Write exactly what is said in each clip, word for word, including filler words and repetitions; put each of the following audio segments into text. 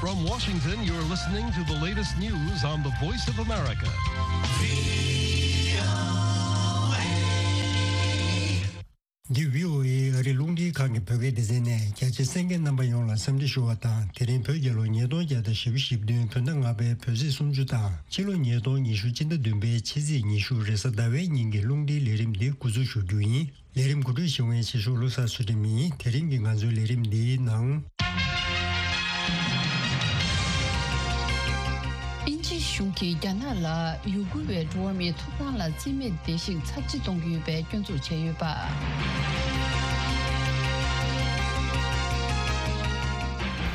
From Washington, you're listening to the latest news on the Voice of America. འདི་བྷི་ཨོ་ཨེ་ཨ་རིའི་རླུང་འཕྲིན་ཁང་གི་བོད་སྐད་སྡེ་ཚན་ནས། རྒྱ་ཆེ་གསན་མཁན་རྣམ་པ་ཡོངས་ལ་འཚམས་འདྲི་ཞུ་བ་དང་། དེ་རིང་བོད་རྒྱལ་ལོ་ཉིས་སྟོང་བརྒྱ་དང་བཞི་བཅུ་ཞེ་བདུན། བོད་ཟླ་ལྔ་པའི་བོད་ཚེས་སུམ་ཅུ་དང་། ཕྱི་ལོ་ཉིས་སྟོང་ཉི་ཤུ་སྤྱི་ཟླ་བདུན་པའི་ཕྱི་ཚེས་ཉི་ཤུ་རེས་གཟའ་ཟླ་བའི་ཉིན་གྱི་རླུང་འཕྲིན་ལས་རིམ་འདི་འགོ་འཛུགས་ཞུ་རྒྱུ་ཡིན། ལས་རིམ་གོ་སྒྲིག་ཞུ་མཁན་ཕྱི་ཕྱོགས་བློ་བཟང་ཚུལ་ཁྲིམས་ཡིན། དེ་རིང་གི་ང་ཚོའི་ལས་རིམ་འདིའི་ནང་། དབྱིན་ཇི་གཞུང་གིས་རྒྱ་ནག་ལ་ཡུ་གུར་བའི་འགྲོ་བ་མིའི་ཐོབ་ཐང་ལ་བརྩི་མེད་བརྡལ་བཤིག་ཚབས་ཆེ་གཏོང་གི་ཡོད་པའི་སྐྱོན་འཛུགས་བྱས་ཡོད་པ།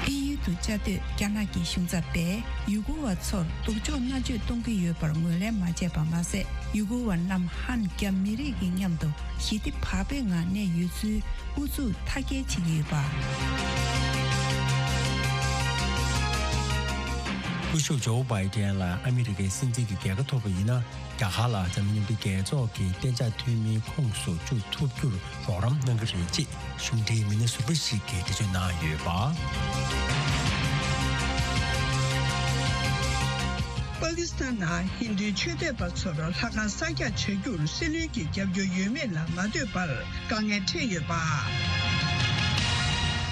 དབྱིན་ཡུལ་དུ་བཅའ་སྡོད་རྒྱ་ནག་གི་གཞུང་ཚབ་པས་ཡུ་གུར་བ་ཚོར་སྡུག་སྦྱོང་མནར་གཅོད་གཏོང་གི་ཡོད་པར་ངོས་ལེན་མ་བྱས་པ་མ་ཟད། ཡུ་གུར་བ་རྣམས་ཧན་རྒྱ་མི་རིགས་ཀྱི་མཉམ་དུ་ཞི་བདེ་བག་ཕེབས་ངང་གནས་ཡོད་ཚུལ་ཨུ་ཚུགས་མཐའ་སྐྱེལ་བྱེད་ཀྱི་ཡོད་པ། སྐུ་ཞབས་ཇོ་བྷའི་ཏན་ལ་ཨ་མི་རི་ཀའི་སྲིད་འཛིན་གྱི་རྒྱལ་ཁ་ཐོབ་པ་ཡིན་ན། རྒྱ་གར་ལ་འཛམ་གླིང་མཉམ་འབྲེལ་རྒྱལ་ཚོགས་ཀྱི་གཏན་འཇགས་འཐུས་མིའི་ཁོངས་སུ་བཅུག་ཐུབ་རྒྱུར་རོགས་རམ་གནང་གི་རེད་ཅེས་གཞུང་འབྲེལ་མི་སྣ་ཟུར་པ་ཞིག་གིས་འགྲེལ་བརྗོད་གནང་ཡོད་པ། པ་ཀི་སི་ཐན་ནང་ཧིན་རྡུའི་ཆོས་དད་པ་ཚོར་ལྷ་ཁང་གསར་རྒྱག་བྱ་རྒྱུར་སྲིད་བློན་གྱི་རྒྱབ་སྐྱོར་ཡོད་མེད་ལ་མ་ལྟོས་པར་དཀའ་ངལ་འཕྲད་ཡོད་པ།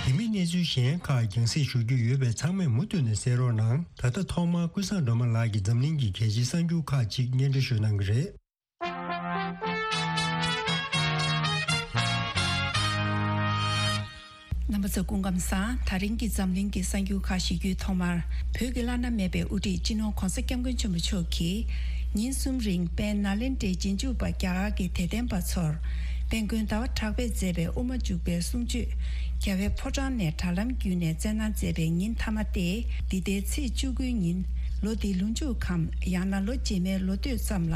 དེ་མིན་གནས་ཚུལ་གཞན་ཁག་རྒྱང་སྲིང་ཞུ་རྒྱུ་ཡོད་པས། ཚང་མས་མུ་མཐུད་ནས་གསན་རོགས་གནང་། ད་ལྟ་ཐོག་མར་ཀུན་བཟང་སྒྲོལ་མ་ལགས་ཀྱིས་འཛམ་གླིང་གི་གལ་ཆེའི་གསར་འགྱུར་ཁག་ཅིག་སྙན་སྒྲོན་ཞུ་གནང་གི་རེད། རྣམ་པ་ཚོ་སྐུ་ཁམས་བཟང་། ད་རིང་གི་འཛམ་གླིང་གི་གསར་འགྱུར་ཁག་ཞུ་རྒྱུའི་ཐོག་མར། བོད་ཀྱི་བླ་ན་མེད་པའི་དབུ་ཁྲིད་སྤྱི་ནོར་༧གོང་ས་༧སྐྱབས་མགོན་ཆེན་པོ་མཆོག་གིས། ཉིན་གསུམ་རིང་དཔལ་ནཱ་ལེནྡྲའི་རྗེས་འཇུག་པ་རྒྱ་གར་གྱི་དད་ལྡན་པ་ཚོར། དཔལ་མགོན་ཟླ་བ་གྲགས་པས་མཛད་པའི་དབུ་མ་འཇུག་པའི་གསུང་ཆོས། རྒྱལ་བའི་ཕོ་བྲང་ནས་དྲ་ལམ་བརྒྱུད་ནས་སྩལ་གནང་མཛད་པའི་ཉིན་མཐའ་མ་སྟེ། འདི་ཟླའི་ཚེས་བཅུ་དགུའི་ཉིན། ལོ་འདིའི་ལོ་མཇུག་གམ། ཡང་ན་ལོ་རྗེས་མའི་ལོ་སྟོད་ཙམ་ལ།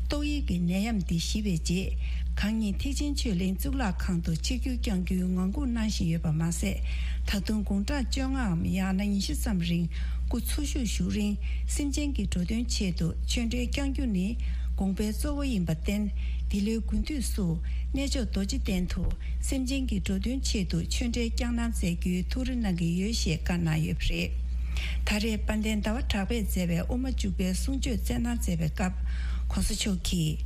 ཏོག་དབྱིབས་ཀྱི་ནད་ཡམས་འདི་ཞི་བའི་རྗེས། གང་ཉིད་ཐེག་ཆེན་ཆོས་གླིང་གཙུག་ལག་ཁང་དུ་ཆིབས་བསྒྱུར་བསྐྱང་རྒྱུའི་ངང་སྒུག་གནང་བཞིན་ཡོད་པ་མ་ཟད། ད་དུང་དགུང་གྲངས་བཅོ་ལྔའམ། ཡང་ན་ཉི་ཤུ་ཙམ་རིང་སྐུ་འཚོ་བཞུགས་བཞུགས་རིང་། སེམས་ཅན་གྱི་འགྲོ་དོན་ཆེད་དུ་ཆོས་འབྲེལ་བསྐྱང་རྒྱུ་ནི། དགོངས་པའི་གཙོ་བོ་ཡིན་པར་བརྟེན། འདི་ལོའི་དགུན་དུས་སུ། གནས་མཆོག་རྡོ་རྗེ་གདན་དུ། སེམས་ཅན་གྱི་འགྲོ་དོན་ཆེད་དུ་ཆོས་འབྲེལ་བསྐྱངས་གནང་མཛད་རྒྱུའི་ཐུགས་རེ་གནང་གི་ཡོད་ཞེས་བཀའ་གནང་ཡོད་པ་རེད། ད་རེས་དཔལ་ལྡན་ཟླ་བ་གྲགས་པས་མཛད་པའི་དབུ་མ་འཇུག་པའི་གསུང་ཆོས་སྩལ་གནང་མཛད་པའི་སྐབས། ྋགོང་ས་མཆོག་གིས།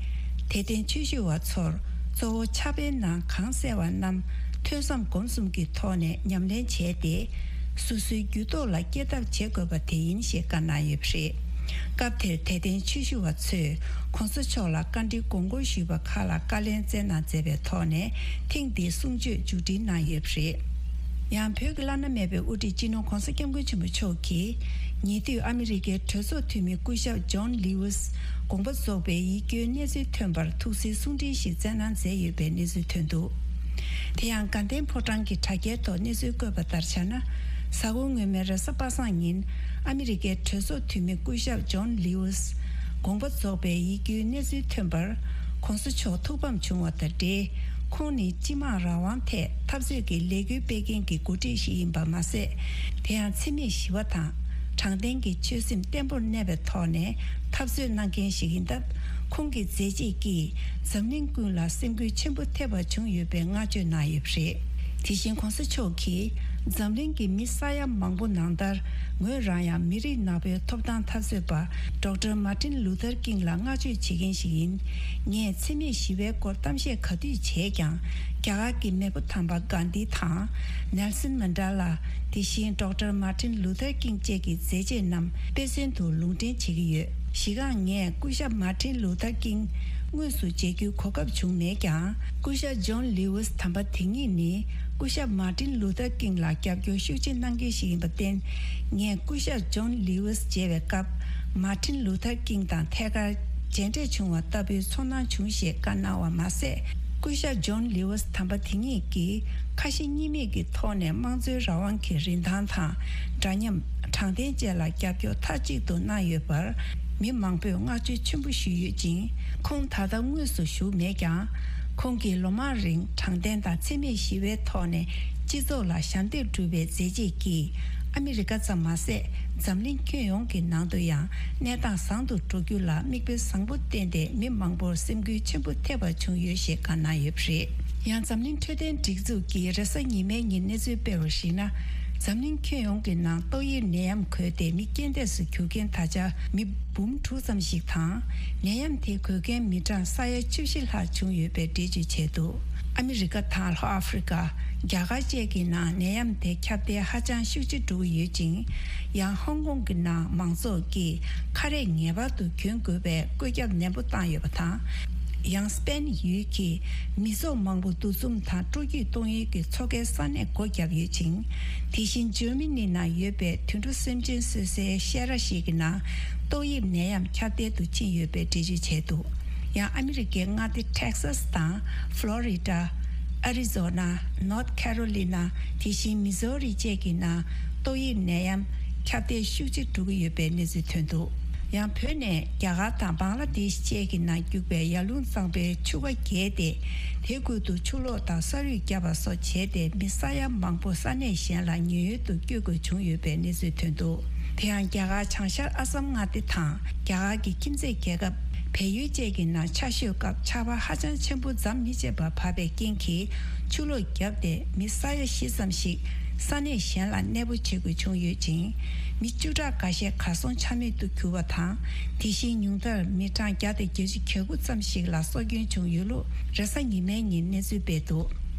དད་ལྡན་ཆོས་ཞུ་བ་ཚོར། གཙོ་བོ་ཕྱག་དཔེའི་ནང་གང་གསལ་བ་རྣམས། ཐོས་བསམ་སྒོམ་གསུམ་གྱི་ཐོག་ནས་ཉམས་ལེན་བྱས་ཏེ། སོ་སོའི་རྒྱུད་ཐོག་ལ་སྐྱེལ་ཐབས་བྱེད་དགོས་པ་དེ་ཡིན་ཞེས་བཀའ་གནང་ཡོད་པ་རེད། སྐབས་དེར་དད་ལྡན་ཆོས་ཞུ་བ་ཚོས་ྋགོང་ས་མཆོག་ལ་བཀའ་འདྲི་དགོངས་སྐོར་ཞུས་པ་ཁག་ལ་བཀའ་ལན་སྩལ་གནང་མཛད་པའི་ཐོག་ནས། ཐེངས་འདིའི་གསུང་ཆོས་མཇུག་སྒྲིལ་གནང་ཡོད་པ་རེད། ཡང་བོད་ཀྱི་བླ་ན་མེད་པའི་དབུ་ཁྲིད་སྤྱི་ནོར་༧གོང་ས་༧སྐྱབས་མགོན་ཆེན་པོ་མཆོག་གིས། ཉེ་དུས་ཨ་མི་རི་ཀའི་གྲོས་ཚོགས་འཐུས་མི་སྐུ་ཞབས་ཇོན་ལིའུ་སི་དགོངས་པ་རྫོགས་པའི་ཡིད་སྐྱོའི་གནས་ཚུལ་ཐོན་པར་ཐུགས་གསོའི་གསུང་འཕྲིན་ཞིག་སྩལ་གནང་མཛད་ཡོད་པའི་གནས་ཚུལ་ཐོན་འདུག། དེ་ཡང་དགའ་ལྡན་ཕོ་བྲང་གི་དྲ་རྒྱའི་ཐོག་གནས་ཚུལ་བཀོད་པ་ལྟར་བྱས་ན། གཟའ་འཁོར་སྔོན་མའི་རེས་གཟའ་པ་སངས་ཉིན། ཨ་མི་རི་ཀའི་གྲོས་ཚོགས་འཐུས་མི་སྐུ་ཞབས་ཇོན་ལིའུ་སི། དགོངས་པ་རྫོགས་པའི་ཡིད་སྐྱོའི་གནས་ཚུལ་ཐོན་པར། ྋགོང་ས་མཆོག་ཐུགས་ཕམ་བྱུང་བ་དང་འབྲེལ། ཁོང་ནི་སྤྱི་དམངས་རང་དབང་ཐད་འཐབ་རྩོད་ཀྱི་ལས་འགུལ་སྤེལ་མཁན་གྱི་འགོ་ཁྲིད་ཞིག་ཡིན་པ་མ་ཟད། དེ་ཡང་འཚེ་མེད་ཞི་བ་དང་། དྲང་བདེན་གྱི་ཆོད་སེམས་བརྟན་པོར་གནས་པའི་ཐོག་ནས་འཐབ་རྩོད་གནང་མཁན་ཞིག་ཡིན་སྟབས། ཁོང་གི་མཛད་རྗེས་ཀྱིས་འཛམ་གླིང་ཀུན་ལ་སེམས་འགུལ་ཆེན་པོ་ཐེབས་པ་བྱུང་ཡོད་པའི་བསྔགས་བརྗོད་གནང་ཡོད་པ་རེད། དེ་བཞིན་ྋགོང་ས་མཆོག་གིས། འཛམ་གླིང་གི་མི་ས་ཡ་མང་པོ་ནང་ལྟར། ངོས་རང་ཡང་མི་རིགས་ནག་པོའི་ཐོབ་ཐང་འཐབ་རྩོད་པ། ཌོག་ཊར་མར་ཊིན་ལུ་ཐར་ཀིང་ལ་བསྔགས་བརྗོད་བྱེད་མཁན་ཞིག་ཡིན། ངས་འཚེ་མེད་ཞི་བའི་སྐོར་གཏམ་བཤད་ག་དུས་བྱས་ཀྱང་། རྒྱ་གར་གྱི་མེས་པོ་དམ་པ་གྷན་དྷི་དང་། ནེལ་སོན་མན་ཌེ་ལ། དེ་བཞིན་ཌོག་ཊར་མར་ཊིན་ལུ་ཐར་ཀིང་བཅས་ཀྱི་མཛད་རྗེས་རྣམས་དཔེ་མཚོན་དུ་ལུང་འདྲེན་བྱེད་ཀྱི་ཡོད། གཞི་རྐང་ངས་སྐུ་ཞབས་མར་ཊིན་ལུ་ཐར་ཀིང་དངོས་སུ་མཇལ་རྒྱུའི་གོ་སྐབས་བྱུང་མེད་ཀྱང་། སྐུ་ཞབས་ཇོན་ལིའུ་སི་དམ་པ་དེ་ཉིད་ནི། སྐུ་ཞབས་མར་ཊིན་ལུ་ཐར་ཀིང་ལ་རྒྱབ་སྐྱོར་ཤུགས་ཆེ་གནང་མཁན་ཞིག་ཡིན་པར་བརྟེན། ངས་སྐུ་ཞབས་ཇོན་ལིའུ་སི་མཇལ་བའི་སྐབས། མར་ཊིན་ལུ་ཐར་ཀིང་དང་ཐད་ཀར་མཇལ་འཕྲད་བྱུང་བ་ལྟ་བུའི་ཚོར་སྣང་བྱུང་ཞེས་བཀའ་གནང་བ་མ་ཟད། སྐུ་ཞབས་ཇོན་ལིའུ་སི་དམ་པ་དེ་ཉིད་ཀྱིས་ཁ་ཞེ་གཉིས་མེད་ཀྱི་ཐོག་ནས་དམངས་གཙོའི་རང་དབང་གི་རིན་ཐང་དང་། འདྲ་མཉམ། དྲང་བདེན་བཅས་ལ་རྒྱབ་སྐྱོར་མཐའ་གཅིག་ཏུ་གནང་ཡོད་པར། མི་མང་པོས་བསྔགས་བརྗོད་ཆེན་པོ་ཞུས་ཡོད་ཅིང་། ཁོང་ད་ལྟ་དངོས་སུ་བཞུགས་མེད་ཀྱང་། ཁོང་གིས་ལོ་མང་རིང་དྲང་བདེན་དང་འཚེ་མེད་ཞི་བའི་ཐོག་ནས་སྤྱི་ཚོགས་ལ་ཞབས་འདེགས་བསྒྲུབས་པའི་མཛད་རྗེས་ཀྱིས། ཨ་མི་རི་ཀ་ཙམ་མ་ཟད། འཛམ་གླིང་ཁྱོན་ཡོངས་ཀྱི་ནང་དུ་ཡང་གནས་སྟངས་བཟང་དུ་འགྲོ་རྒྱུ་ལ་མིག་དཔེ་བཟང་པོ་བསྟན་ཏེ། མི་མང་པོར་སེམས་འགུལ་ཆེན་པོ་ཐེབས་པ་བྱུང་ཡོད་ཞེས་བཀའ་གནང་ཡོད་པ་རེད། ཡང་འཛམ་གླིང་འཕྲོད་བསྟེན་སྒྲིག་འཛུགས་ཀྱིས་རེས་གཟའ་ཉི་མའི་ཉིན་གནས་ཚུལ་སྤེལ་བར་གཞིགས་ན། འཛམ་གླིང་ཁྱོན་ཡོངས་ཀྱི་ནང་ཏོག་དབྱིབས་ནད་ཡམས་འགོས་ཏེ་མི་རྐྱེན་འདས་སུ་གྱུར་མཁན་ད་ཆ་མི་འབུམ་དྲུག་ཙམ་ཞིག་དང་། ནད་ཡམས་དེ་འགོས་མཁན་མི་གྲངས་ས་ཡ་བཅུ་བཞི་ལྷག་བྱུང་ཡོད་པའི་འགྲེལ་བརྗོད་བྱས་འདུག་ཨ་མི་རི་ཀ་དང་ལྷོ་ཨ་ཧྥེ་རི་ཀ། རྒྱ་གར་བཅས་ཀྱི་ནང་ནད་ཡམས་དེ་ཁྱབ་གདལ་ཧ་ཅང་ཤུགས་ཆེ་འགྲོ་གི་ཡོད་ཅིང་། ཡང་ཧོང་ཀོང་གི་ནང་མང་ཚོགས་ཀྱིས་ཁ་རས་ངེས་པར་དུ་གྱོན་དགོས་པའི་བཀོད་ཁྱབ་ནན་པོ་བཏང་ཡོད་པ་དང་། ཡང་སྤེན་ཡུལ་གྱི་མི་ཚོགས་མང་པོ་འདུ་འཛོམས་དང་སྤྲོ་སྐྱིད་གཏོང་ཡུལ་གྱི་མཚོ་ཁའི་ས་གནས་སྒོ་བརྒྱབ་ཡོད་ཅིང་། དེ་བཞིན་ཇར་མ་ནི་ནང་ཡོད་པའི་དུད་འགྲོ་སེམས་ཅན་གསོད་སའི་བཤས་ར་ཞིག་གི་ནང་ཏོག་དབྱིབས་ནད་ཡམས་ཁྱབ་གདལ་དུ་ཕྱིན་ཡོད་པའི་འགྲེལ་བརྗོད་བྱས་འདུག་ཡང་ཨ་མི་རི་ཀའི་མངའ་སྡེ་ཊེག་སཱས་དང་ཕློ་རི་ཌ། ཨ་རི་ཛོ་ན། ནོར་ཐ་ཁེ་རོ་ལི་ན། དེ་བཞིན་མི་ཟོ་རི་བཅས་ཀྱི་ནང་ཏོག་དབྱིབས་ནད་ཡམས་ཁྱབ་གདལ་ཤུགས་ཆེ་འགྲོ་གི་ཡོད་པའི་གནས་ཚུལ་ཐོན་འདུག་ཡང་བོད་ནས་རྒྱ་གར་དང་བང་ལ་དེཤ་བཅས་ཀྱི་ནང་རྒྱུག་པའི་ཡར་ཀླུང་གཙང་པོའི་ཆུ་རྐ་བརྒལ་ཏེ། དེ་ཁུལ་དུ་ཆུ་ལོག་དང་ས་རུད་བརྒྱབ་པ་སོགས་བྱས་ཏེ་མི་ས་ཡ་མང་པོ་ས་གནས་གཞན་ལ་ཉེན་གཡོལ་དུ་བསྐྱོད་དགོས་བྱུང་ཡོད་པའི་གནས་ཚུལ་ཐོན་འདུག་དེ་ཡང་རྒྱ་གར་བྱང་ཤར་ཨ་སམ་མངའ་སྡེ་དང་རྒྱ་གར་གྱི་ཁྱིམ་མཚེས་རྒྱལ་ཁབ་བལ་ཡུལ་བཅས་ཀྱི་ནང་ཆར་ཞོད་སྐབས་ཆར་པ་ཧ་ཅང་ཆེན་པོ་ཟམ་མི་ཆད་པར་བབས་པའི་རྐྱེན་གྱིས་ཆུ་ལོག་བརྒྱབ་སྟེ་མི་ས་ཡ་བཞི་ཙམ་ཞིག་ས་གནས་གཞན་ལ་གནས་སྤོ་བྱེད་དགོས་བྱུང་ཡོད་ཅིང་། མི་བཅུ་ཕྲག་འགའ་ཤས་གར་སོང་ཆ་མེད་དུ་གྱུར་བ་དང་། དེ་བཞིན་ཉུང་མཐར་མི་གྲངས་བརྒྱ་དང་བརྒྱད་ཅུ་གྱ་དགུ་ཙམ་ཞིག་ལ་སྲོག་སྐྱོན་བྱུང་ཡོད་ལུགས་རེས་གཟའ་ཉི་མའི་ཉིན་གནས་ཚུལ་སྤེལ་འདུག་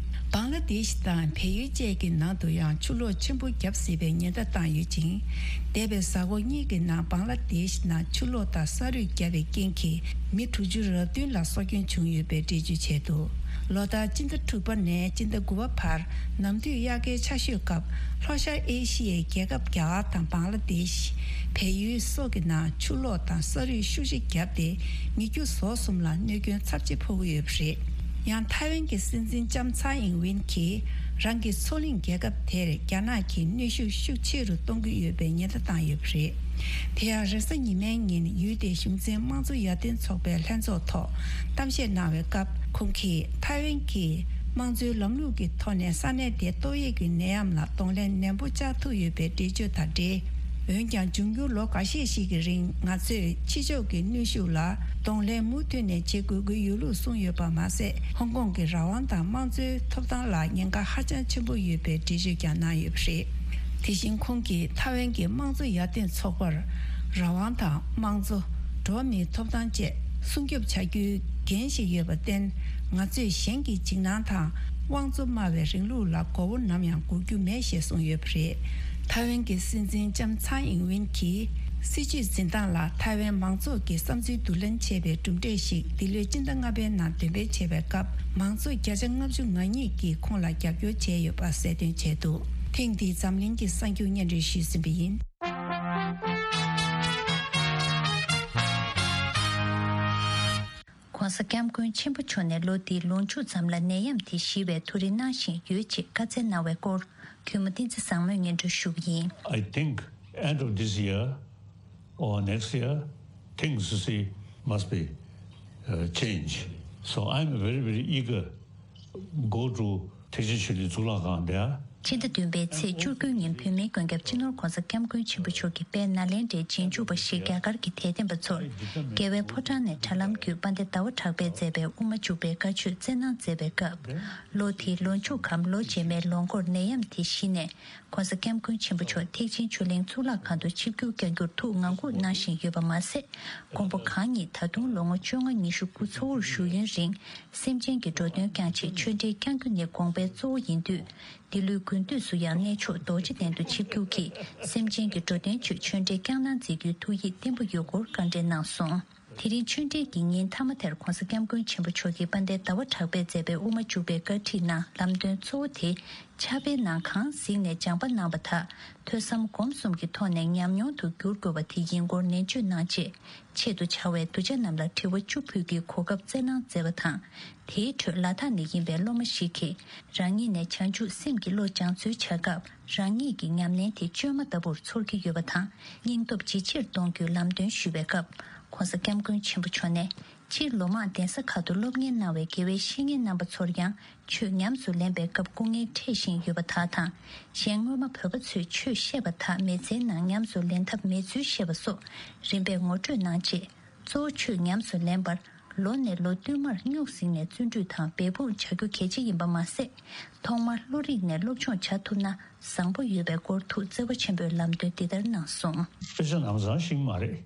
བང་ལ་དེཤ་དང་བལ་ཡུལ་བཅས་ཀྱི་ནང་དུ་ཡང་ཆུ་ལོག་ཆེན་པོ་བརྒྱབ་སྲིད་པའི་ཉེན་བརྡ་བཏང་ཡོད་ཅིང་། འདས་པའི་གཟའ་འཁོར་གཉིས་ཀྱི་ནང་བང་ལ་དེཤ་ནང་ཆུ་ལོག་དང་ས་རུད་བརྒྱབ་པའི་རྐྱེན་གྱིས་མི་དྲུག་ཅུ་རེ་བདུན་ལ་སྲོག་སྐྱོན་བྱུང་ཡོད་པའི་འགྲེལ་བརྗོད་བྱས་འདུག་ལོ་ལྟར་སྤྱི་ཟླ་དྲུག་པ་ནས་སྤྱི་ཟླ་དགུ་པ་བར་ནམ་དུས་དབྱར་ཁའི་ཆར་ཞོད་སྐབས་ལྷོ་ཤར་ཨེ་ཤི་ཡའི་རྒྱལ་ཁབ་རྒྱ་གར་དང་བང་ལ་དེཤ། བལ་ཡུལ་སོགས་ཀྱི་ནང་ཆུ་ལོག་དང་ས་རུད་ཤུགས་ཆེ་བརྒྱབ་སྟེ་མི་རྒྱུ་ཟོག་གསུམ་ལ་གནོད་སྐྱོན་ཚབས་ཆེ་ཕོག་གི་ཡོད་པ་རེད། ཡང་ཐའེ་ཝན་གྱི་སྲིད་འཛིན་ལྕམ་ཚའེ་ཨིང་ཝིན་གྱིས་རང་གི་མཚོ་གླིང་རྒྱལ་ཁབ་དེར་རྒྱ་ནག་གིས་གནོན་ཤུགས་ཤུགས་ཆེ་རུ་གཏོང་གི་ཡོད་པའི་ཉེན་བརྡ་བཏང་ཡོད་པ་རེད། དེ་ཡང་རེས་གཟའ་ཉི་མའི་ཉིན་ཡུལ་དེའི་གཞུང་འཛིན་དམངས་གཙོ་ཡར་ཐོན་ཚོགས་པའི་ལྷན་ཚོགས་ཐོག་གཏམ་བཤད་གནང་བའི་སྐབས་ཁོང་གིས་ཐའེ་ཝན་གྱིས་དམངས་གཙོའི་ལམ་ལུགས་ཀྱི་ཐོག་ནས་ས་གནས་དེའི་ཏོག་དབྱིབས་ཀྱི་ནད་ཡམས་ལ་གདོང་ལེན་ནན་པོ་བཅར་ཐུབ་ཡོད་པའི་འགྲེལ་བརྗོད་དང་འབྲེལ། འོན་ཀྱང་འབྱུང་འགྱུར་ལོ་འགའ་ཤས་ཤིག་གི་རིང་ང་ཚོས་ཕྱི་ཕྱོགས་ཀྱི་གནོན་ཤུགས་ལ་གདོང་ལེན་མུ་མཐུད་ནས་བྱེད་དགོས་ཀྱི་ཡོད་ལུགས་གསུངས་ཡོད་པ་མ་ཟད། ཧོང་ཀོང་གི་རང་དབང་དང་དམངས་གཙོའི་ཐོབ་ཐང་ལ་ཉེན་ཁ་ཧ་ཅང་ཆེན་པོ་ཡོད་པའི་འགྲེལ་བརྗོད་ཀྱང་གནང་ཡོད་པ་རེད། དེ་བཞིན་ཁོང་གིས་ཐའེ་ཝན་གྱི་དམངས་གཙོ་ཡར་ཐོན་ཚོགས་པར་རང་དབང་དང་དམངས་གཙོ། འགྲོ་བ་མིའི་ཐོབ་ཐང་བཅས་སྲུང་སྐྱོབ་བྱ་རྒྱུའི་འགན་ཞིག་ཡོད་པར་བརྟེན། ང་ཚོས་གཞན་གྱི་འཇིགས་སྣང་དང་དབང་གཙོ་སྨྲ་བའི་རིང་ལུགས་ལ་མགོ་བོ་ནམ་ཡང་སྒུར་རྒྱུ་མེད་ཞེས་གསུངས་ཡོད་པ་རེད། ཐའེ་ཝན་གྱི་སྲིད་འཛིན་ལྕམ་ཚའེ་ཨིང་ཝིན་གྱིས་སྲིད་བྱུས་འཛིན་སྟངས་ལ་ཐའེ་ཝན་མང་ཚོགས་ཀྱི་བསམ་ཚུལ་བསྡུ་ལེན་བྱས་པའི་གྲུབ་འབྲས་ཤིག་འདི་ལོའི་སྤྱི་ཟླ་ལྔ་པའི་ནང་འདོན་སྤེལ་བྱས་པའི་སྐབས། མང་ཚོགས་བརྒྱ་ཆ་ལྔ་བཅུ་ང་གཉིས་ཀྱིས་ཁོང་ལ་རྒྱབ་སྐྱོར་བྱས་ཡོད་པ་གསལ་སྟོན་བྱས་འདུག་ཐེངས་འདིའི་འཛམ་གླིང་གི་གསར་འགྱུར་སྙན་སྒྲོན་ཞུས་ཟིན་པ་ཡིན། ༸གོང་ས་༸སྐྱབས་མགོན་ཆེན་པོ་མཆོག་ནས་ལོ་འདིའི་ལོ་མཇུག་ཙམ་ལ་ནད་ཡམས་དེ་ཞི་བའི་ཐུགས་རེ་གནང་བཞིན་ཡོད་ཅེས་བཀའ་སྩལ་གནང་བའི་སྐོར། གུས་མོ་བསྟན་འཛིན་བཟང་མོས་སྙན་སྒྲོན་ཞུ་གི་ཡིན། I think end of this year or next year, things, you see, must be uh, changed. So I'm very, very eager go to ཐེག་ཆེན་ཆོས་གླིང་གཙུག་ལག་ཁང་there. ཕྱི་ཟླ་བདུན་པའི་ཚེས་བཅུ་དགུ་ཉིན་བོད་མིའི་མགོན་སྐྱབས་སྤྱི་ནོར་༸གོང་ས་༸སྐྱབས་མགོན་ཆེན་པོ་མཆོག་གིས་དཔལ་ནཱ་ལེནྡྲའི་རྗེས་འཇུག་པ་ཞིག་རྒྱ་གར་གྱི་དད་ལྡན་པ་ཚོར་རྒྱལ་བའི་ཕོ་བྲང་ནས་དྲ་ལམ་བརྒྱུད་དཔལ་ལྡན་ཟླ་བ་གྲགས་པས་མཛད་པའི་དབུ་མ་འཇུག་པའི་བཀའ་ཆོས་སྩལ་གནང་མཛད་པའི་སྐབས། ལོ་དེའི་ལོ་མཇུག་གམ་ལོ་རྗེས་མའི་ལོ་འགོར་ནད་ཡམས་དེ་གཞི་ནས། ༸གོང་ས་༸སྐྱབས་མགོན་ཆེན་པོ་མཆོག་ཐེག་ཆེན་ཆོས་གླིང་གཙུག་ལག་ཁང་དུ་ཆིབས་བསྒྱུར་བསྐྱང་རྒྱུར་ཐུགས་ངང་སྒུག་གནང་བཞིན་ཡོད་པ་མ་ཟད། མགོན་པོ་གང་ཉིད་ད་དུང་ལོ་ངོ་བཅོ་ལྔ་ཉི་ཤུ་སྐུ་འཚོ་བོར་བཞུགས་ཡུན་རིང་སེམས་ཅན་གྱི་འགྲོ་དོན་བསྐྱང་ཆེད་ཆོས་འབྲེལ་བསྐྱང་རྒྱུ་ནི་དགོངས་པའི་གཙོ་བོ་ཡིན་དུས། འདི་ལོའི་དགུན་དུས་སུ་ཡང་གནས་མཆོག་རྡོ་རྗེ་གདན་དུ་ཆིབས་བསྒྱུར་གྱིས་སེམས་ཅན་གྱི་འགྲོ་དོན་ཆེད་ཆོས་འབྲེལ་བསྐྱང་གནང་མཛད་རྒྱུའི་ཐུགས་ཡིད་བརྟན་པོ་ཡོད་སྐོར་བཀའ་འདྲི་གནང་སོང་། དེ་རིང་ཆོས་འབྲེལ་གྱི་ཉིན་མཐའ་མ་དེར་༸གོང་ས་༸སྐྱབས་མགོན་ཆེན་པོ་མཆོག་གིས་དཔལ་ལྡན་ཟླ་བ་གྲགས་པས་མཛད་པའི་དབུ་མ་འཇུག་པའི་བཀའ་ཁྲིད་ནང་ལམ་སྟོན་གཙོ་བོ་དེ། ཕྱག་དཔེའི་ནང་གང་གཟིགས་ནས་སྦྱངས་པ་གནང་བ་དག་ཐོས་བསམ་སྒོམ་གསུམ་གྱི་ཐོག་ནས་ཉམས་མྱོང་དུ་བསྒྱུར་དགོས་པ་དེ་ཡིན་སྐོར་ནན་བརྗོད་གནང་རྗེས། ཆེད་དུ་བཅར་བའི་གདུལ་བྱ་རྣམས་ལ་དྲི་བ་བཅུ་ཕུལ་རྒྱུའི་གོ་སྐབས་བསྩལ་གནང་མཛད་པ་དང་། དེའི་ཁྲོད་ལ་དྭགས་ནས་ཡིན་པའི་སློབ་མ་ཞིག་གིས་རང་ཉིད་ནས་བྱང་ཆུབ་སེམས་ཀྱི་བློ་སྦྱང་ཚུལ་བྱ་སྐབས། རང་ཉིད་ཀྱི་ཉམས་ལེན་དེ་བཅོས་མ་ལྟ་བུར་ཚོར་གྱི་ཡོད་པ་དང་། སྙིང་སྟོབས་ཇེ་ཆེར་གཏོང་རྒྱུའི་ལམ་སྟོན་ཞུས་པའི་སྐབས། ༸གོང་ས་༸སྐྱབས་མགོན་ཆེན་པོ་མཆོག་ནས། སྤྱིར་ལོ་མང་གདན་ས་ཁག་ཏུ་སློབ་གཉེར་གནང་བའི་དགེ་བའི་བཤེས་གཉེན་རྣམ་པ་ཚོར་ཡང་ཆོས་ཉམས་སུ་ལེན་པའི་སྐབས་སྐུ་ངལ་འཕྲད་བཞིན་ཡོད་པ་དག་དང་། གཞན་སྔོན་མ་བོད་པ་ཚོས་ཆོས་བཤད་པ་དག་མི་ཚེའི་ནང་ཉམས་སུ་ལེན་ཐབས་མེད་ཚུལ་བཤད་པ་སོགས་རིམ་པས་ངོ་སྤྲོད་གནང་རྗེས། གཙོ་བོ་ཆོས་ཉམས་སུ་ལེན་པར། ལོ་ནས་ལོ་བསྟུད་མར་སྨྱུག་གཟིགས་ནས་བརྩོན་འགྲུས་དང་འབད་འབུངས་བྱ་རྒྱུ་གལ་ཆེ་ཡིན་པ་མ་ཟད། ཐོག་མར་བློ་རིག་ནས་སློབ་སྦྱོང་བྱ་ཐུབ་ན་བཟང་པོ་ཡོད་པའི་སྐོར་ཐུགས་བརྩེ་བ་ཆེན་པོས་ལམ་སྟོན་འདི་ལྟར་གནང་སོང་། དཔེ་ཆ་ནམ་བཟང་ཤེས་ཀྱི་མ་རེད།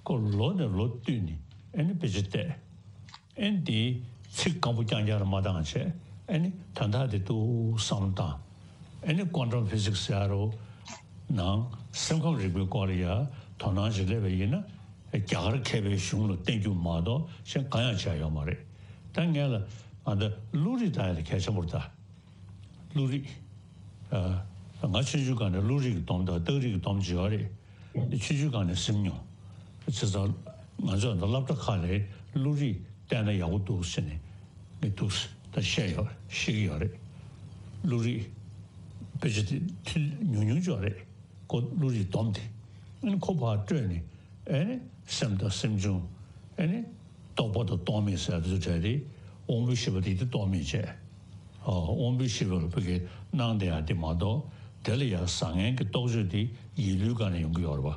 ཁོ་ལོ་ནས་ལོ་བསྟུད་ནས་ཨེ་ནི་དཔེ་ཆ་བལྟས། ཨེ་ནི་དེའི་ཚིག་སྐམ་པོ་རྐྱང་རྐྱང་རེ་མ་བཏང་བྱས། ཨེ་ནི་དོན་དག་དེ་ཏོག་བསམ་བློ་བཏང་། ཨེ་ནི་ཀོན་ཊམ་ཕི་ཟིག་སི་ཟེར་ཡ་རོ། ནང་སེམས་ཁམས་རིག་པའི་སྐོར་ལ་ཡ་དོ་སྣང་ཞིག་སླེབས་པ་ཡིན་ན། རྒྱ་གར་མཁས་པའི་གཞུང་ལ་བརྟེན་རྒྱུ་མ་གཏོགས་གཞན་གང་ཡང་བྱས་ཡོད་མ་རེད། ད་ངས་ལ་ང་ད་བློ་རིག་ད་ཡ་ལ་གལ་ཆེན་པོ་རེད་ད། བློ་རིག་ཨ། ང་ཆུང་ཆུང་སྒང་ནས་བློ་རིག་གི་སྡོམ་དང་རྟགས་རིག་གི་སྡོམ་བྱེད་ཡོད་རེད། ཆུང་ཆུང་སྒང་ནས་སེམས་མྱོང་། བྱས་ཙང་ང་ཚོ་ད་སློབ་གྲྭ་ཁག་ལ་བློ་རིག་བལྟས་ན་ཡག་པོ་འདུག་ཟེར་ནས་ངས་འདུག་ད་བཤད་ཡོད་ཤེས་ཀྱི་ཡོད་རེད། བློ་རིག་དཔེ་ཆ་དེ་ཐུན་ཉུང་ཉུང་ཅིག་ཡོད་རེད། ཁོ་བློ་རིག་སྡོམ་དེ། ཨ་ནི་ཁོ་ཕར་སྤྲོད་ནས། ཨེ་ནི་སེམས་དང་སེམས་བྱུང་། ཨེ་ནི་རྟོག་པ་དང་རྟོག་མེད་ཟེར་ཡ་དེ་ཚོ་བྲལ་ཏེ། དབང་པོའི་ཤེས་པ་དེ་དེ་རྟོག་མེད་བྱས། ཨ། དབང་པོའི་ཤེས་པ་ལ་ཕ་གི་སྣང་བསྡད་ཡ་དེ་མ་གཏོགས། དེ་ལ་ཡ་བཟང་ངན་གྱི་རྟོག་དཔྱོད་དེ་ཡིད་བློའི་སྒང་ནས་ཡོང་གི་ཡོད་རེད་པ།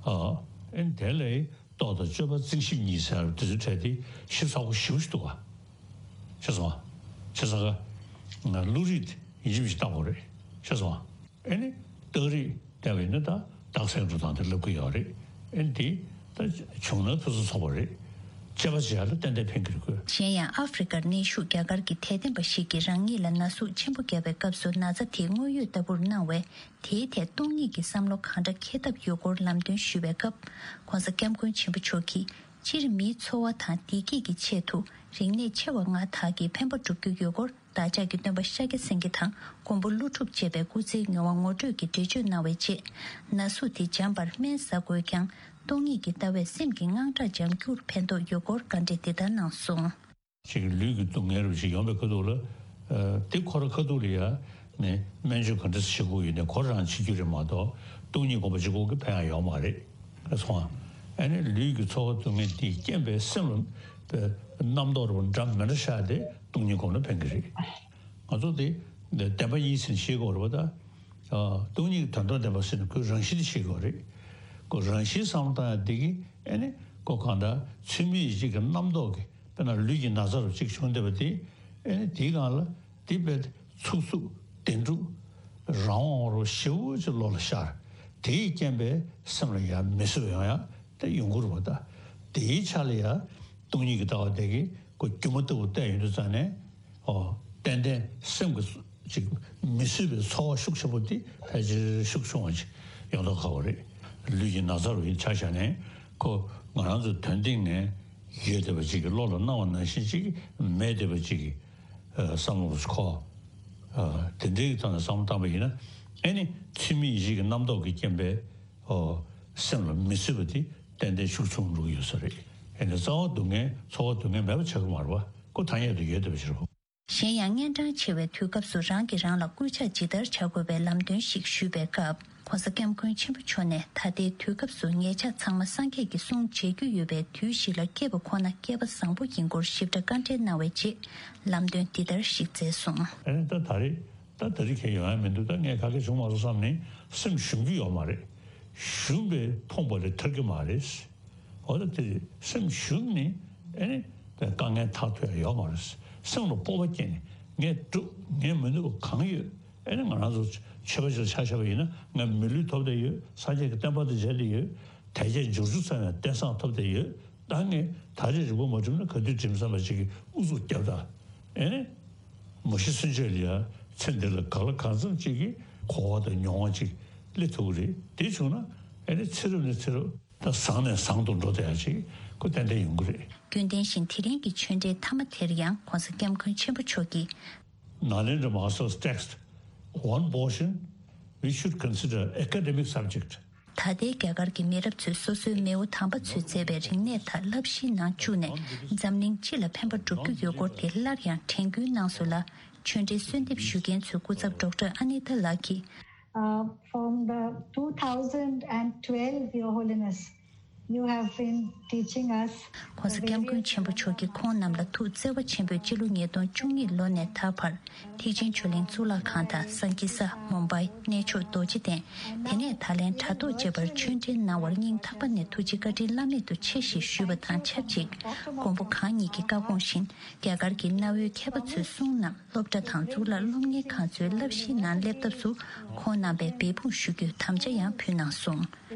ཨ། ཨེ་ནི་དེ་ལ་རྟོག་དང་དཔྱོད་པ་རྩིང་ཞིབ་གཉིས་ཟེར་ཡ་དེ་ཚོ་བྲལ་ཏེ་ཞིབ་ཚགས་པོ་ཞེ་པོ་ཞིག་འདུག་ག། ཤེས་སོང་། བྱས་ཙང་ང་བློ་རིག་ཡིན་གཅིག་མིན་གཅིག་བལྟ་དགོས་རེད། ཤེས་སོང་། ཨེ་ནི་རྟགས་རིགས་བལྟས་པ་ཡིན་ན་ད་རྟགས་གསལ་འགྲོ་སྟངས་དེ་ལབ་ཀྱི་ཡོད་རེད། ཨེ་ནི་དེ་ད་བྱུང་ན་ཕུན་སུམ་ཚོགས་པ་རེད། དཔྱད་པ་བྱེད་ཡ་ལ་ཏན་ཏན་ཕན་གྱི་རེད་ཁོས། གཞན་ཡང་ཨ་ཧྥེ་རི་ཀར་གནས་བཞུགས་རྒྱ་གར་གྱི་དད་ལྡན་པ་ཞིག་གིས་རང་ཉིད་ལ་ན་ཟུག་ཆེན་པོ་བརྒྱབ་པའི་སྐབས་སུ་ན་ཚ་དེའི་དངོས་ཡོད་ལྟ་བུར་སྣང་བས། དེའི་ཐད་སྟོང་ཉིད་ཀྱི་བསམ་བློ་གང་འདྲ་འཁྱེར་ཐབས་ཡོད་སྐོར་ལམ་སྟོན་ཞུས་པའི་སྐབས། ྋགོང་ས་ྋསྐྱབས་མགོན་ཆེན་པོ་མཆོག་གིས། སྤྱིར་མིའི་འཚོ་བ་དང་བདེ་སྐྱིད་ཀྱི་ཆེད་དུ་རིག་གནས་ཆེ་བ་ལྔ་དག་གིས་ཕན་པ་སྒྲུབ་རྒྱུ་ཡོད་སྐོར། བདག་ཅག་གི་སྟོན་པ་ཤཱཀྱ་སེང་གེ་དང་མགོན་པོ་ཀླུ་སྒྲུབ་ཅེས་པའི་སྐུ་ཚེའི་མྱོང་བ་ངོ་སྤྲོད་ཀྱི་འགྲེལ་བརྗོད་གནང་བའི་རྗེས། ན་ཟུག་དེ་འཇམ་པར་སྨན་ཟ་དགོས་ཀྱང་། སྟོང་ཉིད་ཀྱི་ལྟ་བས་སེམས་ཀྱི་དངངས་སྐྲག་འཇམ་རྒྱུར་ཕན་ཐོགས་ཡོད་སྐོར་བཀའ་འདྲི་འདི་ལྟར་གནང་སོང་། ཅིག་ལུས་ཀྱི་སྡུག་བསྔལ་རུ་ཞིག་ཡོང་པའི་ཁ་ཐུག་ལ། ཨ། དེ་ཁོ་ར་ཁ་ཐུག་ལ་ཡ་ནས་སྨན་བཅོས་ག་འདྲ་བྱེད་དགོས་ཡོད་ནས་ཁོ་རང་བྱེད་རྒྱུ་རེད་མ་གཏོགས། སྟོང་ཉིད་སྒོམ་པ་གཅིག་པོ་གིས་ཕན་ཡག་ཡོད་མ་རེད། ཨེ་སོང་ཨ། ཨ་ནི་ལུས་ཀྱི་ཚོར་བ་སྡུག་བསྔལ་དེའི་རྐྱེན་པས་སེམས་ལ་རྣམ་རྟོག་རུ་འདྲ་མི་འདྲ་ཤར་ཏེ་སྟོང་ཉིད་སྒོམ་ན་ཕན་གྱི་རེད། ང་ཚོ་དེ་བདེན་པ་གཉིས་ཟེར་ནས་ཤེས་དགོས་རེད་པ་ད། ཨ། སྟོང་ཉིད་ཀྱི་དོན་དམ་བདེན་པ་ཟེར་ནས་ཁོའི་རང་བཞིན་དེ་ཤེས་དགོས་རེད། ཁོ་རང་བཞིན་བསམ་བློ་བཏང་ཡ་དེ་གིས་ཨེ་ནི་ཁོ་གང་ལྟར་ཚུལ་མིན་ཡིད་བྱེད་ཀྱི་རྣམ་རྟོག་གིས་དཔེར་ན་ལུས་ཀྱི་ན་ཚ་རུ་གཅིག་བྱུང་བསྡད་པ་དེ། ཨེ་ནི་དེའི་སྒང་ལ་དེ་དཔེ་ཚུགས་ཚུགས་བདེ་འགྲུབ་རང་དབང་རུ་ཞེ་པོ་ཅིག་བློ་ལ་ཤར། དེའི་རྐྱེན་པས་སེམས་ལ་ཡང་མི་བཟོད་པ་ཡོང་ཡ་དེ་ཡོང་གི་རེད་པ་ད། དེའི་ཆ་ལ་ཡ་སྟོང་ཉིད་ཀྱི་ལྟ་བ་དེ་གིས་ཁོ་སྒྱུ་མ་ལྟ་བུ་བལྟས་ཡོང་དུས་ཙང་ནས། ཨོ། ཏན་ཏན་སེམས་ཀྱི་ཅིག་མི་བཟོད་པའི་ཚོར་བ་ཤུགས་ཆེན་པོ་དེ་ཕལ་ཆེར་ཤུགས་ཆུང་བ་ཅིག་ཡོང་མདོག་ཁ་པོ་རེད། ལུས་ཀྱི་ན་ཚ་རུ་ཡིན་ཆ་བཞག་ནས་ཁོ་ང་རང་ཚོ་དོན་སྟེང་ནས་ཡོད་བསྡད་པ་ཅིག་གི་བློ་ལ་སྣང་བ་ནང་བཞིན་ཅིག་མེད་བསྡད་པ་ཅིག་གི་ཨ། བསམ་བློ་རུ་ཁོ། ཨ། དེ་འདྲའི་ཐོག་ནས་བསམ་བློ་བཏང་པ་ཡིན་ན། ཨེ་ནི་ཚུལ་མིན་ཡིད་བྱེད་ཀྱི་རྣམ་རྟོག་གི་རྐྱེན་པས། ཨོ། སེམས་ལ་མི་བཟོད་པ་དེ་ཏན་ཏན་ཤུགས་ཆུང་འགྲོ་གི་ཡོད་ས་རེད། ཨེ་ནི་རྩ་བ་སྡུག་བསྔལ་ཚོར་བ་སྡུག་བསྔལ་མེད་པ་ཆགས་ཀྱི་མ་རེད་པ། ཁོ་ཐ་སྙད་དུ་ཡོད་བསྡད་པ་ཞིག་རེད། གཞན་ཡང་། གཉན་འཕྲང་ཆེ་བའི་དུས་སྐབས་སུ་རང་གིས་རང་ལ་སྐུལ་ལྕག་ཇི་ལྟར་བྱ་དགོས་པའི་ལམ་སྟོན་ཞིག་ཞུས་པའི་སྐབས། ྋགོང་ས་ྋསྐྱབས་མགོན་ཆེན་པོ་མཆོག་ནས། ད་ལྟའི་དུས་སྐབས་སུ་ཉེ་ཆར་ཚང་མ་སངས་རྒྱས་ཀྱི་གསུང་བརྗེད་རྒྱུ་ཡོད་པའི་དུས་ཤིག་ལ་སྐྱེས་པ་ཁོ་ན་སྐལ་པ་བཟང་པོ་ཡིན་སྐོར་ཞིབ་ཕྲ་བཀའ་འགྲེལ་གནང་བའི་རྗེས། ལམ་སྟོན་འདི་ལྟར་ཞིག་མཛད་སོང་། ཨ་ནི་ད་ད་རེས་ད་ད་རེས་ཁྱེད་ཡོང་ཡ་མི་འདུག་ད་ངས་ག་གེ་བྱུང་མ་སོང་བསམ་ནས་སེམས་ཞུམ་གྱི་ཡོད་མ་རེད། ཞུམ་པས་ཕོངས་པ་ལས་ཐར་གྱི་མ་རེད། འོ་ད་དེ་སེམས་ཞུམ་ནས་ཨེ་ནི་དཀའ་ངལ་ཐར་ཐུབ་ཡ་ཡོད་མ་རེད། སེམས་ལ་སྤོབས་པ་སྐྱེས་ནས་ངས་འགྲུབ། ངས་མི་ནུས་པ་གང་ཡོད། ཨེ་ནི་ང་རང་ཚོ་ཆོས་པ་ཞིག་ཆ་བཞག་པ་ཡིན་ན་ང་མི་ལུས་ཐོབ་བསྡད་ཡོད། སངས་རྒྱས་ཀྱི་བསྟན་པ་དང་མཇལ་བསྡད་ཡོད། དལ་བརྒྱད་འབྱོར་བཅུ་ཚང་བའི་རྟེན་བཟང་ཐོབ་བསྡད་ཡོད། ད་ངས་ད་རེས་རིག་པ་མ་བསྒྲིམས་ན་ག་དུས་བསྒྲིམ་བསམ་པ་ཅིག་གིས་ཨུ་ཚུགས་བརྒྱབ་ད། ཨེ་ནི་མ་ཤི་གསོན་བྱེད་ལ་ཡ་ཚེ་འདི་ལ་གང་ལ་གང་འཚམ་ཅིག་གི་གོ་བ་དང་མྱོང་བ་ཅིག་སླེབས་ཐུབ་ཀྱི་རེད། དེ་བྱུང་ན་ཨེ་ནི་ཚེ་རབས་ནས་ཚེ་རབས། ད་བཟང་ནས་བཟང་དུ་འགྲོ་བསྡད་ཡ་ཅིག་ཁོ་ཏན་ཏན་ཡོང་གི་རེད། རྒྱུན་ལྡན་བཞིན་དེ་རིང་གི་ཆོས་འབྲེལ་མཐའ་མ་དེར་ཡང་ྋགོང་ས་ྋསྐྱབས་མགོན་ཆེན་པོ་མཆོག་གིས། Nalendra Mahar's text, one portion we should consider academic subject. ད་ལྟའི་རྒྱ་གར་གྱི་མི་རབས་ཚོས་སོ་སོའི་མེས་པོ་དམ་པ་ཚོས་མཛད་པའི་རིག་གནས་དག་བསླབ་གཞིའི་ནང་བཅུག་ནས་འཛམ་གླིང་སྤྱི་ལ་ཕན་པ་སྒྲུབ་རྒྱུ་ཡོད་སྐོར་དེ་སླར་ཡང་དྲན་སྐུལ་གནང་སོང་ལ། ཆོས་འབྲེལ་གསོལ་འདེབས་ཞུ་མཁན་ཚོའི་སྐུ་ཚབ་ཌོག་ཊར་ཨ་ནི་ཏཱ་ལགས་ཀྱིས། Uh, from the two thousand and twelve, Your Holiness, You have been teaching us. ༸གོང་ས་སྐྱབས་མགོན་ཆེན་པོ་མཆོག་གིས་ཁོང་རྣམས་ལ་ཐུགས་བརྩེ་བ་ཆེན་པོས་སྤྱི་ལོ་ཉིས་སྟོང་བཅུ་གཉིས་ལོ་ནས་ད་བར་ཐེག་ཆེན་ཆོས་གླིང་གཙུག་ལག་ཁང་དང་སན་ཀི་ས། མུམ་བྷའི། གནས་མཆོག་རྡོ་རྗེ་གདན། དེ་ནས་ད་ལན་དྲ་ཐོག་བཅས་པར་ཆོས་འབྲེལ་གནང་བར་སྙིང་ཐག་པ་ནས་ཐུགས་རྗེ་བཀའ་དྲིན་བླ་མེད་དུ་ཆེ་ཞེས་ཞུས་པ་དང་ཆབས་ཅིག་མགོན་པོ་གང་ཉིད་ཀྱི་བཀའ་དགོངས་བཞིན་རྒྱ་གར་གྱི་གནའ་བོའི་མཁས་པ་ཚོའི་གསུང་རྣམས་སློབ་གྲྭ་དང་གཙུག་ལག་སློབ་གཉེར་ཁང་ཚོའི་བསླབ་གཞིའི་ནང་སླེབས་ཐབས་སུ་ཁོང་རྣམ་པས་འབད་འབུངས་ཞུ་རྒྱུའི་དམ་བཅའ་ཡང་ཕུལ་གནང་སོང་།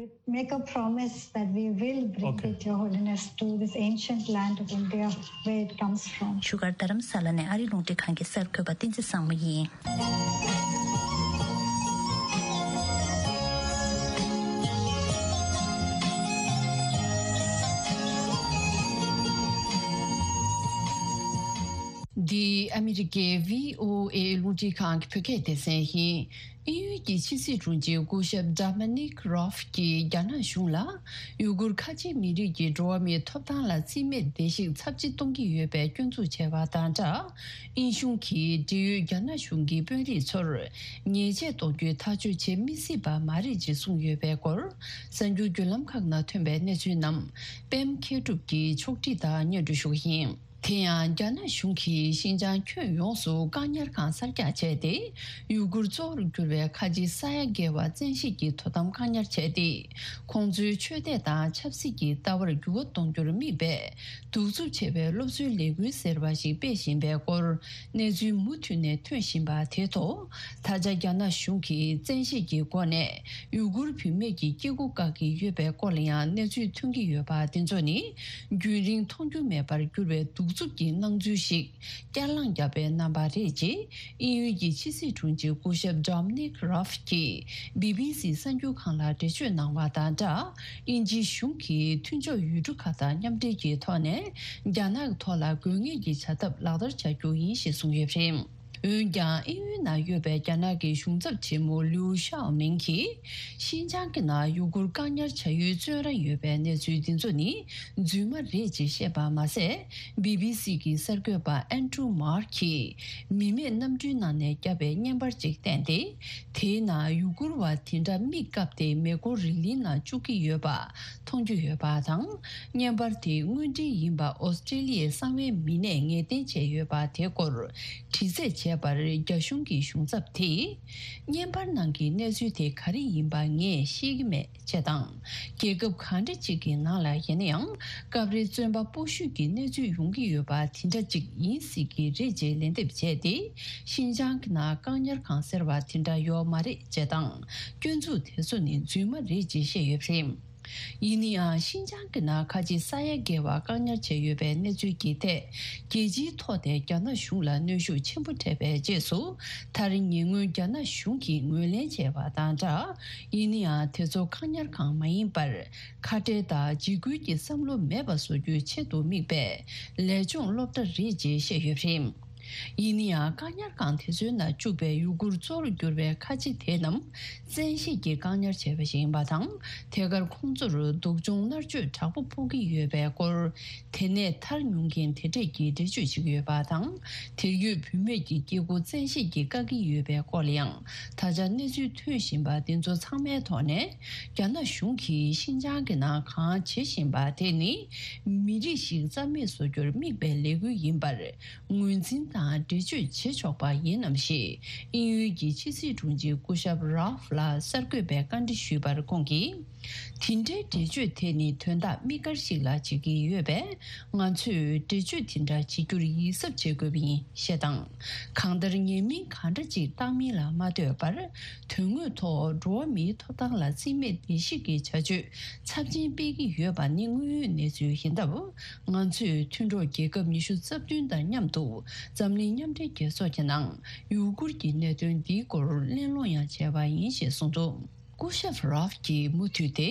Make a promise that we will bring Okay. it, Your Holiness, to this ancient land of India where it comes from. བཞུགས་སྒར་རྡ་རམ་ས་ལ་ནས་ཨ་རི་རླུང་འཕྲིན་ཁང་གི་གསར་འགོད་པ་བསྟན་འཛིན་བཟང་མོ་ཡིན། འདི་ཨ་མི་རི་ཀའི་བྷི་ཨོ་ཨེ་རླུང་འཕྲིན་ཁང་གི་བོད་སྐད་སྡེ་ཚན་ཡིན། དབྱིན་ཡུལ་གྱི་ཕྱི་སྲིད་དྲུང་ཆེ་སྐུ་ཞབས་Dominic Raab གྱིས་རྒྱ་ནག་གཞུང་ལ་ཡུ་གུར་ཁ་ཆེ་མི་རིགས་ཀྱི་འགྲོ་བ་མིའི་ཐོབ་ཐང་ལ་རྩིས་མེད་བརྡལ་བཤིག་ཚབས་ཆེ་གཏོང་གི་ཡོད་པའི་སྐྱོན་འཛུགས་བྱས་པ་དང་སྦྲགས། དབྱིན་གཞུང་གིས་འབྲེལ་ཡོད་རྒྱ་ནག་གཞུང་གི་དཔོན་རིགས་ཚོར་ཉེས་ཆད་གཏོང་རྒྱུའི་ཐག་གཅོད་བྱེད་མི་སྲིད་པ་མ་རེད་ཅེས་གསུངས་ཡོད་པའི་སྐོར། གསར་འགྱུར་བརྒྱུད་ལམ་ཁག་ནང་ཐོན་པའི་གནས་ཚུལ་རྣམས་པད་མ་མཁས་གྲུབ་ཀྱིས་ཕྱོགས་སྒྲིག་དང་སྙན་སྒྲོན་ཞུ་གི་ཡིན། དེ་ཡང་རྒྱ་ནག་གཞུང་གིས་ཤིན་ཅང་ཁྱོན་ཡོངས་སུ་བཀག་ཉར་ཁང་གསར་རྒྱག་བྱས་ཏེ། ཡུ་གུར་གཙོ་བོར་གྱུར་བའི་ཁ་ཆེ་ས་ཡ་བརྒལ་བ་བཙན་ཤེད་ཀྱིས་དོ་དམ་བཀག་ཉར་བྱས་ཏེ། ཁོང་ཚོའི་ཆོས་དད་དང་ཆབ་སྲིད་ཀྱི་ལྟ་བར་འགྱུར་བ་གཏོང་རྒྱུར་དམིགས་པའི་གདུག་རྩུབ་ཆེ་བའི་སློབ་གསོའི་ལས་འགུལ་ཟེར་བ་ཞིག་སྤེལ་བཞིན་པའི་སྐོར། གནས་ཚུལ་མུ་མཐུད་ནས་ཐོན་བཞིན་པ་དེ་ཐོག་ད་ཆ་རྒྱ་ནག་གཞུང་གིས་བཙན་ཤེད་ཀྱི་སྒོ་ནས་ཡུ་གུར་བུད་མེད་ཀྱི་སྐྱེ་སྒོ་བཀག་གི་ཡོད་པའི་སྐོར་ལ་ཡང་གནས་ཚུལ་ཐོན་གྱི་ཡོད་པ་དེ་ཚོ་ནི། རྒྱུན་རིང་མཐོང་རྒྱུ་མེད་པར་གྱུར་བའི་གདུག་རྩུབ་ཀྱི་སྣང་ཚུལ་ཞིག་བསྐྱར་ལངས་བརྒྱབ་པའི་རྣམ་པ་རེད་ཅེས། དབྱིན་ཡུལ་གྱི་ཕྱི་སྲིད་དྲུང་ཆེ་སྐུ་ཞབས་Dominic Raab གྱིས་བྷི་བྷི་སི་གསར་འགྱུར་ཁང་ལ་འགྲེལ་བརྗོད་གནང་བ་དང་སྦྲགས། དབྱིན་ཇིའི་གཞུང་གིས་མཐུན་ཕྱོགས་ཡུལ་གྲུ་ཁག་དང་མཉམ་འབྲེལ་གྱི་ཐོག་ནས་རྒྱ་ནག་གི་ཐོག་ལ་དགོས་ངེས་ཀྱི་བྱ་ཐབས་ལག་བསྟར་བྱ་རྒྱུ་ཡིན་ཞེས་གསུངས་ཡོད་པ་རེད། འོན་ཀྱང་། དབྱིན་ཡུལ་ནང་ཡོད་པའི་རྒྱ་ནག་གི་གཞུང་ཚབ་ཆེན་མོ་ལིའུ་ཤའོ་མིང་གིས། ཤིན་ཅང་གི་ནང་ཡུ་གུར་བཀག་ཉར་བྱ་ཡུལ་བཙོན་ར་ཡོད་པའི་གནས་ཚུལ་འདི་ཚོ་ནི་རྫུན་མ་རེད་ཅེས་བཤད་པ་མ་ཟད། བྷི་བྷི་སི་གི་གསར་འགོད་པ་ཨན་ཌྲུ་མར་གྱིས་མི་མེད་གནམ་གྲུའི་ནང་ནས་བརྒྱབ་པའི་བརྙན་པར་ཅིག་བསྟན་ཏེ། དེའི་ནང་ཡུ་གུར་བ་དེ་འདྲ་མིག་བཀབ་སྟེ་མེ་འཁོར་རི་ལི་ནང་བཅུག་གི་ཡོད་པ་མཐོང་རྒྱུ་ཡོད་པ་དང་། བརྙན་པར་དེ་དངོས་འབྲེལ་ཡིན་པ་ཨོ་སི་ཀྲི་ལི་ཡའི་གསང་བའི་མི་སྣས་ངེས་གཏན་བྱས་ཡོད་པ་དེ་སྐོར་དྲི་རྩད་བྱས་པར། རྒྱ་གཞུང་གི་གཞུང་ཚབ་དེས། བརྙན་པར་ནང་གི་གནས་ཚུལ་དེ་ག་རེ་ཡིན་པ་ངས་ཤེས་ཀྱི་མེད་ཅེས་དང་། རྒྱལ་ཁབ་གང་འདྲ་ཅིག་གི་ནང་ལ་ཡིན་ན་ཡང་སྐབས་རེ་བཙོན་པ་སྤོ་བཤུད་ཀྱི་གནས་ཚུལ་ཡོང་གི་ཡོད་པ་དེ་འདྲ་ཅིག་ཡིན་སྲིད་ཀྱི་རེད་ཅེས་ལན་འདེབས་བྱས་ཏེ། ཤིན་ཅང་གི་ནང་བཀག་ཉར་ཁང་ཟེར་བ་དེ་འདྲ་ཡོད་མ་རེད་ཅེས་དང་། སྐྱོན་འཛུགས་དེ་ཚོ་ནི་རྫུན་མ་རེད་ཅེས་བཤད་ཡོད་པ་རེད། ཡིན་ན་ཡང་། ཤིན་ཅང་གི་ནང་ཁ་ཆེ་ས་ཡ་བརྒལ་བ་བཀག་ཉར་བྱས་ཡོད་པའི་གནས་ཚུལ་གྱི་ཐད། རྒྱལ་སྤྱིའི་ཐོག་ནས་རྒྱ་ནག་གཞུང་ལ་གནོན་ཤུགས་ཆེན་པོ་འཕྲད་པའི་རྗེས་སུ། མཐར་ཉེ་སྔོན་རྒྱ་ནག་གཞུང་གིས་ངོས་ལེན་བྱས་པ་དང་སྦྲགས། ཡིན་ན་ཡང་། དེ་ཚོ་བཀག་ཉར་ཁང་མ་ཡིན་པར། ཁ་བྲལ་དང་འཇིགས་སྐུལ་གྱི་བསམ་བློ་མེད་པ་བཟོ་རྒྱུའི་ཆེད་དུ་དམིགས་པའི་ལས་སྦྱོང་སློབ་གྲྭ་རེད་ཅེས་བཤད་ཡོད་པ་རེད། ཡིན་ན་ཡང་། བཀག་ཉར་ཁང་དེ་ཚོའི་ནང་བཅུག་པའི་ཡུ་གུར་གཙོ་བོར་གྱུར་པའི་ཁ་ཆེ་དེ་རྣམས་བཙན་ཤེད་ཀྱིས་བཀག་ཉར་བྱས་པ་ཞིག་ཡིན་པ་དང་། ཐད་ཀར་ཁོང་ཚོར་སྡུག་སྦྱོང་མནར་གཅོད་དྲག་པོ་ཕོག་གི་ཡོད་པའི་སྐོར། དེ་ནས་ཐར་མྱོང་མཁན་དེ་འདྲས་ཀྱིས་འགྲེལ་བརྗོད་བྱེད་ཀྱི་ཡོད་པ་དང་། དེར་ཡོད་བུད་མེད་ཀྱི་སྐྱེ་སྒོ་བཙན་ཤེད་ཀྱིས་བཀག་གི་ཡོད་པའི་སྐོར་ལ་ཡང་། ད་ཆ་གནས་ཚུལ་ཐོན་བཞིན་པ་འདི་ཚོ་ཚང་མའི་ཐོག་ནས། རྒྱ་ནག་གཞུང་གིས་ཤིན་ཅང་གི་ནང་གང་བྱེད་བཞིན་པ་དེ་ནི། མི་རིགས་ཤིག་རྩ་མེད་བཟོ་རྒྱུར་དམིགས་པའི་ལས་འགུལ་ཡིན་པར། ངོས་འཛིན་དང་འགྲེལ་བརྗོད་བྱེད་ཆོག་པ་ཡིན་ནམ་ཞེས། དབྱིན་ཡུལ་གྱི་ཕྱི་སྲིད་དྲུང་ཆེ་སྐུ་ཞབས་རཱ་ཧྥ་ལ་གསར་འགོད་པས་བཀའ་འདྲི་ཞུས་པར། ཁོང་གིས། དེ་འདྲའི་འགྲེལ་བརྗོད་དེ་ནི་དོན་དག་དམིགས་བཀར་ཞིག་ལ་བྱེད་ཀྱི་ཡོད་པས། ང་ཚོས་འགྲེལ་བརྗོད་དེ་འདྲ་བྱེད་རྒྱུར་ཡིད་གཟབ་བྱེད་དགོས་པ་ཡིན་ཞེས་དང་། གང་ལྟར་ཉེས་མིང་གང་འདྲ་ཅིག་བཏགས་མིན་ལ་མ་ལྟོས་པར། དོན་དངོས་ཐོག་འགྲོ་བ་མིའི་ཐོབ་ཐང་ལ་རྩིས་མེད་བརྡལ་བཤིག་གི་བྱ་སྤྱོད་ཚབས་ཆེན་སྤེལ་གྱི་ཡོད་པ་ནི་དངོས་ཡོད་གནས་ཚུལ་ཡིན་སྟབས། ང་ཚོས་མཐུན་གྲོགས་རྒྱལ་ཁབ་ཉི་ཤུ་རྩ་བདུན་དང་མཉམ་དུ་འཛམ་གླིང་མཉམ་འབྲེལ་རྒྱལ་ཚོགས་ཀྱི་ནང་ཡུ་གུར་གྱི་གནད་དོན་འདིའི་སྐོར་གླེང་སློང་ཡང་བྱས་པ་ཡིན་ཞེས་གསུངས་འདུག་སྐུ་ཞབས་རཱབ་ཀྱིས་མུ་མཐུད་དེ།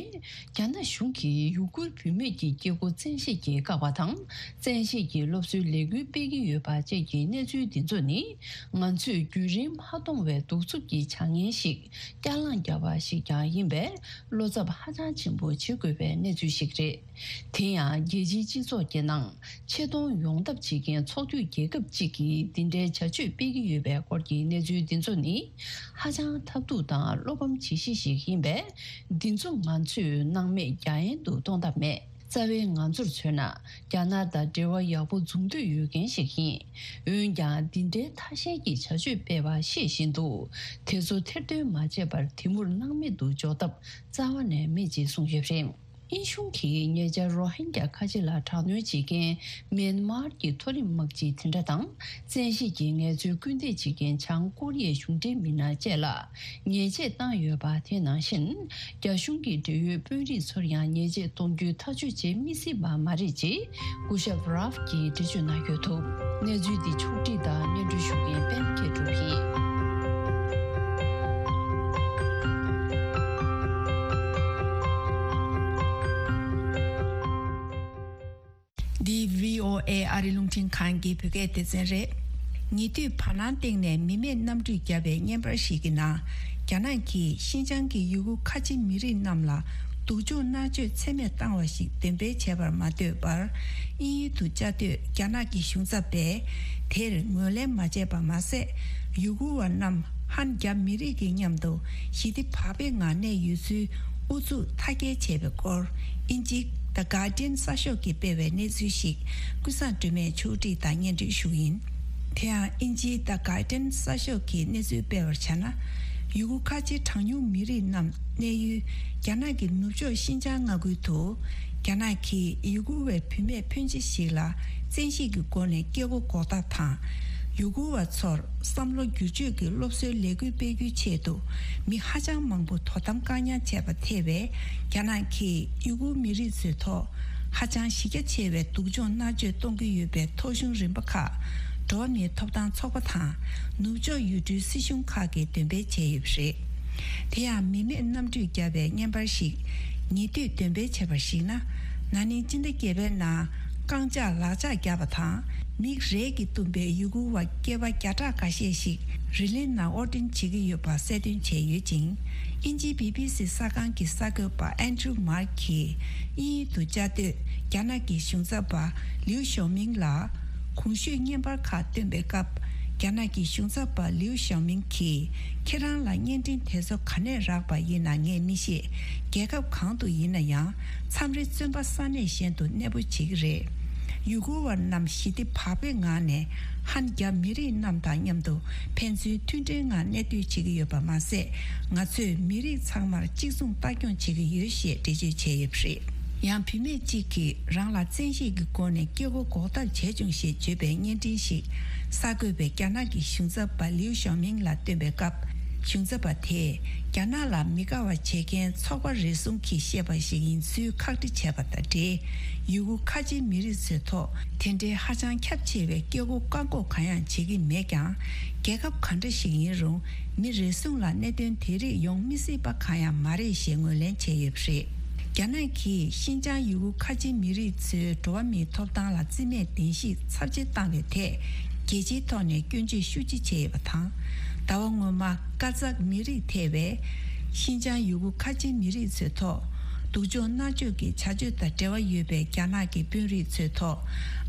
རྒྱ་ནག་གཞུང་གིས་ཡུ་གུར་བུད་མེད་ཀྱི་སྐྱེ་སྒོ་བཙན་ཤེད་ཀྱིས་བཀག་པ་དང་། བཙན་ཤེད་ཀྱིས་སློབ་གསོའི་ལས་འགུལ་སྤེལ་གྱི་ཡོད་པ་བཅས་ཀྱི་གནས་ཚུལ་འདི་ཚོ་ནི། ང་ཚོས་རྒྱུན་རིང་མ་མཐོང་བའི་གདུག་རྩུབ་ཀྱི་བྱ་ངན་ཞིག་བསྐྱར་ལངས་བརྒྱབ་པ་ཞིག་ཀྱང་ཡིན་པས། བློ་འཚབ་ཧ་ཅང་ཆེན་པོ་བྱེད་དགོས་པའི་གནས་ཚུལ་ཞིག་རེད། དེ་ཡང་རྒྱལ་སྤྱིའི་སྤྱི་ཚོགས་ཀྱི་ནང་ཆེ་མཐོང་ཡོང་ཐབས་བྱེད་མཁན་ཚོགས་འཐུས་རྒྱལ་ཁབ་ཅིག་གིས་འདི་འདྲའི་བྱ་སྤྱོད་སྤེལ་གྱི་ཡོད་པའི་སྐོར་གྱི་གནས་ཚུལ་འདི་ཚོ་ནི་ཧ་ཅང་ཐབས་སྡུག་དང་བློ་ཕམ་བྱེད་གཞི་ཞིག་ཡིན་པས། འདི་ཚོ་ང་ཚོས་སྣང་མེད་རྒྱག་ཡན་དུ་གཏོང་ཐབས་མེད། རྩ་བའི་ང་ཚོར་མཚོན་ན། རྒྱ་ནག་དང་འབྲེལ་བ་ཡག་པོ་འཛུགས་འདོད་ཡོད་མཁན་ཞིག་ཡིན། འོན་ཀྱང་། འདི་འདྲའི་ཐ་ཤལ་གྱི་བྱ་སྤྱོད་སྤེལ་བ་ཤེས་བཞིན་དུ། དེ་ཚོ་ཐེར་འདོན་མ་བྱས་པར་དེ་མུར་སྣང་མེད་དུ་འཇོག་ཐབས་རྩ་བ་ནས་མེད་ཅེས་གསུངས་ཡོད་པ་རེད། དབྱིན་གཞུང་གིས་ཉེ་ཆར་རོ་ཧིན་རྒྱ་ཁ་ཆེ་ལ་དྲག་གནོན་བྱེད་མཁན་མེན་མར་གྱི་མཐོ་རིམ་དམག་སྤྱི་དེ་འདྲ་དང་། བཙན་ཤེད་ཀྱིས་ངལ་རྩོལ་སྐུལ་འདེད་བྱེད་མཁན་བྱང་ཀོ་རི་ཡའི་གཞུང་འབྲེལ་མི་སྣ་བཅས་ལ་ཉེས་ཆད་བཏང་ཡོད་པ། དེ་ནང་བཞིན། རྒྱ་གཞུང་གི་འབྲེལ་ཡོད་དཔོན་རིགས་ཚོར་ཡང་ཉེས་ཆད་གཏོང་རྒྱུའི་ཐག་གཅོད་བྱེད་མི་སྲིད་པ་མ་རེད་ཅེས་སྐུ་ཞབས་རཱབ་ཀྱིས་འགྲེལ་བརྗོད་གནང་ཡོད་འདུག། གནས་ཚུལ་འདི་ཕྱོགས་བསྒྲིགས་དང་སྙན་སྒྲོན་ཞུ་མཁན་པད་མ་མཁས་གྲུབ་ཡིན། འདི་བྷི་ཨོ་ཨེ་ཨ་རི་རླུང་འཕྲིན་ཁང་གི་བོད་སྐད་སྡེ་ཚན་རེད། ཉེ་དུས་བར་སྣང་སྟེང་ནས་མི་མེད་གནམ་གྲུས་བརྒྱབ་པའི་བརྙན་པར་ཞིག་གི་ནང་། རྒྱ་ནག་གིས་ཤིན་ཅང་གི་ཡུ་གུར་ཁ་ཆེ་མི་རིགས་རྣམས་ལ་སྡུག་སྦྱོང་མནར་གཅོད་ཚད་མེད་བཏང་བ་ཞིག་འདོན་སྤེལ་བྱས་པར་མ་ལྟོས་པར། དབྱིན་ཡུལ་དུ་བཅའ་སྡོད་རྒྱ་ནག་གི་གཞུང་ཚབ་པས། དེར་ངོས་ལེན་མ་བྱས་པ་མ་ཟད། ཡུ་གུར་བ་རྣམས་ཧན་རྒྱ་མི་རིགས་ཀྱི་མཉམ་དུ་ཞི་བདེ་བག་ཕེབས་ངང་གནས་ཡོད་ཚུལ་ཨུ་ཚུགས་མཐའ་སྐྱེལ་བྱས་པའི་སྐོར། དབྱིན་ཇིའི་The Guardian གསར་ཤོག་གིས་སྤེལ་བའི་གནས་ཚུལ་ཞིག་ཀུན་བཟང་སྒྲོལ་མས་ཕྱོགས་སྒྲིག་དང་སྙན་སྒྲོན་ཞུ་གི་ཡིན། དེ་ཡང་དབྱིན་ཇིའི་The Guardian གསར་ཤོག་གིས་གནས་ཚུལ་སྤེལ་བར་བྱས་ན། ཡུ་གུར་ཁ་ཆེ་གྲངས་ཉུང་མི་རིགས་རྣམས་གནས་ཡུལ་རྒྱ་ནག་གི་ནུབ་ཕྱོགས་ཤིན་ཅང་མངའ་ཁུལ་དུ། རྒྱ་ནག་གིས་ཡུ་གུར་བའི་བུད་མེད་ཕོན་ཆེ་ཞིག་ལ་བཙན་ཤེད་ཀྱི་སྒོ་ནས་སྐྱེ་སྒོ་འགོག་ཐབས་དང་། ཡུ་གུར་བ་ཚོར་བསམ་བློ་བསྒྱུར་བཅོས་ཀྱི་སློབ་གསོའི་ལས་འགུལ་སྤེལ་རྒྱུའི་ཆེད་དུ། མི་ཧ་ཅང་མང་པོ་དོ་དམ་བཀག་ཉར་བྱས་པ་ཐེ་བའི་རྒྱ་ནག་གིས་ཡུ་གུར་མི་རིགས་ཚོའི་ཐོག་ཧ་ཅང་གཞི་རྒྱ་ཆེ་བའི་སྡུག་སྦྱོང་མནར་གཅོད་གཏོང་གི་ཡོད་པའི་ཐོ་གཞུང་རིམ་པ་ཁག་འགྲོ་བ་མིའི་ཐོབ་ཐང་ཚོགས་པ་དང་ནུབ་ཕྱོགས་ཡུལ་གྲུའི་སྲིད་གཞུང་ཁག་གིས་འདོན་སྤེལ་བྱས་ཡོད་པ་རེད། དེ་ཡང་མི་མེད་གནམ་གྲུས་བརྒྱབ་པའི་བརྙན་པར་ཞིག་ཉེ་དུས་འདོན་སྤེལ་བྱས་པར་གཞིགས་ན། ན་ནིང་སྤྱི་ཟླ་བརྒྱད་པའི་ནང་རྐང་ལྕགས་ལག་ལྕགས་བརྒྱབ་པ་དང་། མིག་རས་ཀྱིས་བཏུམས་པའི་ཡུ་གུར་བ་སྐྱེས་པ་བརྒྱ་ཕྲག་འགའ་ཤས་ཤིག་རི་ལི་ནང་དབོར་འདྲེན་བྱེད་ཀྱི་ཡོད་པ་གསལ་སྟོན་བྱས་ཡོད་ཅིང་། དབྱིན་ཇིའི་བྷི་བྷི་སི་གསར་ཁང་གི་གསར་འགོད་པ་ཨན་ཌྲུ་མར་གྱིས་དབྱིན་ཡུལ་དུ་བཅའ་སྡོད་རྒྱ་ནག་གི་གཞུང་ཚབ་པ་ལིའུ་ཞའོ་མིང་ལ། གོང་ཞུས་བརྙན་པར་ཁག་བཏོན་པའི་སྐབས། རྒྱ་ནག་གི་གཞུང་ཚབ་པ་ལིའུ་ཞའོ་མིང་གིས། ཁྱེད་རང་ལ་བརྙན་འཕྲིན་དེ་ཚོ་ག་ནས་རག་པ་ཡིན་ན་ངས་མི་ཤེས། རྒྱལ་ཁབ་གང་དུ་ཡིན་ན་ཡང་། མཚམས་རེ་བཙོན་པ་ས་གནས་གཞན་དུ་གནས་སྤོ་བྱེད་ཀྱི་རེད། ཡུ་གུར་བ་རྣམས་ཞི་བདེ་བག་ཕེབས་ངང་ནས་ཧན་རྒྱ་མི་རིགས་རྣམས་དང་མཉམ་དུ་ཕན་ཚུན་མཐུན་སྒྲིལ་ངང་གནས་སྡོད་བྱེད་ཀྱི་ཡོད་པ་མ་ཟད། ང་ཚོས་མི་རིགས་ཚང་མར་གཅིག་མཚུངས་ལྟ་སྐྱོང་བྱེད་ཀྱི་ཡོད་ཞེས་འགྲེལ་བརྗོད་བྱས་ཡོད་པ་རེད། ཡང་བུད་མེད་ཅིག་གིས་རང་ལ་བཙན་ཤེད་ཀྱི་སྒོ་ནས་སྐྱེ་སྒོ་འགོག་ཐབས་བྱས་བྱུང་ཞེས་བརྗོད་པའི་བརྙན་འཕྲིན་ཞིག་གསར་འགོད་པས་རྒྱ་ནག་གི་གཞུང་ཚབ་པ་ལིའུ་ཞའོ་མིང་ལ་བཏོན་པའི་སྐབས། གཞུང་ཚབ་པ་དེས་རྒྱ་ནག་ལ་མི་དགའ་བ་བྱེད་མཁན་ཚོགས་པ་རེ་ཟུང་གིས་བཤད་པ་ཞིག་ཡིན་ཚུལ་ཁག་དཀྲི་བྱས་པ་དང་འབྲེལ། ཡུ་གུར་ཁ་ཆེའི་མི་རིགས་ཚོའི་ཐོག་དེ་འདྲའི་ཧ་ཅང་ཁྱབ་ཆེ་བའི་སྐྱེ་སྒོ་བཀག་འགོག་གང་ཡང་བྱེད་ཀྱི་མེད་ཀྱང་། རྒྱལ་ཁབ་གང་འདྲ་ཞིག་ཡིན་རུང་། མི་རེ་ཟུང་ལ་གནད་དོན་དེ་རིགས་ཡོང་མི་སྲིད་པ་གང་ཡང་མ་རེད་ཞེས་ངོས་ལེན་བྱས་ཡོད་པ་རེད། རྒྱ་ནག་གིས་ཤིན་ཅང་ཡུ་གུར་ཁ་ཆེ་མི་རིགས་ཚོའི་འགྲོ་བ་མིའི་ཐོབ་ཐང་ལ་བརྩི་མེད་བདེན་བཞི་ཚབས་ཆེ་བཏང་བའི་ཐད། རྒྱལ་སྤྱིའི་ཐོག་ནས་སྐྱོན་བརྗོད་ཤུགས་ཆེ་བྱས་ཡོད་པ་དང་། ཟླ་བ་སྔོན་མ་ཀ་ཛག་མི་རིགས་ཐེ་བའི་ཤིན་ཅང་ཡུ་གུར་ཁ་ཆེ་མི་རིགས་ཚོའི་ཐོག་སྡུག་སྦྱོང་མནར་གཅོད་ཀྱི་བྱ་སྤྱོད་དང་འབྲེལ་བ་ཡོད་པའི་རྒྱ་ནག་གི་དཔོན་རིགས་ཚོའི་ཐོག་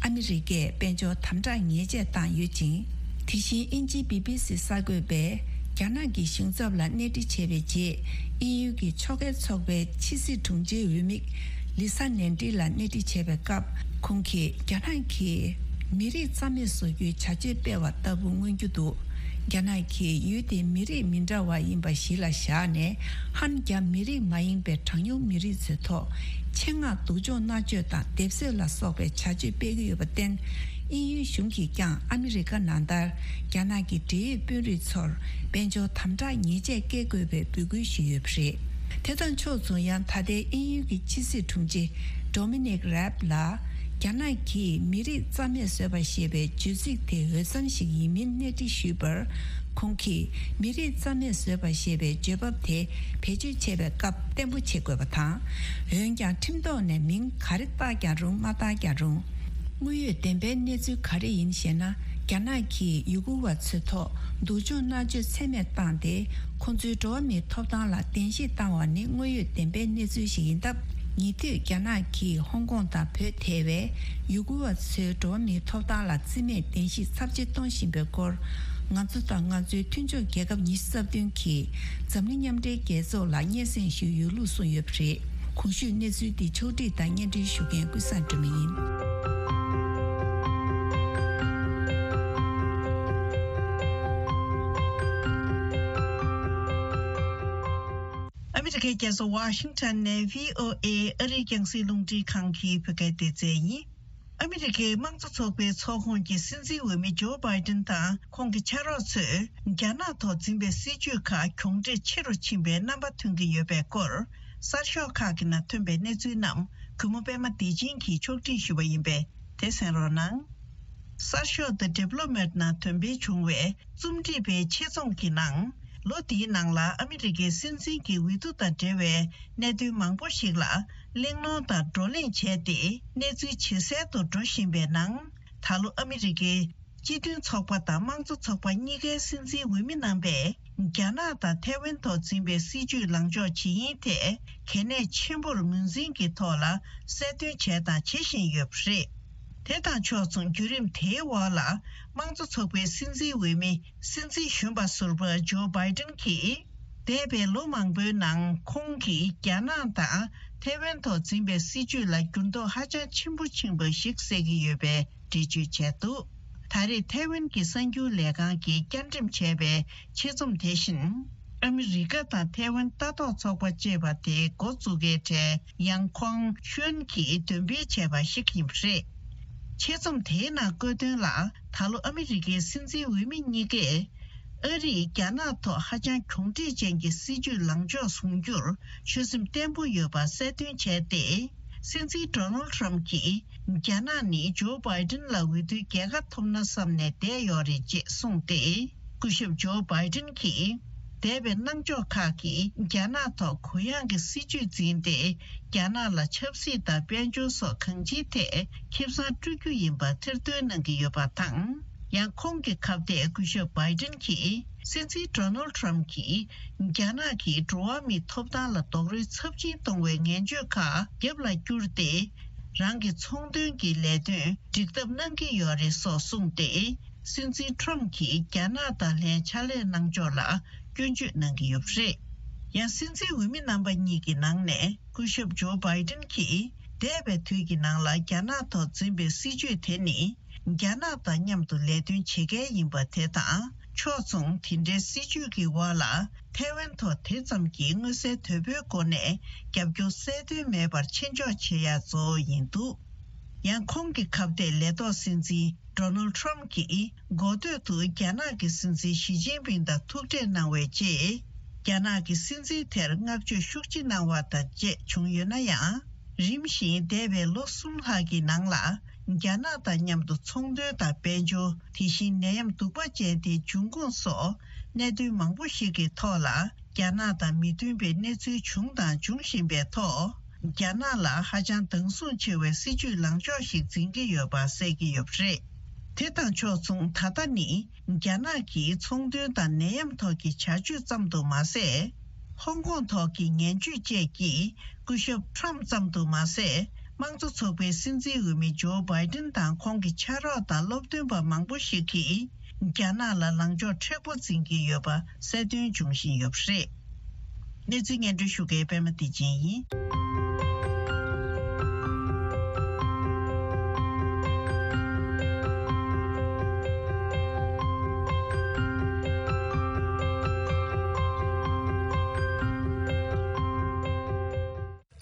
ཨ་མི་རི་ཀས་དཔལ་འབྱོར་དམ་དྲག་ཉེས་ཆད་བཏང་ཡོད་ཅིང་། དེ་བཞིན་དབྱིན་ཇིའི་བྷི་བྷི་སི་གསར་འགོད་པས་རྒྱ་ནག་གི་གཞུང་ཚབ་ལ་གནས་འདྲི་བྱས་པའི་རྗེས། དབྱིན་ཡུལ་གྱི་ཕྱོགས་འགལ་ཚོགས་པའི་ཕྱི་སྲིད་དྲུང་ཆེའི་འོས་མི་ལི་ས་ནན་ཏི་ལ་གནས་འདྲི་བྱས་པའི་སྐབས། ཁོང་གིས་རྒྱ་ནག་གིས་མི་རིགས་རྩ་མེད་བཟོ་རྒྱུའི་བྱ་སྤྱོད་སྤེལ་བ་ལྟ་བུ་མངོན་རྒྱུ་འདུག། རྒྱ་ནག་གིས་ཡུལ་དེའི་མི་རིགས་མི་འདྲ་བ་ཡིན་པ་གཞི་ལ་བཞག་ནས། ཧན་རྒྱ་མི་རིགས་མ་ཡིན་པའི་གྲངས་ཉུང་མི་རིགས་ཚོའི་ཐོག་ཆེད་མངགས་སྡུག་སྦྱོང་མནར་གཅོད་དང་སྡེབ་གསོད་ལ་སོགས་པའི་བྱ་སྤྱོད་སྤེལ་གྱི་ཡོད་པར་བརྟེན། དབྱིན་ཡུལ་གཞུང་གིས་ཀྱང་ཨ་མི་རི་ཀ་ནང་ལྟར་རྒྱ་ནག་གི་འབྲེལ་ཡོད་དཔོན་རིགས་ཚོར་དཔལ་འབྱོར་དམ་དྲག་ཉེས་ཆད་བཀལ་དགོས་པའི་འབོད་སྐུལ་ཞུས་ཡོད་པ་རེད། དེ་དང་ཕྱོགས་མཚུངས། ཡང་ད་ལྟའི་དབྱིན་ཡུལ་གྱི་ཕྱི་སྲིད་དྲུང་ཆེ་Dominic Raab ལ། རྒྱ་ནག་གིས་མི་རིགས་རྩ་མེད་བཟོས་པ་ཞེས་པའི་བརྗོད་ཚིག་དེ་འོས་འཚམ་ཞིག་ཡིན་མིན་གནས་འདྲི་ཞུས་པར། ཁོང་གིས་མི་རིགས་རྩ་མེད་བཟོས་པ་ཞེས་པའི་བརྗོད་བབ་དེ་བེད་སྤྱོད་བྱེད་པའི་སྐབས་བརྟན་པོ་བྱེད་དགོས་པ་དང་། འོན་ཀྱང་ཁྲིམས་ཐོག་ནས་མིང་ག་རེ་བཏགས་ཀྱང་རུང་མ་བཏགས་ཀྱང་རུང་། དངོས་ཡོད་བདེན་པའི་གནས་ཚུལ་ག་རེ་ཡིན་ཞེ་ན། རྒྱ་ནག་གིས་ཡུ་གུར་བ་ཚོའི་ཐོག་སྡུག་སྦྱོང་མནར་གཅོད་ཚད་མེད་བཏང་སྟེ། ཁོང་ཚོའི་འགྲོ་བ་མིའི་ཐོབ་ཐང་ལ་བདེན་བཞི་བཏང་བ་ནི་དངོས་ཡོད་བདེན་པའི་གནས་ཚུལ་ཞིག་ཡིན་སྟབས། ཉེ་དུས་རྒྱ་ནག་གིས་ཧོང་ཀོང་དང་བོད་ཐེ་བའི་ཡུ་གུར་བ་ཚོའི་འགྲོ་བ་མིའི་ཐོབ་ཐང་ལ་བརྩི་མེད་གཏན་ཞིབ་ཚབས་ཆེ་གཏོང་བཞིན་པའི་སྐོར། ང་ཚོ་དང་ང་ཚོའི་མཐུན་ཕྱོགས་རྒྱལ་ཁབ་ཉི་ཤུ་རྩ་བདུན་གྱིས་འཛམ་གླིང་མཉམ་འབྲེལ་རྒྱལ་ཚོགས་ལ་སྙན་སེང་ཞུས་ཡོད་ལུགས་གསུངས་ཡོད་པ་རེད། གོང་ཞུས་གནས་ཚུལ་འདི་ཕྱོགས་བསྒྲིགས་དང་སྙན་སྒྲོན་ཞུ་མཁན་ཀུན་བཟང་སྒྲོལ་མ་ཡིན། ཨ་མི་རི་ཀའི་རྒྱལ་ས་ཝ་ཤིང་ཊོན་ནས་བྷི་ཨོ་ཨེ་ཨ་རིའི་རྒྱང་སྲིང་རླུང་འཕྲིན་ཁང་གི་བོད་སྐད་སྡེ་ཚན་ཡིན། ཨ་མི་རི་ཀའི་དམངས་གཙོ་ཚོགས་པའི་ཚོགས་ཁོངས་ཀྱི་སྲིད་འཛིན་འོས་མི་ཇོ་བྷའི་ཏིན་དང་ཁོང་གི་ཕྱག་རོགས་ཚོས་རྒྱ་ནག་ཐོག་འཛིན་པའི་སྲིད་ཇུས་ཁག་གྱོང་འཕྲད་ཆེ་རུ་ཕྱིན་པའི་རྣམ་པ་ཐོན་གྱི་ཡོད་པའི་སྐོར། གསར་ཤོག་ཁག་གི་ནང་ཐོན་པའི་གནས་ཚུལ་རྣམས་གུས་མོ་པད་མ་བདེ་ཆེན་གྱིས་ཕྱོགས་སྒྲིག་ཞུས་པ་ཡིན་པས། དེ་གསན་རོགས་གནང་། གསར་ཤོག་The Diplomat ནང་ཐོན་སྤེལ་བྱུང་བའི་རྩོམ་སྒྲིག་པའི་ཆེད་རྩོམ་གྱི་ནང་། ལོ་འདིའི་ནང་ལ་ཨ་མི་རི་ཀའི་སྲིད་འཛིན་གྱི་འོས་བསྡུ་དང་འབྲེལ་བའི་གནད་དོན་མང་པོ་ཞིག་ལ་གླེང་སློང་དང་བགྲོ་གླེང་བྱས་ཏེ། གནས་ཚུལ་ཇེ་གསལ་དུ་འགྲོ་བཞིན་པའི་ནང་། ད་ལོ་ཨ་མི་རི་ཀའི་སྤྱི་མཐུན་ཚོགས་པ་དང་དམངས་གཙོ་ཚོགས་པ་གཉིས་ཀའི་སྲིད་འཛིན་འོས་མི་རྣམ་པས། རྒྱ་ནག་དང་ཐའེ་ཝན་ཐོག་འཛིན་པའི་སྲིད་ཇུས་ལངས་ཕྱོགས་ཇི་ཡིན་ཐད་གལ་གནད་ཆེན་པོར་ངོས་འཛིན་གྱི་ཐོག་ལ་གསལ་སྟོན་བྱས་དང་བྱེད་བཞིན་ཡོད་པ་རེད། དེ་དང་ཕྱོགས་མཚུངས་བརྒྱུད་རིམ་དེའི་འོག་ལ་དམངས་གཙོ་ཚོགས་པའི་སྲིད་འཛིན་འོས་མི་སྲིད་འཛིན་གཞོན་པ་ཟུར་པ་ཇོ་བྷའི་ཏིན་གྱིས། འདས་པའི་ལོ་མང་པོའི་ནང་ཁོང་གིས་རྒྱ་ནག་དང་ཐའེ་ཝན་ཐོག་འཛིན་པའི་སྲིད་ཇུས་ལ་འགྱུར་ལྡོག་ཧ་ཅང་ཆེན་པོ་ཕྱིན་པ་ཞིག་གསལ་གྱི་ཡོད་པའི་འགྲེལ་བརྗོད་བྱས་འདུག་ད་རེས་ཐའེ་ཝན་གྱི་གསར་འགྱུར་ལས་ཁང་གིས་བསྐྱར་འགྲེམས་བྱས་པའི་ཆེད་རྩོམ་དེ་བཞིན། ཨ་མི་རི་ཀ་དང་ཐའེ་ཝན་ལྟ་རྟོག་ཚོགས་པ་ཅེས་པ་དེའི་འགོ་འཛུགས་མཁན་གྲས་ཡང་ཁོང་ཤུན་གྱིས་འདོན་སྤེལ་བྱས་པ་ཞིག་ཡིན་པ་རེད། ཆེད་རྩོམ་དེའི་ནང་བཀོད་དོན་ལ། ད་ལོ་ཨ་མི་རི་ཀའི་སྲིད་འཛིན་འོས་མི་གཉིས་ཀས། ཨ་རིས་རྒྱ་ནག་ཐོག་ཧ་ཅང་གྱོང་འཕྲད་ཅན་གྱི་སྲིད་ཇུས་ལངས་ཕྱོགས་བཟུང་རྒྱུར་ཆོད་སེམས་བརྟན་པོ་ཡོད་པ་གསལ་སྟོན་བྱས་ཏེ། སྲིད་འཛིན་ཌོ་ནལ་ཊམ་གྱིས་རྒྱ་ནག་ནི་ཇོ་བྷའི་ཏིན་ལ་འོས་བསྡུའི་རྒྱལ་ཁ་ཐོབ་ན་བསམ་ནས་བསྡད་ཡོད་རེད་ཅེས་གསུངས་ཏེ། སྐུ་ཞབས་ཇོ་བྷའི་ཏིན་གྱིས། འདས་པའི་གནང་ཕྱོགས་ཁག་གིས་རྒྱ་ནག་ཐོག་གུ་ཡངས་ཀྱི་སྲིད་ཇུས་འཛིན་ཏེ། རྒྱ་ནག་ལ་ཆབ་སྲིད་དང་དཔལ་འབྱོར་སོགས་གང་ཅིའི་ཐད་ཁེ་བཟང་སྤྲོད་རྒྱུ་ཡིན་པ་ཐེར་འདོན་གནང་གི་ཡོད་པ་དང་། ཡང་ཁོང་གི་ཁ་གཏད་སྐུ་ཞབས་བྷའི་ཏིན་གྱིས། སྲིད་འཛིན་ཌོ་ནལ་ཊམ་གྱིས། རྒྱ་ནག་གིས་འགྲོ་བ་མིའི་ཐོབ་ཐང་ལ་རྡོག་རོལ་ཚབས་ཆེན་གཏོང་བའི་ངན་བྱུས་ཁག་རྒྱབ་ལ་བསྐྱུར་ཏེ། རང་གི་ཚོང་དོན་གྱི་ལས་དོན་འགྲིག་ཐབས་གནང་གི་ཡོད་རེད་སོགས་གསུངས་ཏེ། སྲིད་འཛིན་ཊམ་གྱིས་རྒྱ་ནག་དང་ལྷན་ཕྱག་ལས་གནང་ཕྱོགས་ལ་སྐྱོན་བརྗོད་གནང་གི་ཡོད་པ་རེད། ཡང་སྲིད་འཛིན་འོས་མི་རྣམ་པ་གཉིས་ཀྱི་ནང་ནས་སྐུ་ཞབས་ཇོ་བྷའི་ཏིན་གྱིས། འདས་པའི་དུས་ཀྱི་ནང་ལ་རྒྱ་ནག་ཐོག་འཛིན་པའི་སྲིད་ཇུས་དེ་ནི། རྒྱ་ནག་དང་མཉམ་དུ་ལས་དོན་བྱེད་མཁན་ཡིན་པ་དེ་དང་། ཕྱོགས་མཚུངས་དེ་འདྲའི་སྲིད་ཇུས་ཀྱི་འོག་ལ། ཐའེ་ཝན་ཐོག་དེ་ཙམ་གྱིས་མངོན་གསལ་དོད་པོའི་སྒོ་ནས་རྒྱབ་སྐྱོར་གསལ་སྟོན་མེད་པར་ཆེ་འཇོག་བྱེད་ཡག་གཙོ་བོ་ཡིན་འདུག་ཡང་ཁོང་གི་ཁ་གཏད་ལས་ཐོག་སྲིད་འཛིན་ཌོ་ནལ་ཊམ་གྱིས། འགོ་སྟོད་དུ་རྒྱ་ནག་གི་སྲིད་འཛིན་ཞི་ཅིན་ཕིང་དང་ཐུག་འཕྲད་གནང་བའི་རྗེས། རྒྱ་ནག་གི་སྲིད་འཛིན་དེར་བསྔགས་བརྗོད་ཤུགས་ཆེ་གནང་བ་དང་བཅས་བྱུང་ཡོད་ན་ཡང་། རིམ་བཞིན་འདས་པའི་ལོ་གསུམ་ལྷག་གི་ནང་ལ། རྒྱ་ནག་དང་མཉམ་དུ་ཚོང་དོན་དང་དཔལ་འབྱོར། དེ་བཞིན་ནད་ཡམས་གདུག་པ་ཅན་དེའི་འབྱུང་ཁུངས་སོགས་གནད་དོན་མང་པོ་ཞིག་གི་ཐོག་ལ། རྒྱ་ནག་དང་མི་མཐུན་པའི་གནས་ཚུལ་བྱུང་དང་འབྱུང་བཞིན་པའི་ཐོག་རྒྱ་ནག་ལ་ཧ་ཅང་སྡང་ཟུག་ཆེ་བའི་སྲིད་ཇུས་ལངས་ཕྱོགས་ཤིག་འཛིན་གྱི་ཡོད་པ་གསལ་གྱི་ཡོད་པ་རེད། དེ་དང་ཕྱོགས་མཚུངས་ད་ལྟ་ནི། རྒྱ་ནག་གིས་ཚོང་དོན་དང་ནད་ཡམས་ཐོག་གི་བྱ་སྤྱོད་ཙམ་དུ་མ་ཟད། ཧོང་ཀོང་ཐོག་གི་ངན་ཇུས་བཅས་ཀྱིས་སྐུ་ཞབས་ཁྲམ་ཙམ་དུ་མ་ཟད། དམངས་གཙོ་ཚོགས་པའི་སྲིད་འཛིན་འོས་མི་ཇོ་བྷའི་ཏིན་དང་ཁོང་གི་ཕྱག་རོགས་དང་སློབ་སྟོན་པ་མང་པོ་ཞིག་གིས། རྒྱ་ནག་ལ་ལངས་ཕྱོགས་མཁྲེགས་པོ་འཛིན་གྱི་ཡོད་པ་གསལ་སྟོན་འབྱུང་བཞིན་ཡོད་པ་རེད། གནས་ཚུལ་སྙན་སྒྲོན་ཞུ་མཁན་པད་མ་བདེ་ཆེན་ཡིན།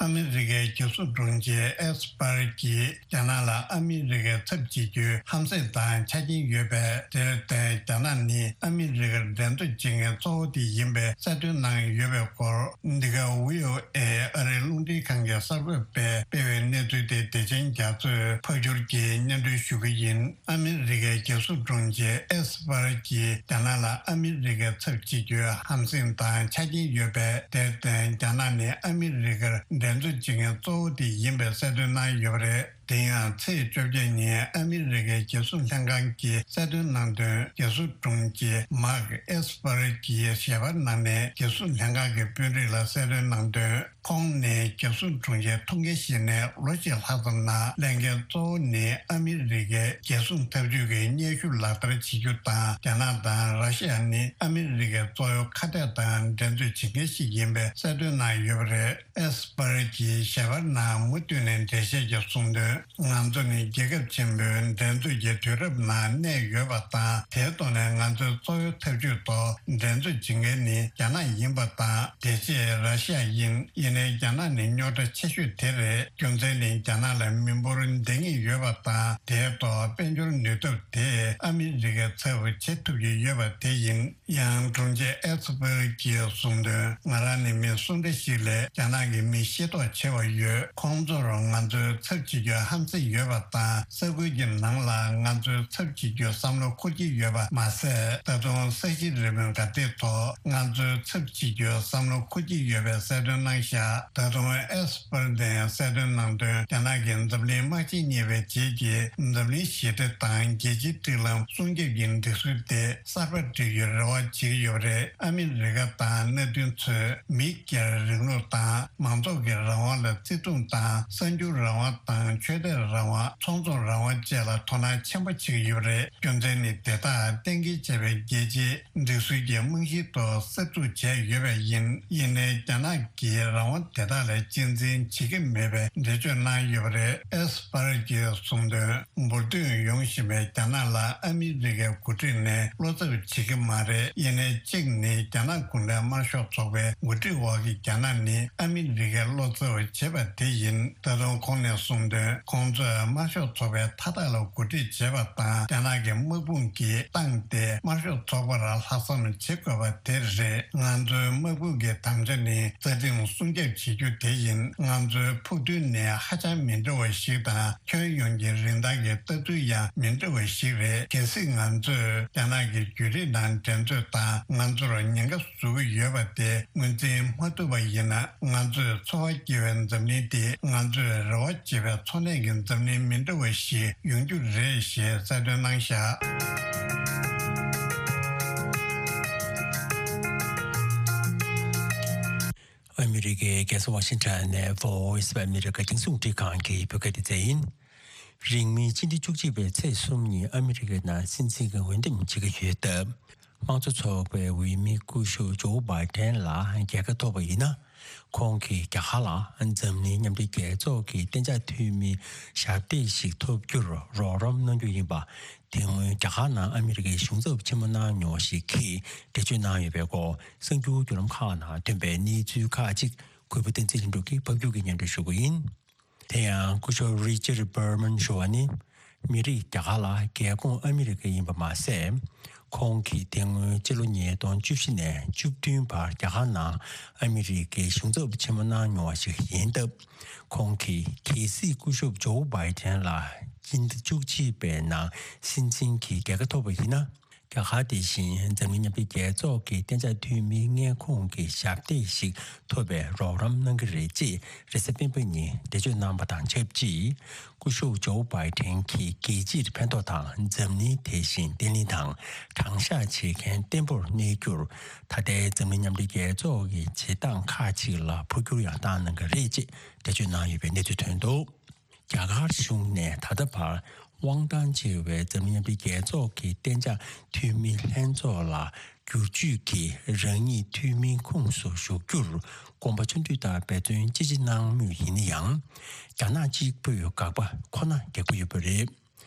ཨ་མི་རི་ཀའི་རྒྱལ་སྲུང་དྲུང་ཆེ་ཨེས་པར་གྱིས་རྒྱ་ནག་ལ་ཨ་མི་རི་ཀའི་ཚབ་བྱེད་རྒྱུའི་ཧམ་སེམས་དང་ཆ་རྐྱེན་ཡོད་པས། དེར་བརྟེན་རྒྱ་ནག་ནི་ཨ་མི་རི་ཀར་འགྲན་རྩོད་བྱེད་མཁན་གཙོ་བོ་དེ་ཡིན་པའི་གསལ་སྟོན་གནང་ཡོད་པའི་སྐོར། འདི་ག་བྷི་ཨོ་ཨེ་ཨ་རིའི་རླུང་འཕྲིན་ཁང་གིས་གསར་འགོད་པས་སྤེལ་བའི་གནས་ཚུལ་དེ་བདེ་ཆེན་རྒྱ་མཚོས་ཕབ་སྒྱུར་གྱིས་སྙན་སྒྲོན་ཞུ་གི་ཡིན། ཨ་མི་རི་ཀའི་རྒྱལ་སྲུང་དྲུང་ཆེ་ཨེས་པར་གྱིས་རྒྱ་ནག་ལ་ཨ་མི་རི་ཀའི་ཚབ་བྱེད་རྒྱུའི་ཧམ་སེམས་དང་ཆ་རྐྱེན་ཡོད་པས། དེར་བརྟེན་རྒྱ་ནག་ནི་ཨ་མི་རི་ཀར་འགྲན་རྩོད་བྱེད་མཁན་གཙོ་བོ་དེ་ཡིན་པའི་གསལ་སྟོན་གནང་ཡོད་པ་རེད། དེ་ཡང་ཚེས་བཅོ་བརྒྱད་ཉིན་ཨ་མི་རི་ཀའི་རྒྱལ་སྲུང་ལྷན་ཁང་གིས་གསལ་སྟོན་གནང་དོན། རྒྱལ་སྲུང་དྲུང་ཆེ་མཱག་ཨེས་པར་གྱིས་ཞལ་པར་གནང་ནས། རྒྱལ་སྲུང་ལྷན་ཁང་གི་དཔོན་རིགས་ལ་གསལ་སྟོན་གནང་དོན། ཁོང་ནི་རྒྱལ་སྲུང་དྲུང་ཆེ་ཐུགས་འགན་བཞེས་ནས་ལོ་གཅིག་ལྷག་ཙམ་ནང་ལས་འགན་གཙོ་བོ་ནི་ཨ་མི་རི་ཀའི་རྒྱལ་སྲུང་འཐབ་ཇུས་ཀྱི་སྙན་ཞུ་ལག་བསྟར་བྱེད་རྒྱུ་དང་། རྒྱ་ནག་དང་ར་ཤི་ཡ་ནི་ཨ་མི་རི་ཀའི་གཙོ་བོའི་ཁ་གཏད་དང་འགྲན་རྩོད་བྱེད་མཁན་ཞིག་ཡིན་པའི་གསལ་སྟོན་གནང་ཡོད་པ་རེད། ཨེས་པར་གྱིས་ཞལ་པར་ནང་མུ་མཐུད་ནས་འགྲེལ་བཤད་ཀྱིས་གསུངས་དོན། ང་ཚོ་ནི་རྒྱལ་ཁབ་ཆེན་པོའི་འགྲན་རྩོད་ཀྱི་དུས་རབས་ནང་གནས་ཡོད་པ་དང་། དེའི་ཐོག་ནས་ང་ཚོའི་གཙོ་བོའི་འཐབ་ཇུས་ཐོག་འགྲན་རྩོད་བྱེད་མཁན་ནི་རྒྱ་ནག་ཡིན་པ་དང་། དེ་རྗེས་ར་ཤི་ཡ་ཡིན། ཡིན་ནའི་རྒྱ་ནག་ནི་རྙོག་དྲ་ཆེ་ཤོས་དེ་རེད། རྒྱུ་མཚན་ནི་རྒྱ་ནག་ལ་མི་འབོར་འདང་ངེས་ཡོད་པ་དང་། དེའི་ཐོག་དཔལ་འབྱོར་ནུས་སྟོབས་དེས་ཨ་མི་རི་ཀའི་ཚབ་བྱེད་ཐུབ་ཀྱི་ཡོད་པ་དེ་ཡིན། ཡང་དྲུང་ཆེ་ཨེ་ཚ་པེལ་གྱིས་གསུངས་དོན། ང་རང་ནི་མི་སུ་འདྲ་ཞིག་ལས་རྒྱ་ནག་གི་མི་ཤེས་རྟོགས་ཆེ་བ་ཡོད། ཁོང་ཚོར་ང་ཚོའི་ཚབ་བྱེད་རྒྱུ་ཧམ་སེམས་ཡོད་པ་དང་། ས་ཁུལ་གྱི་ནང་ལ་ང་ཚོའི་ཚབ་བྱེད་རྒྱུ་བསམ་བློ་འཁོར་གྱི་ཡོད་པ་མ་ཟད། ད་དུང་ས་གཞི་རི་མོའི་དགའ་སྡེ་ཐོག་ང་ཚོའི་ཚབ་བྱེད་རྒྱུ་བསམ་བློ་འཁོར་གྱི་ཡོད་པའི་གསལ་སྟོན་གནང་བཞག་ད་དུང་ཨེས་པར་དེས་གསལ་སྟོན་གནང་དོན། རྒྱ་ནག་གིས་འཛམ་གླིང་དམག་ཆེན་གཉིས་པའི་རྗེས་ཀྱི་འཛམ་གླིང་ཞི་བདེ་དང་རྒྱལ་སྤྱིའི་སྒྲིག་ལམ་སྲུང་སྐྱོབ་ཀྱི་སྒྲིག་སྲོལ་དེ་གསར་པ་སྒྲིག་རྒྱུའི་རེ་བ་བྱེད་ཀྱི་ཡོད་པ་རེད། ཨ་མི་རི་ཀ་དང་མནའ་མཐུན་ཚོས་མི་སྒེར་རིང་ལུགས་དང་མང་ཚོགས་ཀྱི་རང་དབང་ལ་བརྩི་མཐོང་དང་། གསར་འགྱུར་རང་དབང་དང་ཆོས་དད་རང་དབང་། ཚོགས་འཛོམས་རང་དབང་བཅས་ལ་དོ་སྣང་ཆེན་པོ་བྱེད་ཀྱི་ཡོད་པ་རེད། རྒྱུ་མཚན་ནི་དེ་དག་གཏན་འཁེལ་བྱས་པའི་རྒྱལ་སྤྱིའི་སྒྲིག་སྲོལ་གྱི་རྨང་གཞིའི་ཐོག་གསར་འཛུགས་བྱས་ཡོད་པས་ཡིན། ཡིན་ནའི་རྒྱ་ནག་གིས་རང་དབང་དེ་དག་ལ་གཅེས་འཛིན་བྱེད་ཀྱི་མེད་པའི་འགྲེལ་བརྗོད་གནང་ཡོད་པ་རེད། ཨེས་པར་གྱིས་གསུངས་དོན། འབུར་ཐོན་ཡོང་བཞིན་པའི་རྒྱ་ནག་ལ་ཨ་མི་རི་ཀའི་འགོ་ཁྲིད་ནས་བློ་འཚབ་བྱེད་ཀྱི་མ་རེད། ཡིན་ནའི་གཅིག་ནི་རྒྱ་ནག་གུང་ཁྲན་དམར་ཤོག་ཚོགས་པའི་འགོ་ཁྲིད་འོག་གི་རྒྱ་ནག་ནི་ཨ་མི་རི་ཀའི་བློ་འཚབ་བྱེད་པ་དེ་ཡིན། ད་དུང་ཁོང་ནས་གསུངས་དོན། ཁོང་ཚོས་དམར་ཤོག་ཚོགས་པའི་མཐའ་དག་ལ་འགོ་ཁྲིད་བྱེད་པ་དང་། རྒྱ་ནག་གི་དམག་དཔུང་གིས་བཏང་སྟེ་དམར་ཤོག་ཚོགས་པར་ལྷག་བསམ་བྱེད་དགོས་པ་དེ་རེད། ང་ཚོའི་དམག་དཔུང་གི་དམ་བཅའ་ནི་རྩ་ཁྲིམས་སྲུང་སྐྱོབ་བྱེད་རྒྱུ་དེ་ཡིན། ང་ཚོའི་ཕུགས་འདུན་ནི་ཧ་ཅང་མི་འདྲ་བ་ཞིག་དང་། ཁྱོན་ཡོངས་ཀྱི་རིན་ཐང་གི་ལྟ་ཚུལ་ཡང་མི་འདྲ་བ་ཞིག་རེད། གལ་སྲིད་ང་ཚོས་རྒྱ་ནག་གི་བརྒྱུད་རིམ་ནང་འགྲན་རྩོད་དང་ང་ཚོར་ཉེན་ཁ་བཟོ་གི་ཡོད་པ་དེ་ངོས་འཛིན་མ་ཐུབ་པ་ཡིན་ན། ང་ཚོས་འཚོ་བ་སྐྱེལ་བའི་འཛམ་གླིང་དེ་ང་ཚོས་རེ་བ་བྱེད་པའི་འཚོ་གནས་ཀྱི་འཛམ་གླིང་མི་འདྲ་བ་ཞིག་ཡོང་རྒྱུ་རེད་ཞེས་གསལ་སྟོན་གནང་བཞག་ཨ་མི་རི་ཀའི་རྒྱལ་ས་ཝ་ཤིང་ཊོན་ནས་Voice of America་རྒྱང་སྲིང་རླུང་འཕྲིན་ཁང་གི་བོད་སྐད་སྡེ་ཚན་ཡིན། རིང་མིན་སྤྱི་ཟླ་བཅུ་གཅིག་པའི་ཚེས་གསུམ་ཉིན་ཨ་མི་རི་ཀའི་ནང་སྲིད་འཛིན་གྱི་འོས་འདེམས་བྱེད་ཀྱི་ཡོད་སྟབས། དམངས་གཙོ་ཚོགས་པའི་འོས་མི་སྐུ་ཞབས་ཇོ་བྷའི་ཏན་ལ་རྒྱལ་ཁ་ཐོབ་པ་ཡིན་ན། ཁོང་གིས་རྒྱ་གར་ལ་འཛམ་གླིང་མཉམ་འབྲེལ་རྒྱལ་ཚོགས་ཀྱི་གཏན་འཇགས་འཐུས་མིའི་ཞབས་སྟེགས་ཤིག་ཐོབ་རྒྱུར་རོགས་རམ་གནང་རྒྱུ་ཡིན་པ། དེ་སྔོན་རྒྱ་གར་ནང་ཨ་མི་རི་ཀའི་གཞུང་ཚབ་ཆེན་མོ་གནང་མྱོང་བ་ཞིག་གིས་འགྲེལ་བརྗོད་གནང་ཡོད་པའི་སྐོར་གསར་འགྱུར་བརྒྱུད་ལམ་ཁག་ནང་ཐོན་པའི་གནས་ཚུལ་ཁག་ཅིག་གུས་པ་བསྟན་འཛིན་ལྷུན་གྲུབ་ཀྱིས་ཕབ་སྒྱུར་གྱིས་སྙན་སྒྲོན་ཞུ་གི་ཡིན། དེ་ཡང་སྐུ་ཞབས་Richard Berman་ཞུ་བ་ནི། མི་རིགས་རྒྱ་གར་ལ་རྒྱལ་ཁོངས་ཨ་མི་རི་ཀ་ཡིན་པ་མ་ཟད། ཁོང་གིས་དེ་སྔོན་སྤྱི་ལོ་ཉིས་སྟོང་བཅུ་བཞི་ནས་བཅུ་བདུན་བར་རྒྱ་གར་ནང་ཨ་མི་རི་ཀའི་གཞུང་ཚབ་ཆེན་མོ་གནང་མྱོང་བ་ཞིག་ཡིན་སྟབས། ཁོང་གིས་གལ་སྲིད་སྐུ་ཞབས་ཇོ་བྷའི་ཏན་ལ་སྤྱི་ཟླ་བཅུ་གཅིག་པའི་ནང་སྲིད་འཛིན་གྱི་རྒྱལ་ཁ་ཐོབ་པ་ཡིན་ན། རྒྱ་གར་དེ་བཞིན་འཛམ་གླིང་མཉམ་འབྲེལ་རྒྱལ་ཚོགས་ཀྱི་གཏན་འཇགས་འཐུས་མིའི་མངའ་ཁོངས་ཀྱི་ཞབས་སྟེགས་ཤིག་ཐོབ་པའི་རོགས་རམ་གནང་གི་རེད་ཅེས་རེས་གཟའ་སྤེན་པ་ཉིན་འགྲེལ་བརྗོད་གནང་བ་དང་ཆབས་ཅིག་སྐུ་ཞབས་ཇོ་བྷའི་ཏན་གྱིས་རྒྱལ་སྤྱིར་ཕན་ཐོགས་དང་འཛམ་གླིང་དེ་བཞིན་བརྟན་ལྷིང་དང་དྲང་གཞག་བྱེད་མཁན་བརྟན་པོར་གནས་རྒྱུར། ད་ལྟའི་འཛམ་གླིང་མཉམ་འབྲེལ་རྒྱལ་ཚོགས་ཀྱི་བྱེད་སྟངས་ཁག་ཅིག་ལ་འཕོ་འགྱུར་ཡང་བཏང་གནང་གི་རེད་ཅེས་འགྲེལ་བརྗོད་གནང་ཡོད་པའི་གནས་ཚུལ་ཐོན་འདུག་རྒྱ་གར་གཞུང་ནས་ད་ལྟ་བར་དབང་ཐང་ཆེ་བའི་འཛམ་གླིང་མཉམ་འབྲེལ་རྒྱལ་ཚོགས་ཀྱི་གཏན་འཇགས་འཐུས་མི་ལྷན་ཚོགས་ལ་བསྒྱུར་བཅོས་ཀྱིས་རང་ཉིད་འཐུས་མིའི་ཁོངས་སུ་ཞུགས་རྒྱུར་དགོངས་པ་ཆུང་དུས་ལྟར་འབད་བརྩོན་ཅི་ཆེ་གནང་མུས་ཡིན་ན་ཡང་། རྒྱ་ནག་གཅིག་པུས་དགག་པ་ཁོ་ན་རྒྱག་གི་ཡོད་པ་རེད།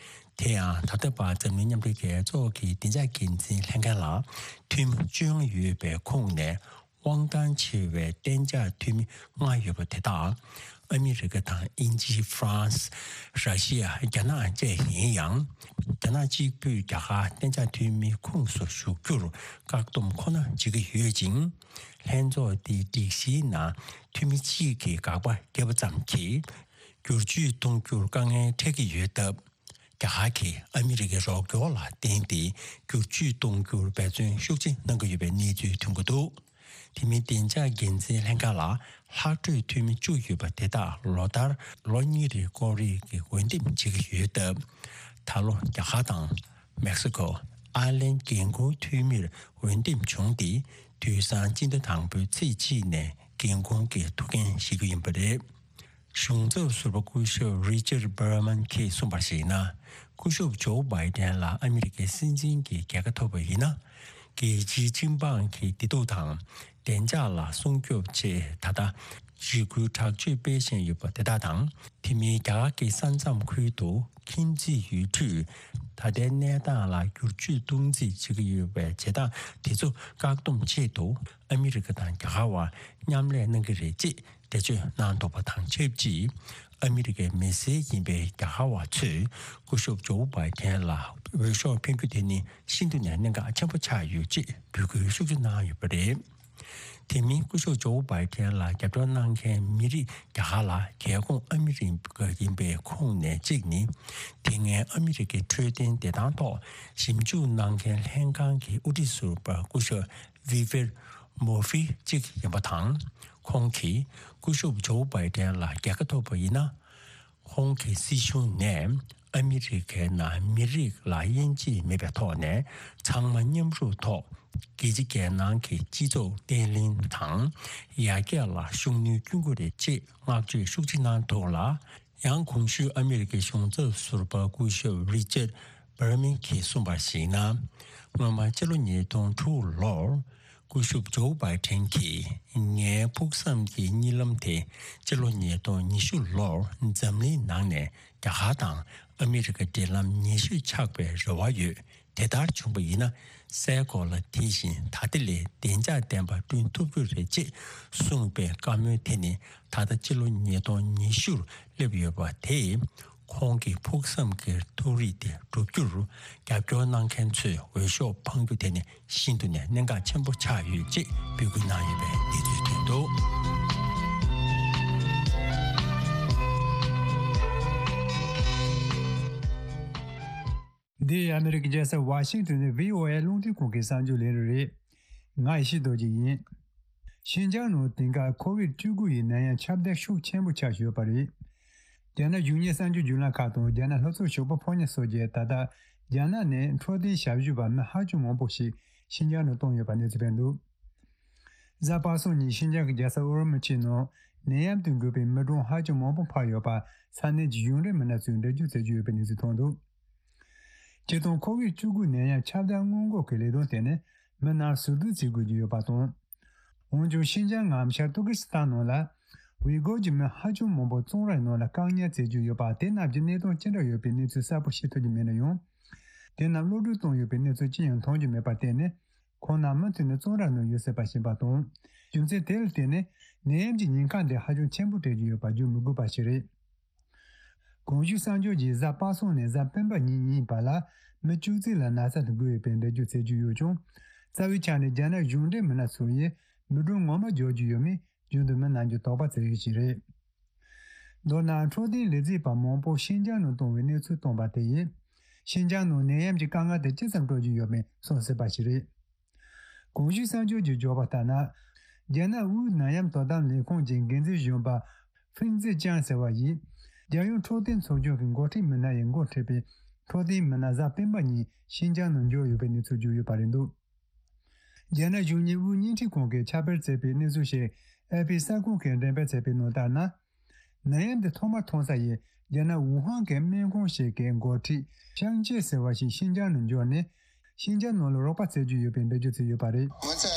དེ་ཡང་ད་ལྟ་བར་འཛམ་གླིང་མཉམ་འབྲེལ་རྒྱལ་ཚོགས་ཀྱི་བདེ་འཇགས་འགན་འཛིན་ལྷན་ཁང་ལ་འཐུས་མི་བཅོ་ལྔ་ཡོད་པའི་ཁོངས་ནས། དབང་ཐང་ཆེ་བའི་གཏན་འཇགས་འཐུས་མི་ལྔ་ཡོད་པ་དེ་དག་ཨ་མི་རི་ཀ་དང་དབྱིན་ཇི། ཧྥ་རན་སི། ར་ཤི་ཡ། རྒྱ་ནག་བཅས་ཡིན་ཡང་། རྒྱ་ནག་གཅིག་པུས་རྒྱ་གར་གཏན་འཇགས་འཐུས་མིའི་ཁོངས་སུ་ཞུགས་རྒྱུར་བཀག་སྡོམ་ཁོ་ན་བྱེད་ཀྱི་ཡོད་ཅིང་། ལྷན་ཚོགས་འདིའི་སྒྲིག་གཞིའི་ནང་འཐུས་མི་གཅིག་གིས་དགག་པ་བརྒྱབ་པ་ཙམ་གྱིས་བསྒྱུར་བཅོས་གཏོང་རྒྱུར་དཀའ་ངལ་འཕྲད་ཀྱི་ཡོད་སྟབས། རྒྱ་གར་གྱིས་ཨ་མི་རི་ཀའི་རོགས་སྐྱོར་ལ་བརྟེན་ཏེ་བསྒྱུར་བཅོས་གཏོང་རྒྱུར་འབད་བརྩོན་ཤུགས་ཆེ་གནང་གི་ཡོད་པའི་གནས་ཚུལ་ཐོན་གྱི་འདུག་དེ་མིན་བདེ་འཇགས་འགན་འཛིན་ལྷན་ཁང་ལ་ལྷག་འཕྲོས་འཐུས་མི་བཅུ་ཡོད་པ་དེ་དག་ལོ་ལྟར་ལོ་གཉིས་རིང་ཀོ་རི་གི་འོས་འདེམས་བྱེད་ཀྱི་ཡོད་སྟབས། ད་ལོ་རྒྱ་གར་དང་མེག་སི་ཀོ། ཨར་ལན་འགན་འཁུར་འཐུས་མིར་འོས་འདེམས་བྱུང་སྟེ། དུས་སང་སྤྱི་ཟླ་དང་པོའི་ཚེས་གཅིག་ནས་འགན་འཁུར་གྱི་ཐུགས་འགན་བཞེས་ཀྱི་ཡིན་པ་རེད། གཞུང་ཚབ་ཟུར་པ་སྐུ་ཞབས་རི་ཅར་བྷར་མན་གྱིས་གསུངས་པར་གཞིགས་ན། སྐུ་ཞབས་ཇོ་བྷའི་ཏན་ལ་ཨ་མི་རི་ཀའི་སྲིད་འཛིན་གྱི་རྒྱལ་ཁ་ཐོབ་པ་ཡིན་ན། རྒྱལ་སྤྱིའི་སྤྱི་འབངས་ཀྱི་བདེ་སྡུག་དང་བདེ་འཇགས་ལ་སྲུང་སྐྱོབ་ཆེད་ད་ལྟ་འཇིགས་སྐུལ་དྲག་སྤྱོད་སྤེལ་བཞིན་ཡོད་པ་དེ་དག་དང་། དེ་མིན་རྒྱ་གར་གྱི་ས་མཚམས་ཁུལ་དུ་ཁྱིམ་མཚེས་ཡུལ་གྲུས་ད་ལྟའི་གནས་སྟངས་ལ་བསྒྱུར་བཅོས་གཏོང་རྩིས་བྱེད་ཀྱི་ཡོད་པའི་བྱེད་སྟངས་དེ་ཚོ་བཀག་སྡོམ་ཆེད་དུ་ཨ་མི་རི་ཀ་དང་རྒྱ་གར་བར་མཉམ་ལས་གནང་གི་རེད་ཅེས། འགྲེལ་བརྗོད་གནང་འདུག་པ་དང་ཆབས་ཅིག་ཨ་མི་རི་ཀའི་མི་སེར་ཡིན་པའི་རྒྱ་གར་བ་ཚོས་སྐུ་ཞབས་ཇོ་བྷའི་ཏན་ལ་འོས་ཤོག་འཕེན་རྒྱུ་དེ་ནི་ཤིན་ཏུ་ནས་གནད་འགག་ཆེན་པོ་ཆགས་ཡོད་ཅེས་འབོད་སྐུལ་ཤུགས་ཆེ་གནང་ཡོད་པ་རེད། དེ་མིན་སྐུ་ཞབས་ཇོ་བྷའི་ཏན་ལ་རྒྱབ་སྐྱོར་གནང་མཁན་མི་རིགས་རྒྱ་གར་ལ་རྒྱལ་ཁོངས་ཨ་མི་རི་ཀ་ཡིན་པའི་ཁོངས་ནས་གཅིག་ནི། དེ་སྔའི་ཨ་མི་རི་ཀའི་འཕྲོད་བསྟེན་བདེ་ཐང་ཐོག་ཞིབ་འཇུག་གནང་མཁན་ལྷན་ཁང་གི་དབུ་ཁྲིད་ཟུར་པ་སྐུ་ཞབས་བི་ཝེར་མོར་ཧྥི་གཅིག་ཡིན་པ་དང་། ཁོང་གིས་སྐུ་ཞབས་ཇོ་བྷའི་ཏན་ལ་རྒྱལ་ཁ་ཐོབ་པ་ཡིན་ན། ཁོང་གི་སྲིད་གཞུང་ནས་ཨ་མི་རི་ཀའི་ནང་མི་རིགས་ལ་དབྱེ་འབྱེད་མེད་པའི་ཐོག་ནས་ཚང་མ་མཉམ་རུབ་ཐོག་རྒྱལ་སྤྱི་རྒྱལ་ནང་གི་སྤྱི་ཚོགས་བརྟན་ལྷིང་དང་ཡར་རྒྱས་ལ་ཤུགས་སྣོན་སྐྱོན་གྱི་རེད་ཅེས་བསྔགས་བརྗོད་ཤུགས་ཆེ་གནང་འདུག་ལ། ཡང་གོང་ཞུས་ཨ་མི་རི་ཀའི་གཞུང་ཚབ་ཟུར་པ་སྐུ་ཞབས་རི་ཅར་བྷར་མན་གྱིས་གསུངས་པར་གཞིགས་ན། སྔོན་མ་ཕྱི་ལོ་ཉིས་སྟོང་དྲུག་ལོར་སྐུ་ཞབས་ཇོ་བྷའི་ཏན་གྱིས་ངའི་ཕུགས་བསམ་གྱི་གཉིད་ལམ་དེ་ཕྱི་ལོ་ཉིས་སྟོང་ཉི་ཤུ་ལོར་འཛམ་གླིང་ནང་ནས་རྒྱ་གར་དང་ཨ་མི་རི་ཀ་འབྲེལ་ལམ་ཉེ་ཤོས་ཆགས་པའི་རེ་བ་ཡོད། དེ་ལྟར་བྱུང་བ་ཡིན་ན། སའི་གོ་ལ་དེ་བཞིན་ད་ལྟ་ལས་བདེ་འཇགས་ལྡན་པ་བསྐྲུན་ཐུབ་རྒྱུ་རེད་ཅེས་གསུངས་པའི་བཀའ་མོལ་དེ་ནི་ད་ལྟ་ཕྱི་ལོ་ཉིས་སྟོང་ཉི་ཤུར་སླེབས་ཡོད་པ་དེས། ཁོང་གི་ཕུགས་བསམ་གྱི་ཐུགས་རེ་དེ་འགྲུབ་རྒྱུར་རྒྱབ་སྐྱོར་གནང་མཁན་ཚོས་འོས་ཤོག་འཕང་རྒྱུ་དེ་ནི་ཤིན་ཏུ་ནས་གནད་འགག་ཆེན་པོ་ཆགས་ཡོད་ཅེས་འབོད་སྐུལ་གནང་ཡོད་པའི་གནས་ཚུལ་ཐོན་འདུག། འདི་ཨ་མི་རི་ཀའི་རྒྱལ་ས་ཝ་ཤིང་ཏོན་ནས་བྷི་ཨོ་ཨེ་རླུང་འཕྲིན་ཁང་གི་གསར་འགྱུར་ལས་རིམ་རེད། ང་ཡེ་ཤེས་རྡོ་རྗེ་ཡིན། ཤིན་ཅང་ནང་དེང་སྐབས་ཁོ་བིད་བཅུ་དགུ་ཡི་ནད་ཡམས་ཁྱབ་གདལ་ཤུགས་ཆེན་པོ་ཆགས་ཡོད་པ་རེད། རྒྱ་ནག་གཞུང་གཉེར་གསར་འགྱུར་བརྒྱུད་ལམ་ཁག་དང་རྒྱ་ནག་ལྷོ་ཕྱོགས་ཞོགས་པ་ཕོ་ཉ་སོགས་ཀྱིས་ད་ལྟ་རྒྱ་ནག་ནས་འཕྲོད་བསྟེན་ཞབས་ཞུ་པ་མི་ཧ་ཅང་མང་པོ་ཞིག་ཤིན་ཅང་ནང་བཏང་ཡོད་པ་གནས་ཚུལ་སྤེལ་འདུག། གཟའ་པ་སངས་ཉིན་ཤིན་ཅང་གི་རྒྱལ་ས་ཨུ་རུ་མུ་ཆི་ནང་ནད་ཡམས་དང་འགོས་པའི་མི་གྲངས་ཧ་ཅང་མང་པོ་འཕར་ཡོད་པ་ས་གནས་ཀྱི་གཞུང་འབྲེལ་མི་སྣ་ཚོས་འགྲེལ་བརྗོད་བྱེད་ཀྱི་ཡོད་པའི་གནས་ཚུལ་ཐོན་འདུག། སྤྱིར་བཏང་ཁོ་བིད་བཅུ་དགུ་ནད་ཡམས་ཁྱབ་གདལ་སྔོན་འགོག་གི་ལས་དོན་དེ་ནི་མི་སྣར་ཟུར་བསྡུ་བྱེད་དགོས་ཀྱི་ཡོད་པ་དང་། འོན་ཀྱང་ཤིན་ཅང་ངམ་ཤར་ཏུར་ཀི་སི་ཐན་ནང་ལ་ཝི་གོར་གྱི་མི་ཧ་ཅང་མང་པོ་ཙོང་རའི་ནང་ལ་བཀག་ཉར་བྱེད་ཀྱི་ཡོད་པ་དེ་རྣམས་ཀྱི་གནས་སྟངས་ཅི་འདྲ་ཡོད་པའི་གནས་ཚུལ་གསལ་པོ་ཤེས་ཐུབ་ཀྱི་མེད་ན་ཡང་། དེ་རྣམས་གློད་གྲོལ་བཏང་ཡོད་པའི་གནས་ཚུལ་ཅི་ཡང་མཐོང་རྒྱུ་མེད་པར་བརྟེན་ནས། ཁོང་རྣམས་མུ་མཐུད་ནས་ཙོང་ར་ནང་ཡོད་སྲིད་པ་ཞིག་ཡིན་པ་དང་། རྒྱུ་མཚན་དེ་ལ་བརྟེན་ནས་ནད་ཡམས་ཀྱི་ཉེན་ཁ་འདི་ཧ་ཅང་ཆེན་པོ་སྤྲད་ཀྱི་ཡོད་པ་བརྗོད་མི་དགོས་པ་ཞིག་རེད། གོང་ཞུས་གསར་འགྱུར་གྱིས་གཟའ་པ་སངས་ནས་གཟའ་སྤེན་པ་ཉིན་གཉིས་བར་ལ་མི་བཅུ་གཅིག་ལ་ན་ཚ་དེ་འགོས་ཡོད་པའི་འགྲེལ་བརྗོད་བྱེད་ཀྱི་ཡོད་ཀྱང་། རྩ་བའི་ཆ་ནས་རྒྱ་ནག་གཞུང་འབྲེལ་མི་སྣ་ཚོ་ཡིས་མི་གྲངས་ངོ་མ་འབྱོར་རྒྱུ་ཡོད་མེད་རྒྱུན་དུ་མི་རྣམས་ཀྱིས་དོགས་པ་བྱེད་ཡུལ་ཞིག་རེད། མདོར་ན་འཕྲོད་བསྟེན་ལས་བྱེད་པ་མང་པོ་ཤིན་ཅང་ནང་བཏང་བའི་གནས་ཚུལ་བཏོན་པ་དེ་ཡིས། ཤིན་ཅང་ནང་ནད་ཡམས་ཀྱི་དཀའ་ངལ་དེ་ཅི་ཙམ་སྤྲོད་ཀྱི་ཡོད་མེད་གསུངས་སྲིད་པ་ཞིག་རེད། གོང་ཞུས་གསར་འགྱུར་གྱིས་བརྗོད་པ་ལྟར་ན། རྒྱ་ནག་དབུས་ནད་ཡམས་དོ་དམ་ལས་ཁུངས་ཀྱི་འགན་འཛིན་གཞོན་པ་ཧྥིན་ཙེ་ཅང་ཟེར་བ་ཡིས། རྒྱལ་ཡོངས་འཕྲོད་བསྟེན་ཚོགས་ཆུང་གི་འགོ་ཁྲིད་མི་སྣ་ཡི་འགོ་ཁྲིད་པའི་འཕྲོད་བསྟེན་མི་སྣ་གཟའ་སྤེན་པ་ཉིན་ཤིན་ཅང་ནང་འབྱོར་ཡོད་པའི་གནས་ཚུལ་བརྗོད་ཡོད་པ་རེད་འདུག། རྒྱ་ནག་གཞུང་གཉེར་དབུས་བརྙན་འཕྲིན་ཁང་གིས་ཁྱབ་སྤེལ་བྱས་པའི་གནས་ཚུལ་ཞིག་ཨེ་ཕི་གསར་ཁང་གིས་འགྲེམས་སྤེལ་བྱས་པའི་ནང་ལྟར་ན། ནད་ཡམས་འདི་ཐོག་མར་ཐོན་ས་ཡིན་རྒྱ་ནག་ཝུ་ཧན་གྱི་སྨན་ཁང་ཞིག་གི་འགོ་ཁྲིད་ཤང་ཅེ་ཟེར་བ་ཞིག་ཤིན་ཅང་ནང་འབྱོར་ནས་ཤིན་ཅང་ནང་ལ་རོགས་པ་བྱེད་ཀྱི་ཡོད་པའི་འགྲེལ་བརྗོད་བྱས་ཡོད་པ་རེད། 我们在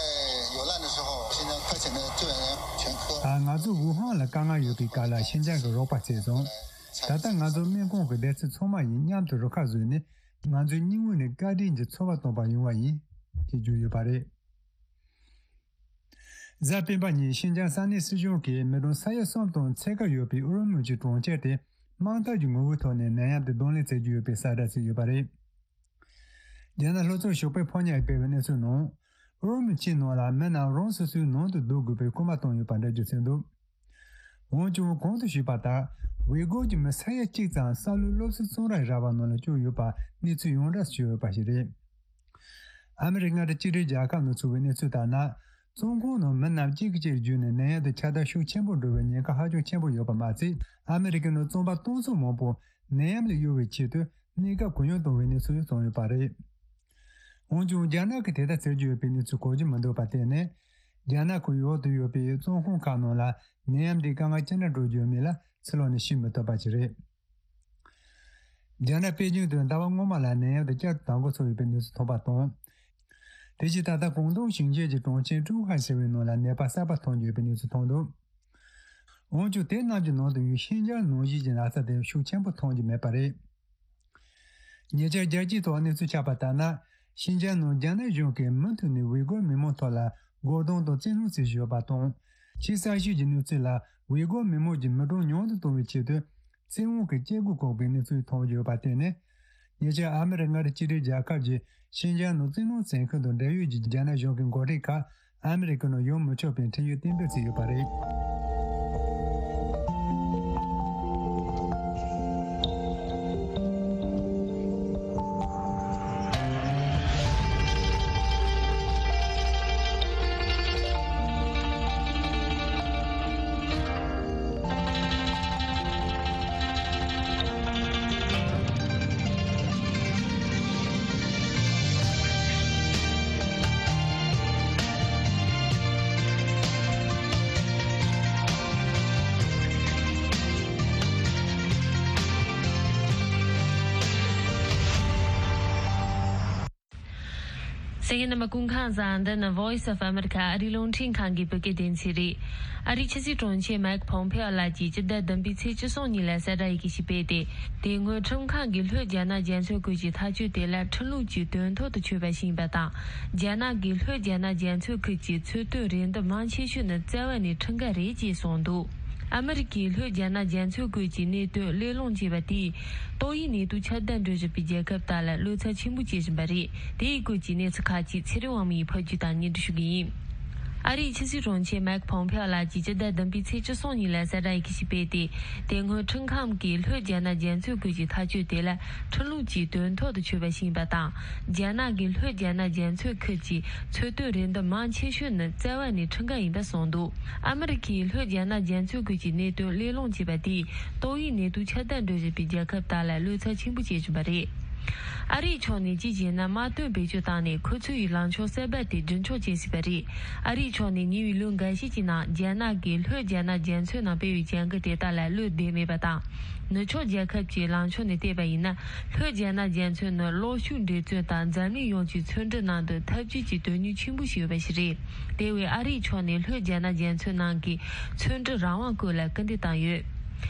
有难的时候，新疆派遣的救援员全科。 ད་ང་ཚོ་ཝུ་ཧན་ལ་དཀའ་ངལ་ཡོད་པའི་སྐབས་ལ་ཤིན་ཅང་གི་རོགས་པ་བྱས་སོང་། ད་ལྟ་ང་ཚོ་སྨན་ཁང་གི་སྡེ་ཚན་ཚང་མ་ཡིས་མཉམ་དུ་རུ་ཁག་བཟོས་ནས་ང་ཚོའི་སྙིང་དབུས་ནས་བཀའ་དྲིན་གྱི་ཚོར་བ་སྟོན་པར་ཡོང་བ་ཡིན། ཅེས་བརྗོད་ཡོད་པ་རེད། གཟའ་སྤེན་པ་ཉིན་ཤིན་ཅང་ས་གནས་སྲིད་གཞུང་གིས་མི་གྲངས་ས་ཡ་གསུམ་དང་ཕྱེད་ཀ་ཡོད་པའི་ཨུ་རུ་མུ་ཆི་གྲོང་ཁྱེར་དེ་དམག་འཐབ་ཀྱི་ངོ་བོའི་ཐོག་ནས་ནད་ཡམས་དེ་གདོང་ལེན་བྱེད་ཀྱི་ཡོད་པའི་གསལ་བསྒྲགས་བྱས་ཡོད་པ་རེད། རྒྱ་ནག་ལྷོ་ཕྱོགས་ཞོགས་པའི་ཕོ་ཉ་ཡིས་སྤེལ་བའི་གནས་ཚུལ་ནང་། ཨུ་རུ་མུ་ཆི་ནང་ལ་མི་རྣམས་རང་སོ་སོའི་ནང་དུ་སྡོད་དགོས་པའི་སྐུལ་མ་བཏང་ཡོད་པ་འགྲེལ་བརྗོད་བྱས་འདུག། འོན་ཀྱང་གོང་དུ་ཞུས་པ་ལྟར་ཝེ་གོར་གྱི་མི་ས་ཡ་གཅིག་ཙམ་ས་ལུག་སློབ་གསོའི་གཙང་ར་ར་བ་ནང་ལ་བཅུག་ཡོད་པ་གནས་ཚུལ་ཡོངས་གྲགས་སུ་ཡོད་པ་ཞིག་རེད། ཨ་མི་རི་ཀ་མངའ་སྡེ་གཅིག་སྒྲིལ་རྒྱལ་ཁབ་ནས་ཚུགས་པའི་གནས་ཚུལ་ལྟར་ན། བཙོན་ཁང་ནང་མི་རྣམས་གཅིག་གིས་གཅིག་བརྒྱུད་ནས་ནད་ཡམས་དང་ཁྱབ་གདལ་ཤུགས་ཆེན་པོ་འགྲོ་བའི་ཉེན་ཁ་ཧ་ཅང་ཆེན་པོ་ཡོད་པ་མ་ཟད། ཨ་མི་རི་ཀའི་ནང་བཙོན་པ་སྟོང་ཚོ་མང་པོ་ནད་ཡམས་ལས་གཡོལ་བའི་ཆེད་དུ་གནས་སྐབས་གུ་ཡངས་བཏང་བའི་གནས་ཚུལ་བྱུང་ཡོད་པ་རེད། འོན་ཀྱང་། རྒྱ་ནག་གིས་དེ་ལྟར་ཟེར་གྱི་ཡོད་པའི་གནས་ཚུལ་གོ་རྒྱུ་མི་འདུག་པར་བརྟེན་ནས། རྒྱ་ནག་གི་འོག་ཏུ་ཡོད་པའི་བཙོན་ཁང་ཁག་ནང་ལ་ནད་ཡམས་འདིའི་དཀའ་ངལ་ཅི་འདྲ་འགྲོ་རྒྱུ་མིན་ལ་ཕྱི་ལོགས་ནས་ཤེས་མི་ཐུབ་པ་ཞིག་རེད། རྒྱ་ནག་པེ་ཅིང་དུ་ཟླ་བ་སྔོན་མ་ལ་ནད་ཡམས་དེ་བསྐྱར་དུ་དར་འགོ་ཚུགས་ཡོད་པའི་གནས་ཚུལ་ཐོན་པ་དང་། དེ་བཞིན་ད་ལྟ་ཀོང་ཏུང་ཞིང་ཆེན་གྱི་གྲོང་ཁྱེར་ཀྲུའུ་ཧན་ཟེར་བའི་ནང་ལ་ནད་པ་གསར་པ་ཐོན་གྱི་ཡོད་པའི་གནས་ཚུལ་ཐོན་འདུག་འོན་ཀྱང་། དེ་རྣམས་ཀྱི་ནང་དུ་ཡང་ཤིན་ཅང་ནང་བཞིན་གྱི་ན་ཚ་དེ་ཤུགས་ཆེན་པོ་ཐོན་གྱི་མེད་པ་རེད། ཉེ་ཆར་རྒྱལ་སྤྱིའི་ཐོག་གནས་ཚུལ་ཆགས་པ་ལྟར་ན། ཤིན་ཅང་ནང་རྒྱ་ནག་གཞུང་གིས་མུ་མཐུད་ནས་ཝི་གོར་མི་མང་ཐོག་ལ་རྒོལ་རྡུང་དང་བཙན་གནོན་བྱེད་བཞིན་ཡོད་པ་དང་། ཕྱིའི་གསར་ཤོས་ཀྱི་གནས་ཚུལ་ལ། ཝི་གོར་མི་མང་གི་མི་གྲངས་ཉུང་དུ་གཏོང་བའི་ཆེད་དུ། བཙན་དབང་གིས་སྐྱེ་སྒོ་བཀག་པའི་གནས་ཚུལ་ཐོན་ཡོད་པར་བརྟེན་ནས། ཉེ་ཆར་ཨ་མི་རི་ཀ་མངའ་སྡེ་གཅིག་སྒྲིལ་རྒྱལ་ཁབ་ཀྱི་ཤིན་ཅང་ནང་བཙན་གནོན་བྱེད་མཁན་དང་འབྲེལ་ཡོད་ཀྱི་རྒྱ་ནག་གཞུང་གི་འགོ་ཁྲིད་ཁག་ཨ་མི་རི་ཀའི་ནང་ཡོང་མི་ཆོག་པའི་ཁྲིམས་ཡིག་གཏན་འབེབས་བྱས་ཡོད་པ་རེད། གསན་མཁན་རྣམ་པ་སྐུ་ཁམས་བཟང་། འདི་ནི་Voice of America ཨ་རིའི་རླུང་འཕྲིན་ཁང་གི་བོད་སྐད་སྡེ་ཚན་རེད། ཨ་རིའི་ཕྱི་སྲིད་དྲུང་ཆེ་མའེག་ཕོམ་ཕེ་ཨོ་ལགས་ཀྱིས་སྤྱི་ཟླ་བདུན་པའི་ཚེས་བཅུ་གསུམ་ཉིན་ལ་གསལ་བསྒྲགས་ཡི་གེ་ཞིག་སྤེལ་ཏེ། དེ་སྔོན་ཁྲིམས་ཁང་གིས་ལྷོད་རྒྱ་ནག་རྒྱ་མཚོའི་ཁུལ་གྱི་ཐག་གཅོད་དེ་ལ་ཁྲིམས་ལུགས་ཀྱི་དོན་ཐོག་ཏུ་ཆུད་པ་ཞིག་ཡིན་པ་དང་། རྒྱ་ནག་གིས་ལྷོད་རྒྱ་ནག་རྒྱ་མཚོའི་ཁུལ་གྱི་མཚོ་སྟོད་རེད་འདུན་མང་ཆེ་ཤོས་ནི་བཙན་བ་ནས་ཁྲིམས་འགལ་རེད་ཅེས་གསུངས་འདུག་ཨ་མི་རི་ཀས་ལྷོད་རྒྱ་ནག་རྒྱ་མཚོའི་ཁུལ་གྱི་གནད་དོན་གླེང་སློང་བྱས་པ་དེས། ཏོག་དབྱིབས་ནད་དུག་ཁྱབ་གདལ་འགྲོ་བཞིན་པའི་རྒྱལ་ཁབ་དག་ལ་བློ་འཚབ་ཆེན་པོ་སྐྱེ་བཞིན་པ་རེད། དེའི་སྐོར་གྱི་གནས་ཚུལ་ཁག་ཅིག་ཚེ་རིང་དབང་མོ་ཡིས་ཕབ་སྒྱུར་དང་སྙན་སྒྲོན་ཞུ་གི་ཡིན། ཨ་རིའི་ཕྱི་སྲིད་དྲུང་ཆེ་མའེག་ཕོམ་ཕེ་ཨོ་ལགས་ཀྱིས་སྤྱི་ཟླ་བདུན་པའི་ཚེས་བཅུ་གསུམ་ཉིན་ལ་གསལ་བསྒྲགས་ཡི་གེ་ཞིག་སྤེལ་ཏེ། དེ་སྔོན་ཁྲིམས་ཁང་གིས་ལྷོད་རྒྱ་ནག་རྒྱ་མཚོའི་ཁུལ་གྱི་ཐག་གཅོད་དེ་ལ་ཁྲིམས་ལུགས་ཀྱི་དོན་ཐོག་ཏུ་ཆུད་པ་ཞིག་ཡིན་པ་དང་། རྒྱ་ནག་གིས་ལྷོད་རྒྱ་ནག་རྒྱ་མཚོའི་ཁུལ་གྱི་མཚོ་སྟོད་རེད་འདུན་མང་ཆེ་ཤོས་ནི་བཙན་བ་ནས་ཁྲིམས་འགལ་ཡིན་པ་གསུངས་འདུག་ཨ་མི་རི་ཀས་ལྷོད་རྒྱ་ནག་རྒྱ་མཚོའི་ཁུལ་གྱི་གནད་དོན་གླེང་སློང་བྱས་པ་དེས། ཏོག་དབྱིབས་ནད་དུག་ཁྱབ་གདལ་འགྲོ་བཞིན་པའི་རྒྱལ་ཁབ་དག་ལ་བློ་འཚབ་ཆེན་པོ་སྐྱེ་བཞིན་པ་རེད། ཨ་རིའི་ཕྱོགས་ནས་གཅིག་བྱས་ན་དམག་དོན་བེད་སྤྱོད་བཏང་ནས་ཁོ་ཚོའི་ལངས་ཕྱོགས་གསར་པ་དེ་རྒྱུན་འཁྱོངས་བྱེད་སྲིད་པ་རེད། ཨ་རིའི་ཕྱོགས་ནས་ཉེ་བའི་ལོ་འགའ་ཤས་ཀྱི་ནང་རྒྱ་ནག་གིས་ལྷོད་རྒྱ་ནག་རྒྱ་མཚོའི་ནང་སྤེལ་བའི་བྱ་འགུལ་དེ་དག་ལ་བློ་བདེ་མེད་པ་དང་། ནུབ་ཕྱོགས་རྒྱལ་ཁབ་ཀྱི་ལངས་ཕྱོགས་ནས་བལྟས་པ་ཡིན་ན། ལྷོད་རྒྱ་ནག་རྒྱ་མཚོ་ནི་གློག་ཤུགས་འདྲེས་མཚོན་དང་འཛམ་གླིང་ཡོངས་ཀྱི་མཚོ་འབྲུ་ནང་དུ་འཐབ་ཇུས་ཀྱི་དོན་སྙིང་ཆེན་པོ་ཞིག་ཡོད་པ་ཞིག་རེད། དེ་བས་ཨ་རིའི་ཕྱོགས་ནས་ལྷོད་རྒྱ་ནག་རྒྱ་མཚོའི་ནང་གི་མཚོ་འབྲུ་རང་དབང་སྐོར་ལ་སྐུལ་འདེད་བཏང་ཡོད།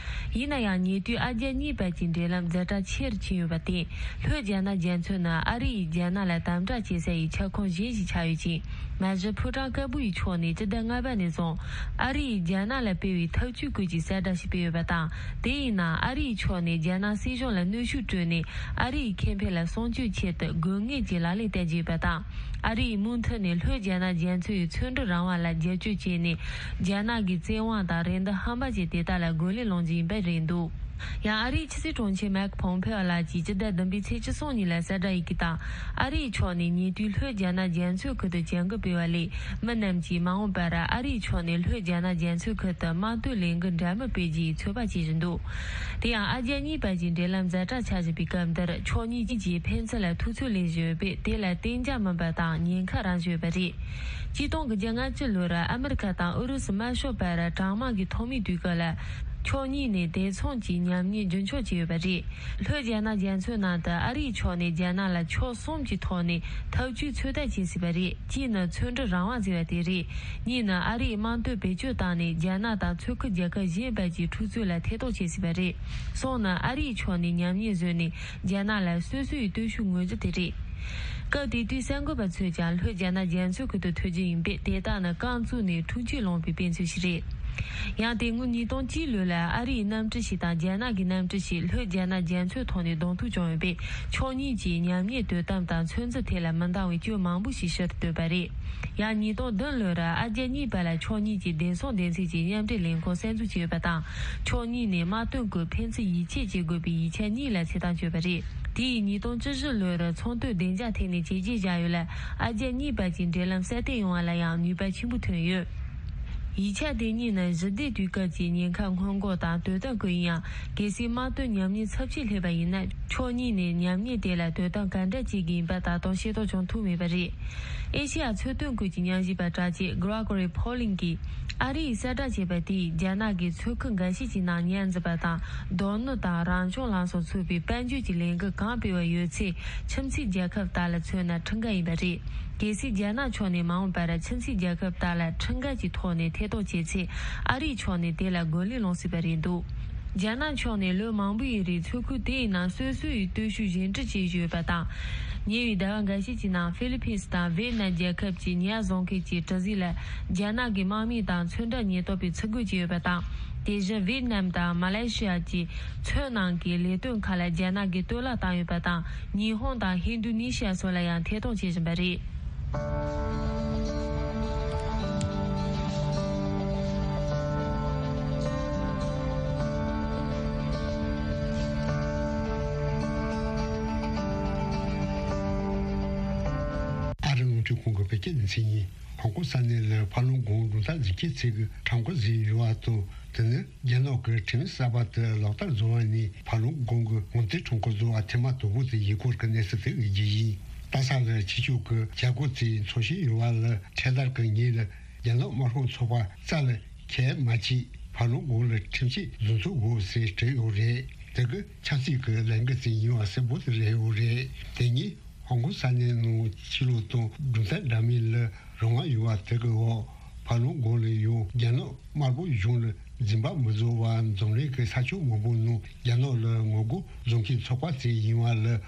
ཡིན་ན་ཡང་ཉེ་དུས་ཨ་རྒྱ་གཉིས་བར་གྱི་འབྲེལ་ལམ་ཛ་དྲག་ཆེ་རུ་ཕྱིན་ཡོད་པར་བརྟེན། ལྷོད་རྒྱ་ནག་རྒྱ་མཚོ་ནི་ཨ་རི་ཡིས་རྒྱ་ནག་ལ་དམ་དྲག་བྱེད་ས་ཡི་ཁྱབ་ཁོངས་གཞན་ཞིག་ཆགས་ཡོད་ཅིང་། མ་གཞི་ཕོ་བྲང་དཀར་པོ་ཡི་ཕྱོགས་ནས་སྤྱི་ཟླ་ལྔ་པ་ནས་བཟུང་ཨ་རི་ཡིས་རྒྱ་ནག་ལ་སྤེལ་བའི་ཐབས་ཇུས་སྐོར་གྱི་གསལ་བསྒྲགས་ཤིག་སྤེལ་ཡོད་པ་དང་། དེ་ཡིན་ན་ཨ་རི་ཡི་ཕྱོགས་ནས་རྒྱ་ནག་སྲིད་གཞུང་ལ་གནོན་ཤུགས་སྤྲོད་ནས་ཨ་རི་ཡི་ཁེ་ཕན་ལ་སྲུང་སྐྱོབ་ཆེད་དུ་དགོས་ངེས་ཀྱི་ལག་ལེན་བསྟར་གྱི་ཡོད་པ་དང་། ཨ་རི་ཡིས་མུ་མཐུད་ནས་ལྷོད་རྒྱ་ནག་རྒྱ་མཚོ་ཡི་མཚོ་འབྲུ་རང་དབང་ལ་རྒྱབ་སྐྱོར་བྱས་ནས། རྒྱ་ནག་གི་བཙན་དབང་དང་རེ་འདུན་ཧམ་པ་ཅན་དེ་དག་ལ་རྒོལ་ལན་སློང་རྒྱུ་ཡིན་པ་རེད་འདུག་ཡང་ཨ་རིའི་ཕྱི་སྲིད་དྲུང་ཆེ་མའེག་ཕོམ་ཕེ་ཨོ་ལགས་ཀྱིས་སྤྱི་ཟླ་བདུན་པའི་ཚེས་བཅུ་གསུམ་ཉིན་ལ་གསལ་བསྒྲགས་ཡི་གེ་དང་། ཨ་རིའི་ཕྱོགས་ནས་ཉེ་དུས་ལྷོད་རྒྱ་ནག་རྒྱ་མཚོའི་ཁུལ་དུ་བྱ་འགུལ་སྤེལ་བ་ལས། མི་རྣམས་ཀྱིས་མ་འོངས་པར་ཨ་རིའི་ཕྱོགས་ནས་ལྷོད་རྒྱ་ནག་རྒྱ་མཚོའི་ཁུལ་དུ་དམག་དོན་ལས་འགུལ་འདྲ་མིན་སྤེལ་རྒྱུའི་ཚོད་དཔག་བྱེད་བཞིན་འདུག་དེ་ཡང་ཨ་རྒྱ་གཉིས་བར་གྱི་འབྲེལ་ལམ་ཛ་དྲག་ཆགས་བཞིན་པའི་སྐབས་འདིར། ཕྱོགས་གཉིས་ཀྱིས་ཕན་ཚུན་ལ་ཐུགས་ཚོད་ལེན་བཞིན་ཡོད་པས། དེ་ལ་གཏན་འཇགས་མིན་པ་དང་ཉེན་ཁ་རང་བཞིན་ཡོད་པ་རེད། ཆིག་སྟོང་དགུ་བརྒྱ་ལྔ་བཅུ་ལོར་ཨ་མི་རི་ཀ་དང་ཨུ་རུ་སུ་དམར་ཤོག་བར་གྲང་དམག་གི་ཐོག་མའི་དུས་སྐབས་ལ། ཕྱོགས་གཉིས་ནས་བདེ་སྲུང་གི་ཉམས་ཉེས་རྒྱུན་འཁྱོངས་བྱས་ཡོད་པ་རེད། ལྷོད་རྒྱ་ནག་རྒྱ་མཚོའི་ནང་དུ་ཨ་རིའི་ཕྱོགས་ནས་རྒྱ་ནག་ལ་ཕྱོགས་གསུམ་གྱི་ཐོག་ནས་ཐབས་ཇུས་ཚོད་ལྟ་བྱེད་སྲིད་པ་རེད། གཅིག་ནི་མཚོ་འབྲུ་རང་དབང་ཟེར་བ་དེ་རེད། གཉིས་ནི་ཨ་རིའི་དམག་དོན་བེད་སྤྱོད་བཏང་ནས་རྒྱ་ནག་དང་མཚོ་ཁུལ་རྒྱལ་ཁབ་གཞན་བར་གྱི་འཁྲུག་རྩོད་ལ་ཐེ་གཏོགས་བྱེད་སྲིད་པ་རེད། གསུམ་ནི་ཨ་རིའི་ཕྱོགས་ནས་ཉམས་ཉེས་བཟོས་ནས། རྒྱ་ནག་ལ་སོ་སོའི་སྟོབས་ཤུགས་ངོས་འཛིན་དེ་རེད། སྐབས་དེ་དུས་གསར་འགོད་པ་ཚོས་ཀྱང་ལྷོད་རྒྱ་ནག་རྒྱ་མཚོའི་ཁུལ་དུ་ཐོན་རྒྱུ་ཡིན་པས། དེ་དག་ནི་རྐང་བཙུགས་ནས་འཁྲུག་ཆོད་སློང་པའི་དཔེ་མཚོན་ཞིག་རེད། ཡང་དེ་སྔོན་ཉིས་སྟོང་གཅིག་ལོ་ལ་ཨ་རིའི་གནམ་གྲུ་ཞིག་དང་རྒྱ་ནག་གི་གནམ་གྲུ་ཞིག་ལྷོད་རྒྱ་ནག་རྒྱ་མཚོའི་ཐོག་ནས་གདོང་ཐུག་བྱུང་ཡོད་པས། ཕྱོགས་གཉིས་ཀྱིས་ཉམས་ཉེས་དོ་དམ་དང་ཚོད་འཛིན་ཐད་ལ་མི་འདང་བའི་སྐྱོན་མང་པོ་ཞིག་ཕྱིར་བཏོན་པ་རེད། ཡང་ཉིས་སྟོང་བདུན་ལོར་ཨ་རྒྱ་གཉིས་བར་ལ་ཕྱོགས་གཉིས་ཀྱིས་བདེ་སྲུང་སྡེ་ཚན་གྱི་མཉམ་འབྲེལ་ལས་ཁུངས་གསར་འཛུགས་བྱས་ཡོད་པ་དང་། ཕྱོགས་གཉིས་ནས་དམག་དོན་སྐོར་ཕན་ཚུན་ཡིད་ཆེས་བྱེད་དགོས་པའི་ཡིག་ཆ་གཉིས་ལ་ཚེས་གཏམ་བརྗོད་པ་རེད། དེ་ཡིས་ཉིས་སྟོང་བཅུ་བཞི་ལོར་ཚོང་དོན་བདེ་འཇགས་ཐད་ནས་བྱས་རྗེས་བཞག་ཡོད་ལ། ཨ་རྒྱ་གཉིས་བར་གྱི་འབྲེལ་ལམ་སྲ་བརྟན་ཡོང་བ་ལ་ཡང་ནུས་པ་ཆེན་པོ་ཐོན་ཡོད། ཡིག་ཆ་དེ་གཉིས་ནི་ཞི་བདེ་དུས་སྐབས་ཀྱི་ཉེན་ཁ་སྔོན་འགོག་དང་དོ་དམ་སྐོར་ཡིན་ཡང་། གལ་སྲིད་དམག་དོན་ཉམས་ཉེས་ཚབས་ཆེ་སླེབས་པ་ཡིན་ན། ཕྱོགས་གཉིས་ནས་ཉམས་ཉེས་དེ་ལ་དོ་དམ་ག་འདྲ་བྱེད་ཀྱི་ཡིན་པ་ད་དུང་ཤེས་རྟོགས་བྱུང་ཐུབ་མེད་པ་རེད། ཨེ་ཤེ་ཡ་ཚོང་དོན་ཁུལ་གྱི་ཉམས་ཞིབ་པ་དྲག་ཆས་Gregory Poling གིས། ཨ་རི་ཡིས་གསལ་བསྒྲགས་བྱས་པ་དེས། རྒྱ་ནག་གིས་མཚོ་ཁུལ་འགའ་ཤས་ཀྱི་ནང་ཉར་འཛིན་པ་དང་། རྡོག་སྣུམ་དང་རང་བྱུང་ལམ་སང་ཚུད་པའི་དཔལ་འབྱོར་གྱི་ལས་འགུལ་གང་སྤེལ་བ་ཡོད་ཚེ། ཁྱིམ་མཚེས་རྒྱལ་ཁབ་དག་ལ་མཚོན་ན་ཁྲིམས་འགལ་ཡིན་པ་རེད། གལ་སྲིད་རྒྱ་ནག་ཕྱོགས་ནས་མ་འོངས་པར་ཁྱིམ་མཚེས་རྒྱལ་ཁབ་དག་ལ་ཁྲིམས་འགལ་གྱི་ཐོག་ནས་ཐེ་གཏོགས་བྱས་ཚེ། ཨ་རིའི་ཕྱོགས་ནས་དེ་ལ་རྒོལ་ལན་སློང་སྲིད་པ་རེད་འདུག་རྒྱ་ནག་ཕྱོགས་ནས་ལོ་མང་པོ་ཡི་རིང་མཚོ་ཁུལ་དེའི་ནང་སོ་སོ་ཡི་སྟོབས་ཤུགས་སྦྱིན་སྲེག་བྱེད་བཞིན་ཡོད་པ་དང་། ཉེ་བའི་ཟླ་བ་འགའ་ཤས་ཀྱི་ནང་ཧྥི་ལི་ཕིན་སི་དང་ཝེད་ནམ་རྒྱལ་ཁབ་ཀྱི་ཉ་བཟོ་མཁན་གྱི་གྲུ་གཟིངས་ལ་རྒྱ་ནག་གི་དམག་མི་དང་ཚོན་ཁྲ་ཉེན་རྟོག་པས་འཚོལ་སྒོ་བྱས་ཡོད་པ་དང་། དེ་བཞིན་ཝེད་ནམ་དང་མ་ལེ་ཤི་ཡ་གྱི་མཚོའི་ནང་གི་ལས་དོན་ཁག་ལ་རྒྱ་ནག་གིས་གཏོར་བརླག་བཏང་ཡོད་པ་དང་། ཉི་ཧོང་དང་ཧིན་རྡུ་ནི་ཤི་ཡ་སོགས་ལ་ཡང་ཐེ་གཏོགས་བྱེད་བཞིན་པ་རེད། ཨ་རི་རླུང་འཕྲིན་ཁང་གི་བོད་སྐད་སྡེ་ཚན་ཡིན། ཧོང་ཀོང་ས་གནས་ལ་ཕ་ལོང་གོང་གྲོང་རྡལ་འཛུགས་སྐྲུན་ཚད་ཀྱི་ཁྲོམ་སྐོར་ཟིན་ཡོད་པ་དང་། དེ་ནི་རྒྱ་ནག་གི་ཁྲིམས་གསར་པ་དེ་ལག་བསྟར་བཟོ་བ་ནས་ཕ་ལོང་གོང་གི་ངོ་མཚར་ཁྲོམ་སྐོར་བཟོ་བ་ཐེངས་མ་དང་པོ་དེ་ཡིན་སྐོར་གྱི་གནས་ཚུལ་དེ་ཡིན་རྒྱུ་ཡིན། རྡ་ས་ལ་ཕྱི་ཕྱོགས་ཀྱི་བྱ་སྒོ་ཚོས་འཚོ་བཞིན་ཡོད་པ་ལ། འཕྲེད་དར་གྱི་ཉིན་ལ་རྒྱ་ནག་དམར་ཤོག་ཚོགས་པ་རྩ་ལ་ཁས་མ་བྱས། ཕ་ལོང་གོང་ལ་ཁྲིམས་ཆད་བཟོ་འཛུགས་དགོས་ཟེར་བྲིས་ཡོད་རེད། དེ་གི་ཆབ་སྲིད་ཀྱི་ལས་འགུལ་ཅིག་ཡིན་པ་གསལ་པོ་དེ་རེད་ཡོད་རེད། དེ་ཉིན་ཧོང་ཀོང་ས་གནས་ནང་ཕྱི་ལོགས་དང་གྲོང་རྡལ་འདྲ་མིན་ལ་རང་དབང་ཡོད་པ་དེ་གི་འོག་ཕ་ལོང་གོང་ལ་ཡང་རྒྱ་ནག་དམར་པོ་གཞུང་ལ་འཛིན་པ་མི་བཟོ་བར་འཛམ་གླིང་གི་ས་ཕྱོགས་མང་པོ་ནང་རྒྱ་ནག་ལ་ངོ་རྒོལ་བཟོ་མཁན་ཚོགས་པ་ཅིག་ཡིན་པ་ལ།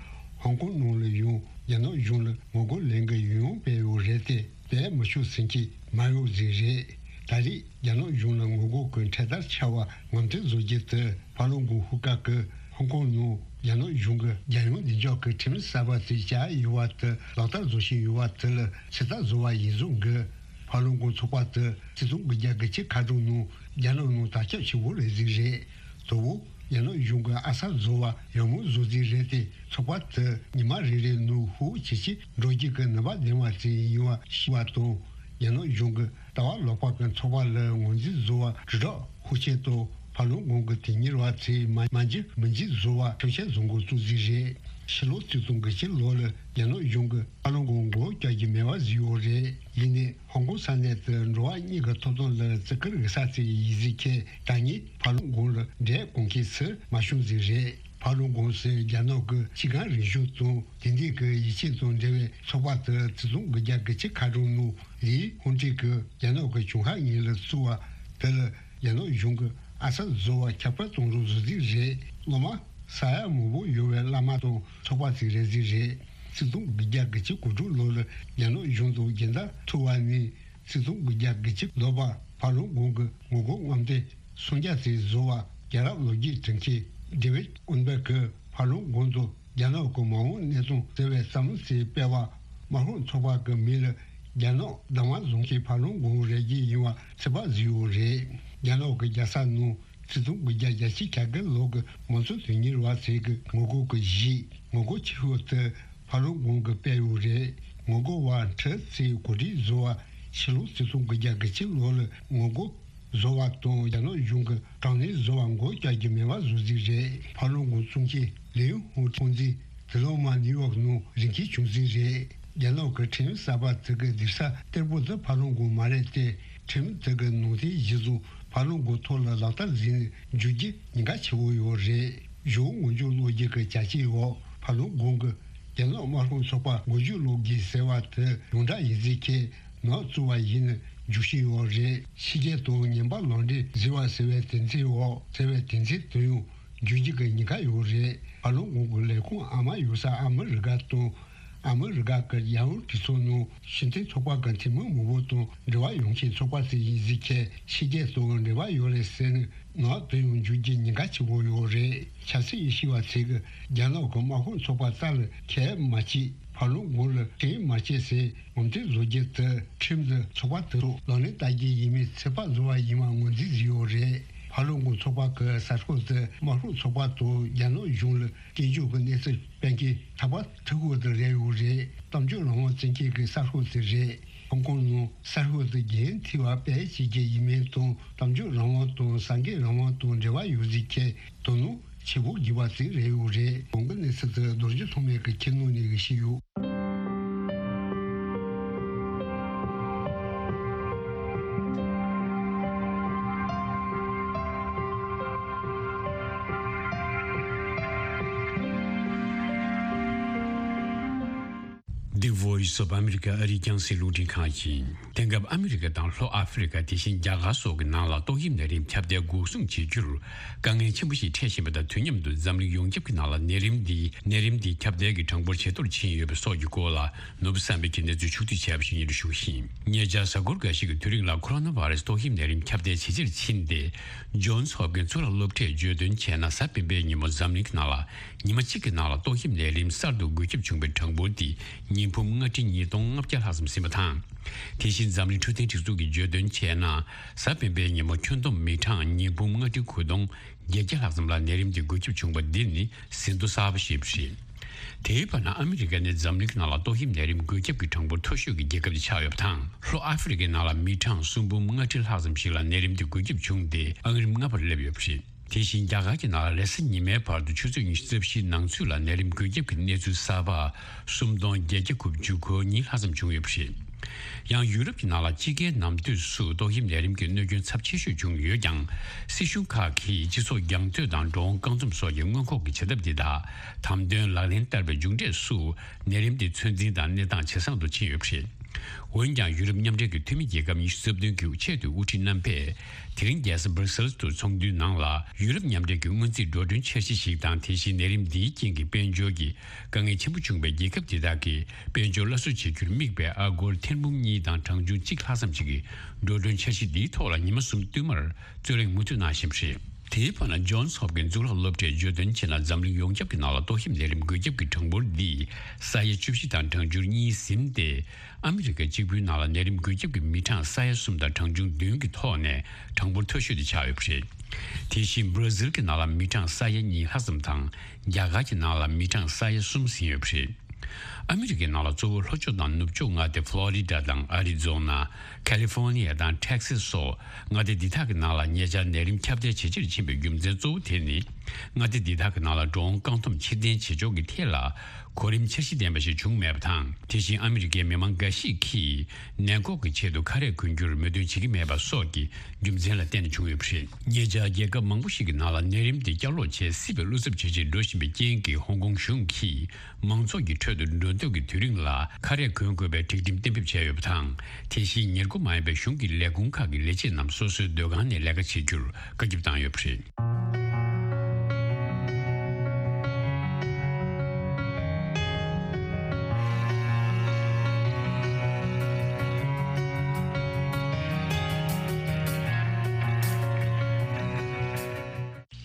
ཧོང་ཀོང་ནང་ལ་ཡང་རྒྱ་ནག་གཞུང་ལ་ངོ་རྒོལ་ལས་འགུལ་ཡང་ཡང་སྤེལ་ཡོད་རེད་དེ། དེ་མི་ཆོག་ཟེར་མཁན་མ་ཡོང་ཟིག་རེད། ད་རེས་རྒྱ་ནག་གཞུང་ལ་ངོ་རྒོལ་གྱི་འཕྲེད་དར་འཕྱར་བ་ངོ་མཚར་བཟོ་རྒྱུ་དེ། ཕ་ལོང་གོང་ཧུའུ་ཀ་གི་ཧོང་ཀོང་ནང་རྒྱ་ནག་གཞུང་གི་རྒྱལ་ཡོངས་བདེ་འཇགས་ཀྱི་ཁྲིམས་གསར་པ་དེ་བཅའ་ཡོད་པ་དེ་ལག་བསྟར་བཟོ་བཞིན་ཡོད་པ་དེ་ལ་ཕྱིར་ལྟ་བཟོ་བ་ཡིན་ཟུག་གི། ཕ་ལོང་གོང་ཚོགས་པ་དེ་ཆིག་སྟོང་དགུ་བརྒྱ་དགུ་བཅུ་ཁ་གྲངས་ནང་རྒྱ་ནག་ནང་དར་ཁྱབ་ཆེ་བོ་རེད་ཟིག་རེད། དོ་བོ་རྒྱ་ནག་གཞུང་གི་ཨ་གསར་བཟོ་བ་ཡག་མོ་བཟོ་རྩིས་རེད་དེ། ཚོགས་པ་དེ་ཉི་མ་རེ་རེ་ནང་ཧུར་ཇེ་ཆེ་འགྲོ་རྒྱུ་གི་ནུས་པ་ལྡན་པ་ཅིག་ཡིན་པ་ཤེས་པ་དང་། རྒྱ་ནག་གཞུང་གི་ལྟ་བ་ལོག་པ་གི་ཚོགས་པ་ལ་ངོས་འཛིན་བཟོ་བ་དྲིལ་བསྒྲགས་ཤུགས་ཆེ་དང་། ཕ་ལོང་གོང་གི་དེ་གཉེར་བ་ཚོས་མ་མ་འཇིགས་མི་འཇིགས་བཟོ་བ་ཁྲིམས་ཆད་བཟོ་འགོ་བཙུགས་རྩིས་རེད། ཕྱི་ལོ་ཆིག་སྟོང་དགུ་བརྒྱ་ལོ་ལ་རྒྱ་ནག་གཞུང་གིས་ཕ་ལོང་གོང་མགོ་བཀྱག་རྒྱུ་མེད་པ་བཟོས་ཡོད་རེད། ཡིན་ནའི། ཧོང་ཀོང་ས་གནས་དེ་འགྲོ་བ་མིའི་ཐོབ་ཐང་ལ་བརྩི་བཀུར་ཡོད་ས་ཅིག་ཡིན་ཟིག་གི། ད་ནི་ཕ་ལོང་གོང་ལ་འབྲས་གོང་མཁན་སུ་མ་བྱུང་ཟིག་རེད། ཕ་ལོང་གོང་སུ་རྒྱ་ནག་གི་ཕྱི་འགལ་རིག་གཞུང་དང་དེང་དུས་ཀྱི་ཡིད་ཆེས་དང་འབྲེལ་བའི་ཚོགས་པ་དེ་ཆིག་སྟོང་དགུ་བརྒྱ་དགུ་བཅུ་ཁ་གྲངས་ནང་ལི་ཧུང་ཀྲི་གིས་རྒྱ་ནག་གི་ཆུང་ཧྭ་ཉིན་ལ་བཙུགས་པ་དེ་ལ་རྒྱ་ནག་གཞུང་གི་ཨ་གསར་བཟོ་བ་ཁྱབ་སྤེལ་གཏོང་རོགས་བཟོ་རྩིས་རེད། སློབ་མ་ས་ཡ་མང་པོ་ཡོད་པའི་བླ་མ་དང་ཚོགས་པ་ཅིག་རེད་རྩིས་རེད། ཆིག་སྟོང་དགུ་བརྒྱ་དགུ་བཅུ་གོ་དྲུག་ལོ་ལ་རྒྱ་ནག་གཞུང་དང་རྒྱལ་མཐའ་ཐུག་པ་ནས་ཆིག་སྟོང་དགུ་བརྒྱ་དགུ་བཅུ་ལོ་བར་ཕ་ལོང་གོང་གི་ངོ་རྒོལ་རྔམ་སྟོན་སུམ་བརྒྱ་ཙམ་བཟོ་བ། རྒྱལ་རབས་ལོ་རྒྱུས་འབྲི་མཁན་ཌེ་ཝིད་ཨོན་བེག་གིས་ཕ་ལོང་གོང་དུ་རྒྱ་ནག་གི་མ་འོངས་གནས་སྟངས་ཟེར་བའི་བརྩམས་ཆོས་སྤེལ་བ། དམར་ཤོག་ཚོགས་པ་གི་མིང་ལ་རྒྱ་ནག་གདམ་ང་བཟོ་མཁན་ཕ་ལོང་གོང་རེད་ཀྱི་ཡིན་པ་ཚིག་པ་བཟོས་ཡོད་རེད། རྒྱ་ནག་གི་རྒྱལ་ས་ནང་ཆིག་སྟོང་དགུ་བརྒྱ་གྱ་གཅིག་གྱ་དགུ་ལོ་གི་མང་གཙོ་དོན་གཉེར་བ་ཚོས་ཀྱི་ངོ་རྒོལ་གྱི་གཞི་ངོ་རྒོལ་ཆེ་ཤོས་དེ་ཕ་ལོང་གོང་གི་སྤེལ་ཡོད་རེད། ངོ་རྒོལ་བ་ཁྲི་ཚོས་གོ་སྒྲིག་བཟོ་བ་ཕྱི་ལོ་ཆིག་སྟོང་དགུ་བརྒྱ་དགུ་བཅུ་ལོ་ལ་ངོ་རྒོལ་བཟོ་བ་དང་རྒྱ་ནག་གཞུང་གི་དྲག་གནོན་བཟོ་བ་མགོ་བཀྱག་རྒྱུ་མེད་པ་བཟོ་རྩིས་རེད། ཕ་ལོང་གོང་བཙུགས་མཁན་ལིའུ་ཧུང་ཁྲུང་ཙི་དེ་ལོ་མ་ནིའུ་ཡོག་ནང་རིགས་ཁྱི་བྱུང་རྩིས་རེད། རྒྱ་ནག་གི་ཁྲིམས་གསར་པ་དེ་གི་སྡིག་ས་གཏེར་པོ་དེ་ཕ་ལོང་གོང་མ་རེད་དེ། ཁྲིམས་དེ་གི་ནང་དོན་གཞི་བཟུང་ཕ་ལོང་གོང་ཐོག་ལ་ལག་བསྟར་ཟིན་ནས་འཇུག་རྒྱུ་ཉེན་ཁ་ཆེ་བོ་ཡོད་རེད། གཞུང་ངོ་རྒོལ་སློང་རྒྱུ་གི་བྱ་སྤྱོད་འོག་ཕ་ལོང་གོང་གི་རྒྱ་ནག་དམར་ཤོག་ཚོགས་པ་མགོ་མཇུག་སློག་དགོས་ཟེར་བ་དེ་ཡོངས་གྲགས་ཡིན་རྩིས་ཁས། ནག་བཙུགས་པ་ཡིན་ན་འཇུག་བཞིན་ཡོད་རེད། ཕྱི་རྒྱལ་དང་ངན་པ་ལག་འབྲེལ་བཟོས་པ་ཟེར་བའི་དོན་ཚན་འོག་ཟེར་བའི་དོན་ཚན་དེ་ཡང་འཇུག་རྒྱུ་གི་ཉེན་ཁ་ཡོད་རེད། ཕ་ལོང་གོང་གི་ལས་ཁུངས་ཨ་མ་ཡོད་ས་ཨ་མི་རི་ཀ་དང་། ཨ་མི་རི་ཀ་གི་རྒྱལ་ཡོངས་གྲོས་ཚོགས་ནང་ཕྱི་འཐེན་ཚོགས་པ་གི་འཐུས་མི་མང་པོ་དང་འབྲེལ་བ་ཡོད་མཁན་ཚོགས་པ་ཞིག་ཡིན་རྩིས་ཁས། ཕྱི་རྒྱལ་དང་འབྲེལ་བ་ཡོད་རེད་ཟེར་ནས་ནག་དེ་ཡང་འཇུག་རྒྱུ་ཉེན་ཁ་ཆེ་བོ་ཡོད་རེད། ཆབ་སྲིད་ཤེས་པ་ཚོས་ཀྱི་རྒྱ་ནག་གི་དམར་ཤོག་ཚོགས་པ་རྩ་ལ་ཁས་མ་བྱས། ཕ་ལོང་གོང་ལ་ཁྲིམས་མ་བྱས་ཟེར་ངོ་མཚར་བཟོ་རྒྱུ་དེ་ཁྲིམས་དེ་ཚོགས་པ་དེ་ཚོ་ལག་ལེན་བསྟར་རྒྱུ་ཡིན་མིན་ཚོད་དཔག་བཟོ་བ་ཡིན་པ་ངོས་འཛིན་བཟོས་ཡོད་རེད། ཕ་ལོ་ཀུང་ཚོགས་པ་གི་གསར་ཤོག་དེ་དམར་ཤོག་ཚོགས་པ་དང་རྒྱ་ནག་གཞུང་ལ་སྐྱོན་བརྗོད་ཀྱི་གནས་ཚུལ་སྤེལ་མཁན་ད་བར་ཐུག་ཡོད་དེ་རེད་ཡོད་རེད། གཏམ་བརྗོད་རང་དབང་བཙན་ཁྱེར་གྱི་གསར་ཤོག་དེ་རེད། ཧོང་ཀོང་ནང་གསར་ཤོག་དེ་རྒྱུན་མཐུད་པ་སྤེལ་བྱེད་ཀྱི་ཡིན་མིན་དང་གཏམ་བརྗོད་རང་དབང་དང་གསར་འགོད་རང་དབང་དང་འབྲེལ་བ་ཡོད་ཟེར་མཁན་དོ་སྣང་ཆེ་བོ་བགྱིས་པ་ཞིག་རེད་ཡོད་རེད། གོང་གི་གནས་ཚུལ་དེ་རྡོ་རྗེ་ཐོགས་མེད་ཀྱིས་ཁྱེར་གནང་ནས་ཞུས་ཡོད། The Voice of America ཨ་རིའི་རྒྱང་སྲིང་རླུང་འཕྲིན་ཁང་ཡིན། དེང་སྐབས་ཨ་མི་རི་ཀ་དང་ལྷོ་ཨ་ཧྥེ་རི་ཀ། དེ་བཞིན་རྒྱ་གར་སོགས་ཀྱི་ནང་ལ་ཏོག་དབྱིབས་ནད་རིམས་ཁྱབ་གདལ་འགོག་སྲུང་བྱེད་རྒྱུར་དཀའ་ངལ་ཆེན་པོ་ཞིག་འཕྲད་བཞིན་པ་དང་། དུས་མཉམ་དུ་འཛམ་གླིང་ཡོངས་ཁྱབ་ཀྱི་ནང་ལ་ནད་རིམས་འདི་ནད་རིམས་འདི་ཁྱབ་གདལ་གྱི་གྲངས་འབོར་ཇེ་མཐོར་ཕྱིན་ཡོད་པ་སོགས་ཀྱི་སྐོར་ལ། ནོར་བུ་བསམ་འཕེལ་གྱིས་གནས་ཚུལ་ཕྱོགས་བསྡུས་བྱས་པ་ཞིག་སྙན་སྒྲོན་ཞུ་གི་ཡིན། ཉེ་ཆར་གཟའ་འཁོར་འགའ་ཤས་ཀྱི་དུས་རིང་ལ་ཁོ་རོ་ན་བྷ་རེ་སི་ཏོག་དབྱིབས་ནད་རིམས་ཁྱབ་གདལ་ཇེ་ཆེར་ཕྱིན་ཏེ། ཇོན་སི་ཧོབ་ཀིན་གཙུག་ལག་སློབ་གྲྭས་བརྗོད་དོན་བྱས་ན། གཟའ་སྤེན་པའི་ཉིན་མོ་འཛམ་གླིང་གི་ནང་ལ་ཉི་མ་གཅིག་གི་ནང་ལ་ཏོག་དབྱིབས་ནད་རིམས་གསར་དུ་འགོས་ཁྱབ་བྱུང་བའི་གྲངས་འབོར་དེ་ཉིས་འབུམ་ལྔ་ཁྲི་ཉིས་སྟོང་ལྔ་བརྒྱ་ལྷག་ཙམ་ཟིན་པ་དང་། དེ་བཞིན་འཛམ་གླིང་འཕྲོད་བསྟེན་སྒྲིག་འཛུགས་ཀྱིས་བརྗོད་དོན་བྱས་ན། གཟའ་སྤེན་པའི་ཉིན་མོ་ཁྱོན་བསྡོམས་མི་གྲངས་ཉིས་འབུམ་ལྔ་ཁྲི་དགུ་སྟོང་བརྒྱད་བརྒྱ་ལྷག་ཙམ་ལ་ནད་རིམས་དེ་འགོས་ཁྱབ་བྱུང་བ་འདི་ནི་ཟིན་ཐོ་གསར་པ་ཞིག་རེད། དེའི་བར་ན་ཨ་མི་རི་ཀ་ནི་འཛམ་གླིང་གི་ནང་ལ་ཏོག་དབྱིབས་ནད་རིམས་འགོས་ཁྱབ་ཀྱི་གྲངས་འབོར་མཐོ་ཤོས་ཀྱི་རྒྱལ་ཁབ་དེ་ཆགས་ཡོད་པ་དང་། ལྷོ་ཨ་ཧྥེ་རི་ཀའི་ནང་ལ་མི་གྲངས་སུམ་འབུམ་ལྔ་ཁྲི་ལྷག་ཙམ་ཞིག་ལ་ནད་རིམས་དེ་འགོས་ཁྱབ་བྱུང་སྟེ། ཨང་རིམ་ལྔ་པར་སླེབས་ཡོད་པ་རེད། དེ་བཞིན་རྒྱ་གར་གྱི་ནང་ལ་རེས་གཟའ་ཉི་མའི་བར་དུ་ཆུ་ཚོད་ཉི་ཤུ་རྩ་བཞིའི་ནང་ཚུད་ལ་ནད་རིམས་འགོས་ཁྱབ་ཀྱི་གནས་ཚུལ་གསར་པ་སུམ་སྟོང་བརྒྱད་བརྒྱ་དགུ་བཅུ་གོ་གཉིས་ལྷག་ཙམ་བྱུང་ཡོད་པ་རེད། ཡང་ཡུ་རོབ་ཀྱི་ནང་ལ་དཔྱིད་ཀའི་ནམ་དུས་སུ་ཏོག་དབྱིབས་ནད་རིམས་ཀྱི་གནོད་སྐྱོན་ཚབས་ཆེ་ཤོས་བྱུང་ཡོད་ཀྱང་། སྲིད་གཞུང་ཁག་གིས་སྤྱི་ཚོགས་རྒྱང་མཐུད་དང་འགྲོ་འོང་བཀག་སྡོམ་སོགས་ཀྱི་སྔོན་འགོག་གི་བྱ་ཐབས་འདི་དག་དམ་དོན་ལག་ལེན་བསྟར་བའི་མཇུག་འབྲས་སུ་ནད་རིམས་དེ་ཚོད་འཛིན་དང་གནས་སྟངས་ཇེ་བཟང་དུ་ཕྱིན་ཡོད་པ་རེད། འོན་ཀྱང་ཡུ་རོབ་མཉམ་འབྲེལ་གྱི་འཐུས་མི་རྒྱལ་ཁབ་ཉི་ཤུ་རྩ་བདུན་གྱི་ཆེས་མཐོའི་དབུ་ཁྲིད་རྣམ་པས་དེ་རིང་རྒྱལ་ས་སྦར་སེལ་སི་དུ་ཚོགས་འདུའི་ནང་ལ། ཡུ་རོབ་མཉམ་འབྲེལ་གྱི་སྔོན་རྩིས་འགྲོ་གྲོན་འཆར་གཞི་ཞིག་དང་། དེ་བཞིན་ནད་རིམས་འདིའི་རྐྱེན་གྱིས་དཔལ་འབྱོར་གྱི་དཀའ་ངལ་ཆེན་པོ་བྱུང་བའི་རྒྱལ་ཁབ་དེ་དག་གི་དཔལ་འབྱོར་སླར་གསོ་བྱེད་རྒྱུར་དམིགས་པའི་ཨ་སྒོར་ཐེར་འབུམ་གཉིས་དང་གྲངས་ཆུང་གཅིག་ལྷག་ཙམ་ཞིག་གི་འགྲོ་གྲོན་འཆར་གཞི་འདིའི་ཐོག་ལ་ཉི་མ་གསུམ་བསྟུད་མར་རྩོད་གླེང་མུ་མཐུད་གནང་བཞིན་པ་རེད། དེའི་བར་ན་ཇོན་སི་ཧོབ་ཀིན་གཙུག་ལག་སློབ་གྲྭས་བརྗོད་དོན་བྱས་ན། འཛམ་གླིང་ཡོངས་ཁྱབ་ཀྱི་ནང་ལ་ཏོག་དབྱིབས་ནད་རིམས་འགོས་ཁྱབ་ཀྱི་གྲངས་འབོར་འདི་ས་ཡ་བཅུ་བཞི་དང་གྲངས་ཆུང་གཉིས་ཟིན་ཏེ། ཨ་མི་རི་ཀ་གཅིག་པུའི་ནང་ལ་ནད་རིམས་འགོས་ཁྱབ་ཀྱི་མི་གྲངས་ས་ཡ་གསུམ་དང་གྲངས་ཆུང་བདུན་གྱི་ཐོག་ནས་གྲངས་འབོར་མཐོ་ཤོས་དེ་ཆགས་ཡོད་པ་རེད། དེ་བཞིན་སྦྲ་ཟིལ་གྱི་ནང་ལ་མི་གྲངས་ས་ཡ་གཉིས་ལྷག་ཙམ་དང་། རྒྱ་གར་གྱི་ནང་ལ་མི་གྲངས་ས་ཡ་གསུམ་ཟིན་ཡོད་པ་རེད། ཨ་མི་རི་ཀའི་ནང་ལ་གཙོ་བོ་ལྷོ་ཕྱོགས་དང་ནུབ་ཕྱོགས་མངའ་སྡེ་ཕློ་རི་ཌ་དང་ཨ་རི་ཛོ་ན། ཁ་ལི་ཧྥོ་ནི་ཡ་དང་ཊེག་སི་སོགས་མངའ་སྡེ་འདི་དག་གི་ནང་ལ་ཉེ་ཆར་ནད་རིམས་ཁྱབ་གདལ་ཇེ་ཆེར་ཕྱིན་པའི་རྒྱུ་མཚན་གཙོ་བོ་དེ་ནི། མངའ་སྡེ་འདི་དག་གི་ནང་ལ་འགྲོ་འོང་བཀག་སྡོམ་ཕྱིར་འཐེན་བྱེད་ཕྱོགས་ཀྱི་ཐད་ལ་གོ་རིམ་འཆར་གཞི་ལྡན་པ་ཞིག་བྱུང་མེད་པ་དང་། དེ་བཞིན་ཨ་མི་རི་ཀའི་མི་མང་འགའ་ཞིག་གིས་ནད་འགོག་གི་ཆེད་དུ་ཁ་རས་གོན་རྒྱུར་མོས་མཐུན་བྱེད་ཀྱི་མེད་པ་སོགས་ཀྱི་རྒྱུ་མཚན་ལ་བརྟེན་ནས་བྱུང་ཡོད་པ་རེད། ཉེ་ཆར་རྒྱལ་ཁབ་མང་པོ་ཞིག་གི་ནང་ལ་ནད་རིམས་དེ་བསྐྱར་ལོག་བྱེད་སྲིད་པའི་བློ་འཚབ་ཇེ་ཆེར་འགྲོ་བཞིན་པའི་རྐྱེན་གྱིས། ཧོང་ཀོང་གཞུང་གིས་མང་ཚོགས་ཀྱི་ཁྲོད་དུ་འགྲོ་འདུག་གི་དུས་རིང་ལ་ཁ་རས་གོན་དགོས་པའི་སྒྲིག་ཁྲིམས་གཏན་འབེབས་བྱས་ཡོད་པ་དང་། དེ་བཞིན་ཉེར་མཁོ་མ་ཡིན་པའི་གཞུང་གི་ལས་ཁུངས་ཁག་གི་ལས་བྱེད་རྣམས་སོ་སོའི་སྡོད་ཁང་ནས་ལས་ཀ་བྱེད་རྒྱུར་བཀའ་ཁྱབ་བཏང་ཡོད་པ་རེད།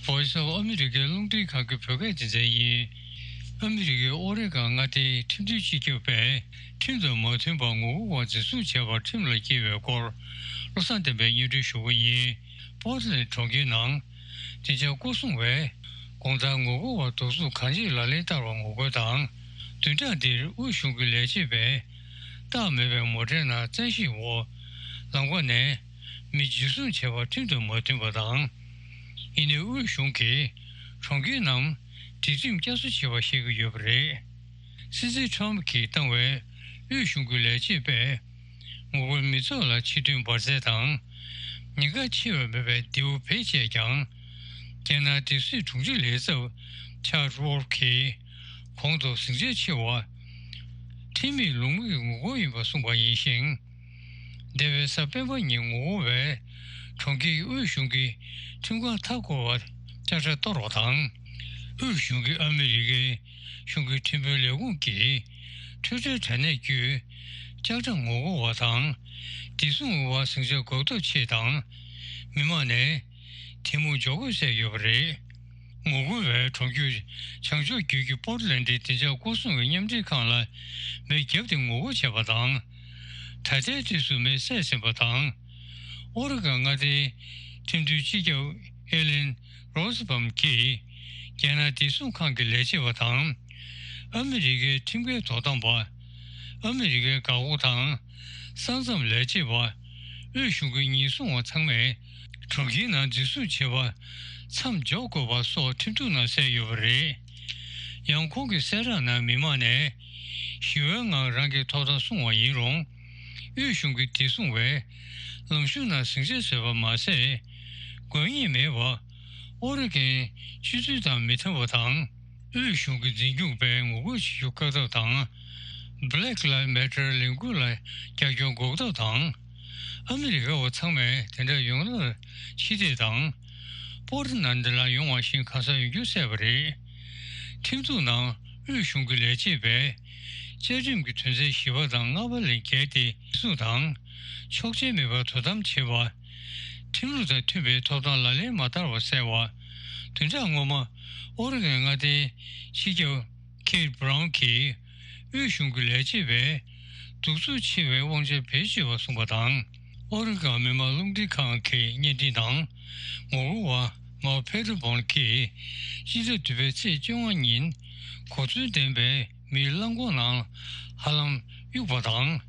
Voice of America རླུང་འཕྲིན་ཁང་གི་བོད་སྐད་སྡེ་ཚན་ཡིན། ཨ་མི་རི་ཀའི་ཨོ་རེ་གྷོན་མངའ་སྡེའི་ཁྲིམས་མཐུན་སྤྱི་ཁྱབ་པས་ཁྲིམས་དང་མ་མཐུན་པར་ངོ་རྒོལ་བ་འཛིན་བཟུང་བྱས་པར་ཁྲིམས་ལ་བསྐྱལ་བའི་སྐོར། བློ་བཟང་བསྟན་པས་སྙན་སྒྲོན་ཞུ་གི་ཡིན། པོར་ཊི་ལེན་གྲོང་ཁྱེར་ནང་བདེ་འཇགས་སྐོར་སྲུང་བས་དགོང་དག་ངོ་རྒོལ་བ་སྡུག་རྩུབ་གང་ཅིའི་ལག་ལེན་བསྟར་བར་ངོ་རྒོལ་དང་། བདུན་ཕྲག་འདིར་དབུས་གཞུང་གི་ལས་བྱེད་པས་རྟགས་མེད་པའི་མོ་ཊའི་ནང་བཙན་ཤེད་འོག་ལམ་ཁ་ནས་མི་འཇུ་བཟུང་བྱས་པ་ཁྲིམས་དང་མ་མཐུན་པ་དང་། ཡིན་ནའི་དབུས་གཞུང་གིས་གྲོང་ཁྱེར་རྣམས་སྒྲིག་ཁྲིམས་བསྐྱར་གསོ་བྱེད་པར་བཤད་ཀྱི་ཡོད་པ་རེད། སྲིད་འཛིན་ཁྲོམ་གྱིས་བཏང་བའི་དབུས་གཞུང་གི་ལས་བྱེད་པས་ངོ་རྒོལ་མི་ཚོགས་ལ་ཕྱི་ཐོན་འབར་རྫས་དང་། ཉེན་ཁ་ཆེ་བའི་མེད་པའི་མདེའུ་བེད་སྤྱད་ཀྱང་། རྒྱལ་ནང་སྡེབ་གསོད་དྲུང་ཆེ་ལས་ཚབ་ཆར་ཝོལ་གྱིས་གོང་དུ་ཟིང་ཆ་ཆེ་བ་ཁྲིམས་མེད་ལུགས་མེད་ཀྱི་ངོ་རྒོལ་ཡིན་པ་གསུངས་པ་ཡིན་ཞིང་། འདས་པའི་གཟའ་སྤེན་པ་ཉིན་ངོ་རྒོལ་བས་གྲོང་ཁྱེར་དབུས་གཞུང་གི་ཁྲིམས་ཁང་མཐའ་བསྐོར་བར་ལྕགས་དྲ་གཏོར་བ་དང་། དབུས་གཞུང་གིས་ཨ་མི་རི་ཀའི་གཞུང་གི་ཁྲིམས་དཔོན་ལས་ཁུངས་ཀྱི་ཊུའི་ཊར་དྲ་གནས་བརྒྱུད་ལྕགས་དྲ་ངོ་རྒོལ་བ་དང་བདེ་སྲུང་འོག་ཟིང་ཆ་འགོག་ཐབས་ཆེད་དང་། མི་མང་ནས་དེ་མུར་འཇོག་དགོས་གསུངས་ཡོད་པ་རེད། ངོ་རྒོལ་བས་གྲོང་ཁྱེར་བྱང་ཕྱོགས་རྒྱུད་ཀྱི་པོར་ཊི་ལེན་ཌི་བདེ་འཇགས་སྐོར་སྲུང་གི་མཉམ་འབྲེལ་ཁང་ལ་མེ་བརྒྱབ་སྟེ་ངོ་རྒོལ་བྱས་པ་དང་། ད་ལྟའི་དུས་སུ་མེ་བསད་ཟིན་པ་དང་། ཨོ་རི་གྷོན་མངའ་སྡེའི་ཁྲིམས་མཐུན་སྤྱི་ཁྱབ་ ཨེ་ལེན་རོ་སི་བྷམ་གྱིས་རྒྱལ་ནང་བདེ་སྲུང་ཁང་གི་ལས་བྱེད་པ་དང་། ཨ་མི་རི་ཀའི་ཁྲིམས་འགལ་དོ་དམ་པ། ཨ་མི་རི་ཀའི་འགག་སྒོ་དང་ས་མཚམས་ལས་བྱེད་པ། དབུས་གཞུང་གི་ཉེན་སྲུང་བ་ཚང་མས་གྲོང་ཁྱེར་ནང་འཛིན་བཟུང་བྱེད་པ་མཚམས་འཇོག་དགོས་པ་སོགས་ཁྲིམས་གཏུག་ནང་གསལ་ཡོད་པ་རེད། ཡང་ཁོང་གི་གསལ་བསྒྲགས་ནང་མི་མང་ནས་ཞི་བའི་ངང་རང་གི་ཐོབ་ཐང་སྲུང་བ་ཡིན་རུང་། དབུས་གཞུང་གི་བདེ་སྲུང་བས་ལམ་གཞུང་ནང་ཟིང་ཆ་བཟོས་པ་མ་ཟད། དགོས་ངེས་མེད་པར་ཨོ་རི་གན་སྤྱི་ཚུལ་དང་མི་མཐུན་པ་དང་། དབུས་གཞུང་གི་འཛིན་སྐྱོང་པས་ངོ་རྒོལ་བྱེད་རྒྱུ་བཀག་ཐབས་དང་། Black Lives Matter ལས་འགུལ་ལ་རྒྱབ་སྐྱོར་འགོག་ཐབས་དང་། ཨ་མི་རི་ཀ་བ་ཚང་མས་དེ་འདྲ་ཡོང་ཐབས་ཕྱི་བལྟས་དང་། པོར་ཊི་ལན་ཌི་ལ་ཡོང་བ་ཞིག་གང་ཟག་ཡོང་རྒྱུ་གསལ་བ་རེད། ཁྲིམས་གཏུག་ནང་དབུས་གཞུང་གི་ལས་བྱེད་པས་བཅའ་ཁྲིམས་ཀྱི་དོན་ཚན་བཞི་པ་དང་ལྔ་པ་ལས་འགལ་ཏེ་སྲུང་དང་། ཆོག་མཆན་མེད་པར་དོ་དམ་བྱེད་པ། ཁྲིམས་ལུགས་དང་མཐུན་པའི་ཐོབ་ཐང་ལག་ལེན་མ་བསྟར་བ་གསལ་བ། བདུན་ཕྲག་སྔོན་མ་ཨོ་རི་གན་མངའ་སྡེའི་སྤྱི་ཁྱབ་ཁེ་ཊི་བྷ་རའུན་གྱིས་དབུས་གཞུང་གི་ལས་བྱེད་པས་གདུག་རྩུབ་ཆེ་བའི་དབང་ཆ་བེད་སྤྱོད་པ་གསུངས་པ་དང་། ཨོ་རི་གན་མི་དམངས་རླུང་འཕྲིན་ཁང་གི་བརྙན་འཕྲིན་དང་ངོ་རྒོལ་བ་མའོ་ཕེ་ཏོ་བོན་གྱིས་སྤྱི་ཟླ་བདུན་པའི་ཚེས་བཅོ་ལྔ་ཉིན་གོ་མཚོན་ལྡན་པའི་མིའི་རླངས་འཁོར་ནང་ཧ་ལམ་གཡུགས་པ་དང་།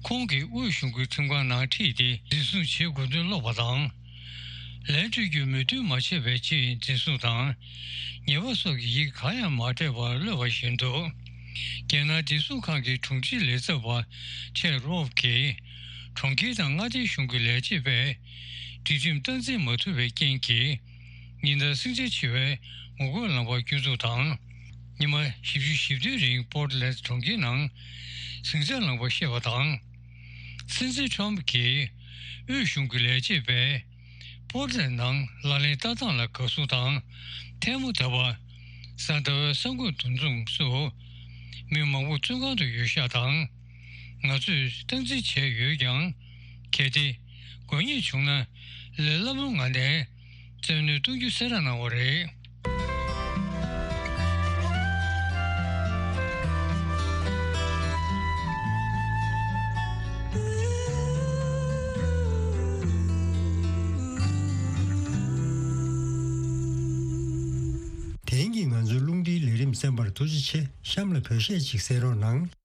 ཁོང་གིས་དབུས་གཞུང་གི་ཁྲིམས་ཁང་ནང་ཁྲིད་དེ་འཛིན་བཟུང་བྱེད་དགོས་འདུན་སློག་པ་དང་། ལན་སྤྲོད་རྒྱུ་མོས་མཐུན་མ་བྱས་པའི་ཆེད་འཛིན་བཟུང་དང་། ཉེས་པ་སོགས་ཀྱི་ཡི་གེ་གང་ཡང་མ་སྤྲད་པར་གློད་པ་བཞིན་དུ། རྒྱལ་ནང་བདེ་སྲུང་ཁང་གི་དྲུང་ཆེ་ལས་ཚབ་པ་ཆེད་རོབ་ཀྱིས། གྲོང་ཁྱེར་དང་མངའ་སྡེ་གཞུང་གི་ལས་བྱེད་པས་སྒྲིག་ཁྲིམས་སྟངས་འཛིན་མ་ཐུབ་པའི་རྐྱེན་གྱིས། ཉིན་ལྟར་ཟིང་ཆ་ཆེ་བའི་ངོ་རྒོལ་ལངས་པ་སྐྱོན་འཛུགས་དང་། ཉི་མ་བཞི་བཅུ་ཞེ་བདུན་རིང་པོར་ཊི་ལན་ཌི་གྲོང་ཁྱེར་ནང་ཟིང་ཆ་ལངས་པ་བཤད་པ་དང་། སྲིད་འཛིན་ཊམ་གྱིས་དབུས་གཞུང་གི་ལས་བྱེད་པས་པོར་ཊི་ལན་ཌི་ནང་ལག་ལེན་བསྟར་སྟངས་ལ་དགའ་བསུ་དང་། ཐལ་མོ་བརྡབས་པ། གཟའ་ཟླ་བའི་གསར་འགོད་འདུ་འཛོམས་སུ་མི་མང་པོ་བཙོན་ཁང་དུ་ཡོད་ཤག་དང་། ང་ཚོས་སྟངས་འཛིན་བྱས་ཡོད་ཀྱང་། གལ་ཏེ་དགོས་ངེས་བྱུང་ན་ལས་སླ་པོའི་ངང་ནས་བཙན་གནོན་གཏོང་རྒྱུ་གསལ་བསྒྲགས་གནང་བ་རེད། དེང་གི་ང་ཚོའི་རླུང་འཕྲིན་ལས་རིམ་གསན་པར་ཐུགས་རྗེ་ཆེ། གཤམ་ལ་བོད་གཞས་ཅིག་གསན་རོགས་གནང་།